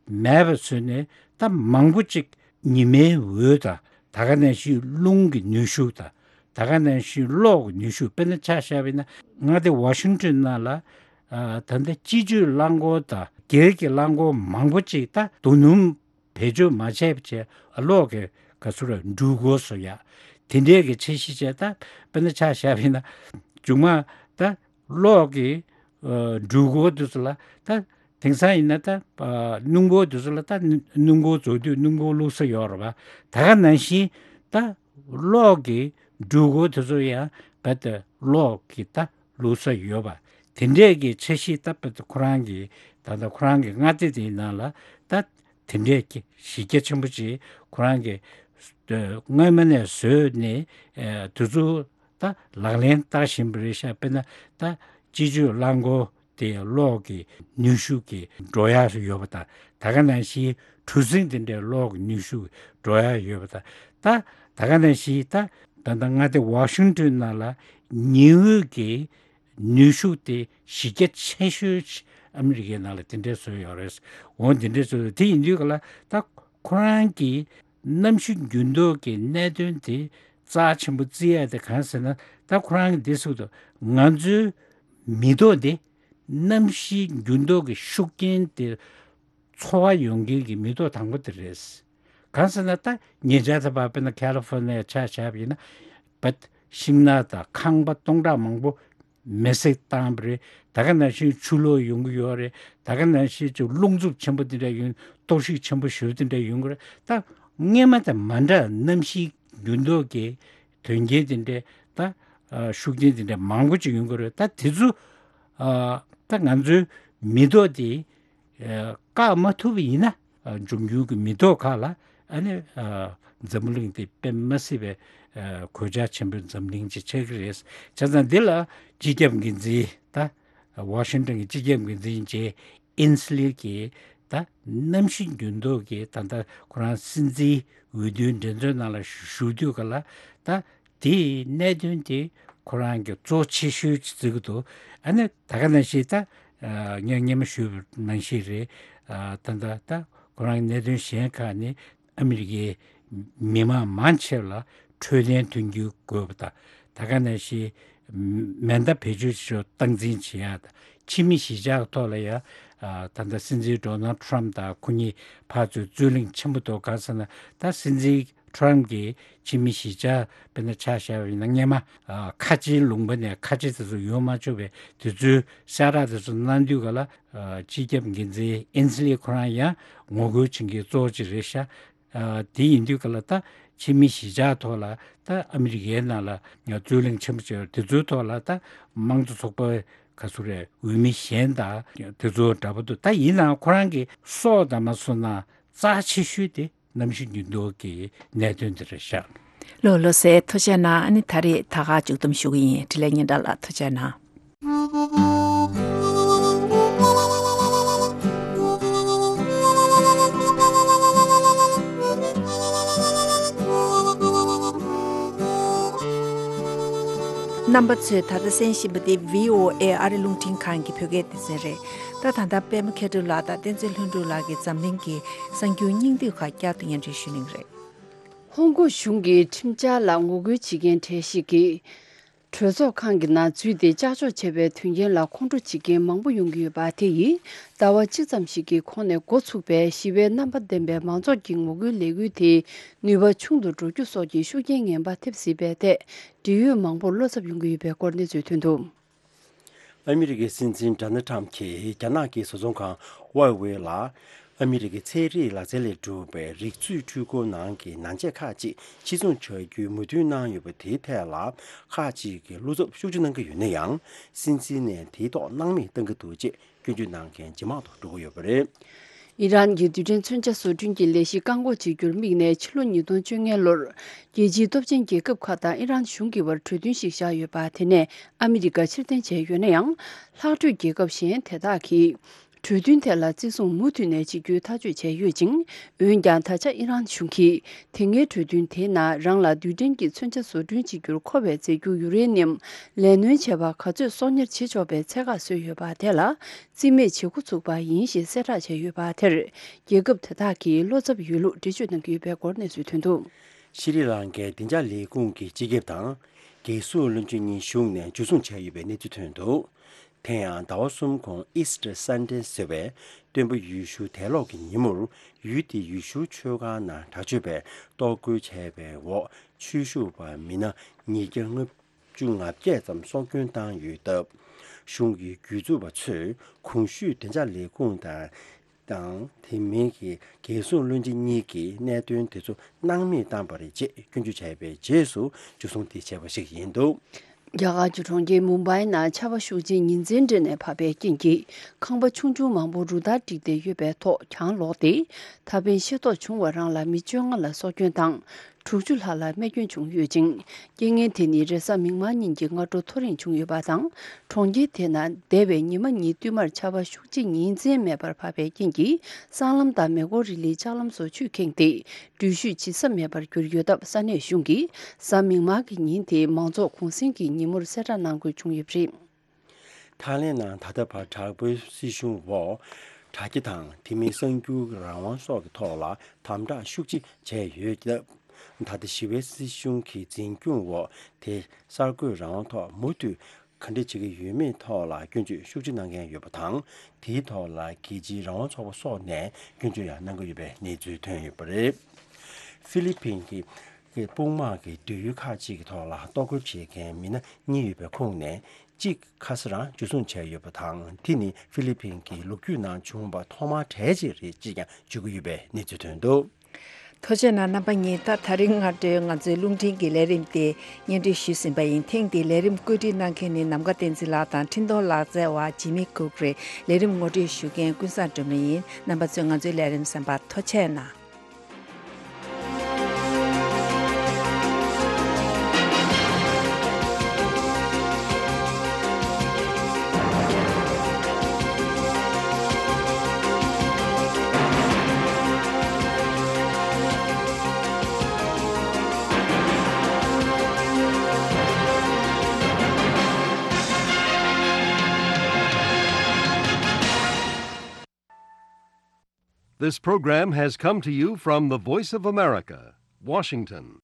མེད་པ་བཟོས་ནས་ད་མང་པོ་ཅིག་ཉི་མའི་འོད་དང་། ད་ག་ནང་བཞིན་རླུང་གི་ནུས་ཤུགས་དང་། ད་ག་ནང་བཞིན་གློག་གི་ནུས་ཤུགས། དཔེར་ན་ཆ་བཞག་པ་ཡིན་ན་མངའ་སྡེ་ཝ་ཤིང་ཊོན་ནང་ལ་ཨ་ད་ལྟ་སྤྱི་སྤྱོད་རླངས་འཁོར་དང་སྒེར་གྱི་རླངས་འཁོར་མང་པོ་ཅིག་ད་རྡོ་སྣུམ་བེད་སྤྱོད་མ་བྱས་པ་བྱས་གློག་གི་ག་ཚོད་རེད་འགྲུལ་འཁོར་བཟོ་ཡ། དེ་འདྲའི་གི་འཆར་གཞི་བྱས། ད་དཔེར་ན་ཆ་བཞག་པ་ཡིན་ན་མཇུག་མ་ད་གློག་གི་ཨ་འགྲུལ་འཁོར་དེ་ཚོ་ལ་ད་དེང་སང་ཡིན་ན་ད་ཨ་སྣུམ་འཁོར་དེ་ཚོ་ལ་ད་སྣུམ་འཁོར་རྫོགས་དུས་སྣུམ་འཁོར་བླུགས་ས་ཡོད་རེད་པ། ད་ག་ནང་བཞིན་ད་གློག་གི་འགྲུལ་འཁོར་དེ་ཚོ་ཡང་རྦད་དེ་གློག་གི་ད་བླུགས་ས་ཡོད་པ། དེ་འདྲས་ཀྱི་འཆར་གཞི་ད་རྦད་དེ་ཁོ་རང་གི་ད་ལྟ་ཁོ་རང་གི་མངའ་སྡེ་དེའི་ནང་ལ་ད་དེ་འདྲས་ཀྱི་གཞི་རྒྱ་ཆེན་པོ་ཅིག་ཁོ་རང་གི་སྔོན་མ་ནས་བཟོས་ནས་ཨ་དེ་ཚོ་ད་ལག་ལེན་བསྟར་བཞིན་པ་རེད་ཤག་དཔེར་ན་ད་སྤྱི་སྤྱོད་རླངས་འཁོར་དེ་གློག་གི་ནུས་ཤུགས་ཀྱིས་འགྲོ་ཡག་ཡོད་པ་དང་། ད་ག་ནང་བཞིན་གྲུ་གཟིངས་དེ་འདྲའི་གློག་གི་ནུས་ཤུགས་འགྲོ་ཡག་ཡོད་པ་དང་། ད་ད་ག་ནང་བཞིན་ད་ད་ལྟ་མངའ་སྡེ་ཝ་ཤིང་ཊོན་ནང་ལ་ཉི་འོད་ཀྱི་ནུས་ཤུགས་དེ་གཞི་རྒྱ་ཆེ་ཤོས་ཨ་མི་རི་ཀའི་ནང་ལ་དེ་འདྲས་བཟོས་ཡོད་རེད། འོ་དེ་འདྲས་བཟོས་དེ་ཡིན་དུས་ག་ལ་ད་ཁོ་རང་གི་གནམ་གཤིས་འགྱུར་ལྡོག་གི་གནད་དོན་དེ་རྩ་ཆེན་པོ་བརྩི་ཡ་དེ་གང་ཟེར་ན། ད་ཁོ་རང་གིས་འདི་གསུངས་འདུག་ང་ཚོའི་མི་ཐོག་འདི་གནམ་གཤིས་འགྱུར་ལྡོག་གི་ཤུགས་རྐྱེན་དེ་ཚོར་བ་ཡོང་མཁན་གྱི་མི་ཐོག་དང་པོ་དེ་རེད། གང་ཟེར་ན་ད་ཉེ་ཆར་ད་བར་དཔེར་ན་ཁ་ལི་ཧྥོ་ནི་ཡ་ཆ་བཞག་པ་ཡིན་ན་བད་ཤིང་ནགས་དང་ཁང་པ་སྟོང་ཕྲག་མང་པོ་མེ་བསྲེགས་བཏང་བ་རེད། ད་ག་ནང་བཞིན་ཆུ་ལོག་ཡོང་གི་ཡོད་རེད། ད་ག་ནང་བཞིན་ཅིག་རླུང་འཚུབ་ཆེན་པོ་དེ་འདྲ་ཡོང་གཏོར་བཤིག་ཆེན་པོ་ཞེ་པོ་དེ་འདྲ་ཡོང་གི་རེད། ད་སྔོན་མ་དང་མ་འདྲ་གནམ་གཤིས་འགྱུར་ལྡོག་གི་དོན་རྐྱེན་དེ་འདྲ་ད་ཨ་ཤུགས་རྐྱེན་དེ་འདྲ་མང་པོ་ཅིག་ཡོང་གི་རེད། ད་དེ་ཚོ་ཨ་ད་ང་ཚོའི་མི་ཐོག་དེ་ཨ་བཀག་མ་ཐུབ་པ་ཡིན་ན་ཨ་འབྱུང་འགྱུར་གྱི་མི་ཐོག་ཁག་ལ་ ཨ་ནི་ཨ་འཛམ་བུ་གླིང་དེ་དཔེ་མ་སྲིད་པའི་ཨ་གོད་ཆག་ཆེན་པོའི་འཛམ་གླིང་ཅིག་ཆགས་ཀྱི་རེད། བྱས་ཙང་འདི་ལ་སྤྱི་ཁྱབ་འགན་འཛིན་ད་ཝ་ཤིང་ཊོན་གྱི་སྤྱི་ཁྱབ་འགན་འཛིན་ཅེ་ཨིན་སི་ལི་གིས་ད་གནམ་གཤིས་འགྱུར་ལྡོག་གི་ད་ལྟ་ཁོ་རང་སྲིད་འཛིན་འོས་བསྡུའི་འགྲན་རྩོད་ནང་ལ་ཞུགས་དུས་ག་ལ་ད་དེའི་གནད་དོན་དེ་ཁོ་རང་གི་གཙོ་ཆེ་ཤོས་ཅིག་བརྩི་གི་འདུག་ཨ་ནི་ད་ག་ནང་བཞིན་ད་ངས་སྔོན་མ་ཞུས་པ་ནང་བཞིན་རེད། ད་ལྟ་ད་ཁོ་རང་གི་གནད་དོན་གཞན་ཁག་ནི་ཨ་མི་རི་ཀའི་མི་མང་མང་ཆེ་བ་ལ་འཕྲོད་བསྟེན་མཐུན་འགྱུར་དགོས་པ་དང་། ད་ག་ནང་བཞིན་མེ་མདའ་བེད་སྤྱོད་བྱེད་ཕྱོགས་སྟངས་འཛིན་བྱེད་ཡག་དང་། ཕྱི་མི་གཞིས་ཆགས་ཐོག་ལ་ཡང་ད་ལྟ་སྲིད་འཛིན་ཌོ་ནལ་ཊམ་དང་ཁོ་གཉིས་ཕར་ཚུར་རྩོད་གླེང་ཆེན་པོ་འདུག་ག་ཟེར་ན། ད་སྲིད་འཛིན་ཊམ་གྱིས་ཕྱི་མི་གཞིས་ཆགས་དཔེར་ན་ཆ་བཞག་པ་ཡིན་ན་སྔོན་མ་ཁ་ཆེའི་ལུང་པ་ནས་ཁ་ཆེ་དེ་ཚོ་ཡོང་མ་ཆོག་པའི་དེ་ཚོའི་གསལ་བསྒྲགས་དེ་ཚོ་གནང་དུས་ག་ལ་སྤྱི་ཁྱབ་འགན་འཛིན་ཨིན་སི་ལི་ཁོ་རང་ཡང་ངོ་རྒོལ་བྱེད་མཁན་གཙོ་བོ་ཅིག་རེད་ཤག་ཨ་དེ་ཡིན་དུས་ག་ལ་ད་ཕྱི་མི་གཞིས་ཆགས་ཐོག་ལ་ད་ཨ་མི་རི་ཀའི་ནང་ལ་རྩོད་གླེང་ཆེན་པོ་བྱས་པ་དེ་ཚོའི་ཐོག་ལ་ད་དམངས་གཙོ་ཚོགས་པ་ག་ཚོད་རེད། འོས་མི་གཞན་དང་དེ་ཚོ་འདྲ་པོ་འདུག་ད་ཡིན་ནའང་ཁོ་རང་གི་སྲོག་དང་མ་སོང་ན་རྩ་ཆེ་ཤོས་དེ་གནམ་གཤིས་འགྱུར་ལྡོག་གི་གནད་དོན་དེ་རེད་ཤག་ལོ་ལོ་སེ་ཐུགས་རྗེ་གནང་། ཨ་ནི་ད་རེས་ད་ག་མཇུག་བསྡོམས་ཞུ་གི་ཡིན། འཕྲིན་ལས་སྙན་གྲགས་ལགས་ཐུགས་རྗེ་གནང་། རྣམ་པ་ཚོས་ད་ལྟ་གསན་བཞིན་པ་འདི་བྷི་ཨོ་ཨེ་ཨ་རི་རླུང་འཕྲིན་ཁང་གི་བོད་སྐད་སྡེ་ཚན་རེད། ད་ད་ལྟ་པད་མ་མཁས་གྲུབ་ལགས་དང་བསྟན་འཛིན་ལྷུན་གྲུབ་ལགས་ཀྱིས་འཛམ་གླིང་གི་གསར་འགྱུར་སྙིང་བསྡུས་ཁག་བསྐྱར་དུ་སྙན་སྒྲོན་ཞུ་གནང་གི་རེད། ཧོང་ཀོང་གཞུང་གིས་ཁྲིམས་འཆར་ལ་ངོ་རྒོལ་བྱེད་མཁན་གྲས་ཤིག་གིས། གྲོས་ཚོགས་ཁང་གི་ནང་འཛུལ་ཏེ་ཀྱག་ཀྱོག་བྱས་པའི་དོན་རྐྱེན་ལ་ཁོང་ཁྲོ་བྱེད་མཁན་མང་པོ་ཡོང་གི་ཡོད་པ་དེ་ཡིས་ཟླ་བ་གཅིག་ཙམ་ཞིག་གི་གོང་ནས་འགོ་ཚུགས་པའི་ཞི་བའི་རྣམ་པ་ལྡན་པའི་མང་ཚོགས་ཀྱི་ངོ་རྒོལ་ལས་འགུལ་དེ་ནུས་པ་ཆུང་དུ་འགྲོ་རྒྱུ་སོགས་ཀྱི་ཤུགས་རྐྱེན་ངན་པ་ཐེབས་སྲིད་པའི་ཐད་འབྲེལ་ཡོད་མང་པོར་བློ་འཚབ་ཡོང་གི་ཡོད་པའི་སྐོར་གནས་ཚུལ་ཐོན་འདུག་ཨ་མི་རི་ཀའི་སྲིད་འཛིན་ཌོ་ནལ་ཊམ་གྱིས་རྒྱ་ནག་གི་བཟོ་ཚོང་ཁང་ཝའེ་ཝེ་ལ་ཨ་མི་རི་ཀའི་ཚན་རིག་ལག་རྩལ་ལས་གྲུབ་པའི་རིག་མཛོད་འཕྲུལ་འཁོར་ནང་གི་ནང་ཆས་ཁག་ཅིག་ཕྱིར་ཚོང་བྱ་རྒྱུའི་མོས་མཐུན་གནང་ཡོད་པ་དེའི་ཐད་ལ་ཁག་ཅིག་གིས་བློ་འཚབ་ཤུགས་ཆེ་གནང་གི་ཡོད་ན་ཡང་། སྲིད་འཛིན་ནས་དེའི་ཐོག་སྣང་མེད་གཏང་གི་འདུག་ཅེས་སྐྱོན་བརྗོད་གནང་མཁན་ཇེ་མང་དུ་འགྲོ་གི་ཡོད་པ་རེད། ཨི་རན་གྱི་རྡུལ་ཕྲན་མཚོན་ཆ་བཟོ་སྐྲུན་གྱི་ལས་གཞི་བཀག་འགོག་བྱེད་རྒྱུར་དམིགས་ནས་ཕྱི་ལོ་ཉིས་སྟོང་བཅོ་ལྔའི་ལོར་རྒྱལ་སྤྱིའི་སྟོབས་ཆེན་རྒྱལ་ཁབ་ཁག་དང་ཨི་རན་གཞུང་གི་བར་གྲོས་མཐུན་ཞིག་བཞག་ཡོད་པ་དེ་ནས་ཨ་མི་རི་ཀ་ཕྱིར་འཐེན་བྱས་ཡོད་ན་ཡང་། ལྷག་འཕྲོས་རྒྱལ་ཁབ་གཞན་དེ་དག་གིས་གྲོས་མཐུན་དེ་ལ་བརྩི་སྲུང་མུ་མཐུད་ནས་བྱེད་རྒྱུའི་ཐག་གཅོད་བྱས་ཡོད་ཅིང་། འོན་ཀྱང་ད་ཆ་ཨི་རན་གཞུང་གིས་དེ་སྔའི་གྲོས་མཐུན་དེའི་ནང་རང་ལ་རྡུལ་ཕྲན་གྱི་མཚོན་ཆ་བཟོ་སྐྲུན་བྱེད་རྒྱུར་མཁོ་བའི་རྫས་འགྱུར་ཡུ་རེ་ནི་ཡམ་ལས་སྣོན་བྱས་པ་ག་ཚོད་གསོག་ཉར་བྱེད་ཆོག་པའི་ཚད་བཀག་བཟོས་ཡོད་པ་དེ་ལ་རྩིས་མེད་བྱེད་འགོ་ཚུགས་པ་ཡིན་ཞེས་གསལ་བསྒྲགས་བྱས་ཡོད་པ་དེར་རྒྱལ་ཁབ་དེ་དག་གིས་བློ་འཚབ་ཡོད་ལུགས་འགྲེལ་བརྗོད་གནང་གི་ཡོད་པའི་སྐོར་གནས་ཚུལ་ཐོན་འདུག་ཤྲི་ལང་ཀའི་བདེ་འཇགས་ལས་ཁུངས་ཀྱི་སྤྱི་ཁྱབ་དང་རྒྱལ་སྲུང་བློན་ཆེན་གཉིས་གཞུང་ནས་འཇུ་བཟུང་བྱས་ཡོད་པའི་གནས་ཚུལ་ཐོན་འདུག་དེ་ཡང་ཟླ་བ་གསུམ་གོང་Easter Sunday ཟེར་བའི་སྟོན་པ་ཡེ་ཤུ་དད་སློབ་ཀྱི་ཉིན་མོར་ཡུལ་དེའི་ཡེ་ཤུ་ཆོས་ཁང་ནང་དྲག་སྤྱོད་པས་གཏོར་རྒོལ་བྱས་པའི་འོག་ཆོས་ཞུགས་པ་མི་སྣ་ཉིས་བརྒྱ་ལྔ་བཅུ་ང་བརྒྱད་ཙམ་སྲོག་སྐྱོན་བཏང་ཡོད་སྟབས། གཞུང་གི་གདུག་རྩུབ་པ་ཚོས་གོང་ཞུས་བདེ་འཇགས་ལས་ཁུངས་དང་དང་དེ་མིན་གྱི་རྒྱལ་སྲུང་བློན་ཆེན་གཉིས་ཀྱིས་གནད་དོན་དེ་ཚོ་སྣང་མེད་བཏང་བ་རེད་ཅེས་སྐྱོན་བརྗོད་བྱས་པའི་རྗེས་སུ་འཇུ་བཟུང་དེ་བྱས་པ་ཞིག་ཡིན་འདུག་རྒྱ་གར་གྱི་གྲོང་ཁྱེར་མུམ་བྷའི་ནང་ཆར་པ་ཤུགས་ཆེན་ཉིན་མཚན་སྦྲེལ་ནས་བབས་པའི་རྐྱེན་གྱིས་ཁང་པ་ཆུང་ཆུང་མང་པོ་རུ་སྟར་བསྒྲིགས་ཏེ་ཡོད་པའི་ཐོག་གྱང་ལོག་སྟེ། ད་ཕན་ཤེས་རྟོགས་བྱུང་བ་རང་ལ་མི་བཅོ་ལྔ་ལ་སྲོག་སྐྱོན་དང་། དྲུག་ཅུ་ལྷག་ལ་རྨས་སྐྱོན་བྱུང་ཡོད་ཅིང་། རྐྱེན་ངན་དེ་ནི་རེས་གཟའ་མིག་དམར་ཉིན་གྱི་སྔ་དྲོ་ཐོ་རེངས་བྱུང་ཡོད་པ་དང་། གྲོང་ཁྱེར་དེ་ན་འདས་པའི་ཉི་མ་གཉིས་བསྟུད་མར་ཆར་པ་ཤུགས་ཆེ་ཉིན་མཚན་མེད་པར་བབས་པའི་རྐྱེན་གྱིས་སྲང་ལམ་དང་མེ་འཁོར་རི་ལིའི་ལྕགས་ལམ་སོགས་ཆུས་ཁེངས་ཏེ། འགྲུལ་བཞུད་བྱེད་ས་མེད་པར་གྱུར་ཡོད་སྟབས། ས་གནས་གཞུང་གིས་གཟའ་མིག་དམར་གྱི་ཉིན་དེ་མང་ཚོགས་གུང་གསེང་གི་ཉིན་མོར་གསལ་བསྒྲགས་གནང་དགོས་བྱུང་ཡོད་པ་རེད། ཐའི་ལེན་ནང་ད་ལྟ་བར་དྲག་པོའི་སྲིད་གཞུང་འོག་དྲ་རྒྱ་དང་དེ་མིན་གསར་འགྱུར་རང་དབང་སོགས་ཀྱི་ཐོག་ལ་དམ་དྲག་ཤུགས་ཆེ་བྱས་ཡོད་སྟབས། ད་ལྟ་ཞི་བའི་སྲིད་གཞུང་གི་འཛིན་སྐྱོང་འོག་དེ་གསར་འགོད་རང་དབང་ཐོག་མུ་མཐུད་ག་འདྲ་བྱེད་ཀྱི་ཡོད་མེད་ཐོག་ལ་སྐྱོན་བརྗོད་ཤུགས་ཆེ་གནང་མཁན་ཡོད་པ་དང་། དེའི་ཐོག་ལ་རྒྱལ་སྤྱིའི་རང་དབང་ཚོགས་པ་སོགས་ནས་སྐྱོན་བརྗོད་ཡང་གནང་གི་ཡོད་པའི་གནས་ཚུལ་ཐོན་ཡོད་པ་རེད། ཧྥི་ལི་ཕིན་གྱི་དཔུང་དམག་གི་སྡོད་ཡུལ་ཁག་ཅིག་གི་ཐོག་ལ་གཏོར་རྒོལ་བྱེད་མཁན་མི་སྣ་གཉིས་ཡོད་པའི་ཁོངས་ནས་གཅིག་ཁ་ས་རང་འཇུ་བཟུང་བྱས་ཡོད་པ་དང་། དེ་ནི་ཧྥི་ལི་ཕིན་གྱི་ལོ་རྒྱུས་ནང་བྱུང་བ་ཐོག་མ་གྲས་ཅིག་རེད་ཅེས་ཀྱང་བརྗོད་ཀྱི་ཡོད་པའི་གནས་ཚུལ་ཐོན་འདུག་ཐུགས་རྗེ་གནང་རྣམ་པ་གཉིས། ད་ད་རིང་སྔ་དྲོའི་ང་ཚོའི་རླུང་འཕྲིན་གྱི་ལས་རིམ་དེ་སྙན་སྒྲོན་ཞུས་ཟིན་པ་ཡིན། ཐེངས་འདིའི་ལས་རིམ་བཀོད་སྒྲིག་གནང་མཁན་ནི་ནམ་མཁའ་བསྟན་འཛིན་ལགས་དང་འཕྲིན་གཏོང་ལག་རྩལ་བ་ཇི་མི་ཀུག་རེད། ལས་རིམ་ངོ་སྤྲོད་ཞུ་མཁན་ཀུན་བཟང་སྒྲོལ་མ་ཡིན། རྣམ་པ་ཚོས་ང་ཚོའི་ལས་རིམ་གསན་པར་ཐུགས་རྗེ་གནང་། This program has come to you from the Voice of America, Washington.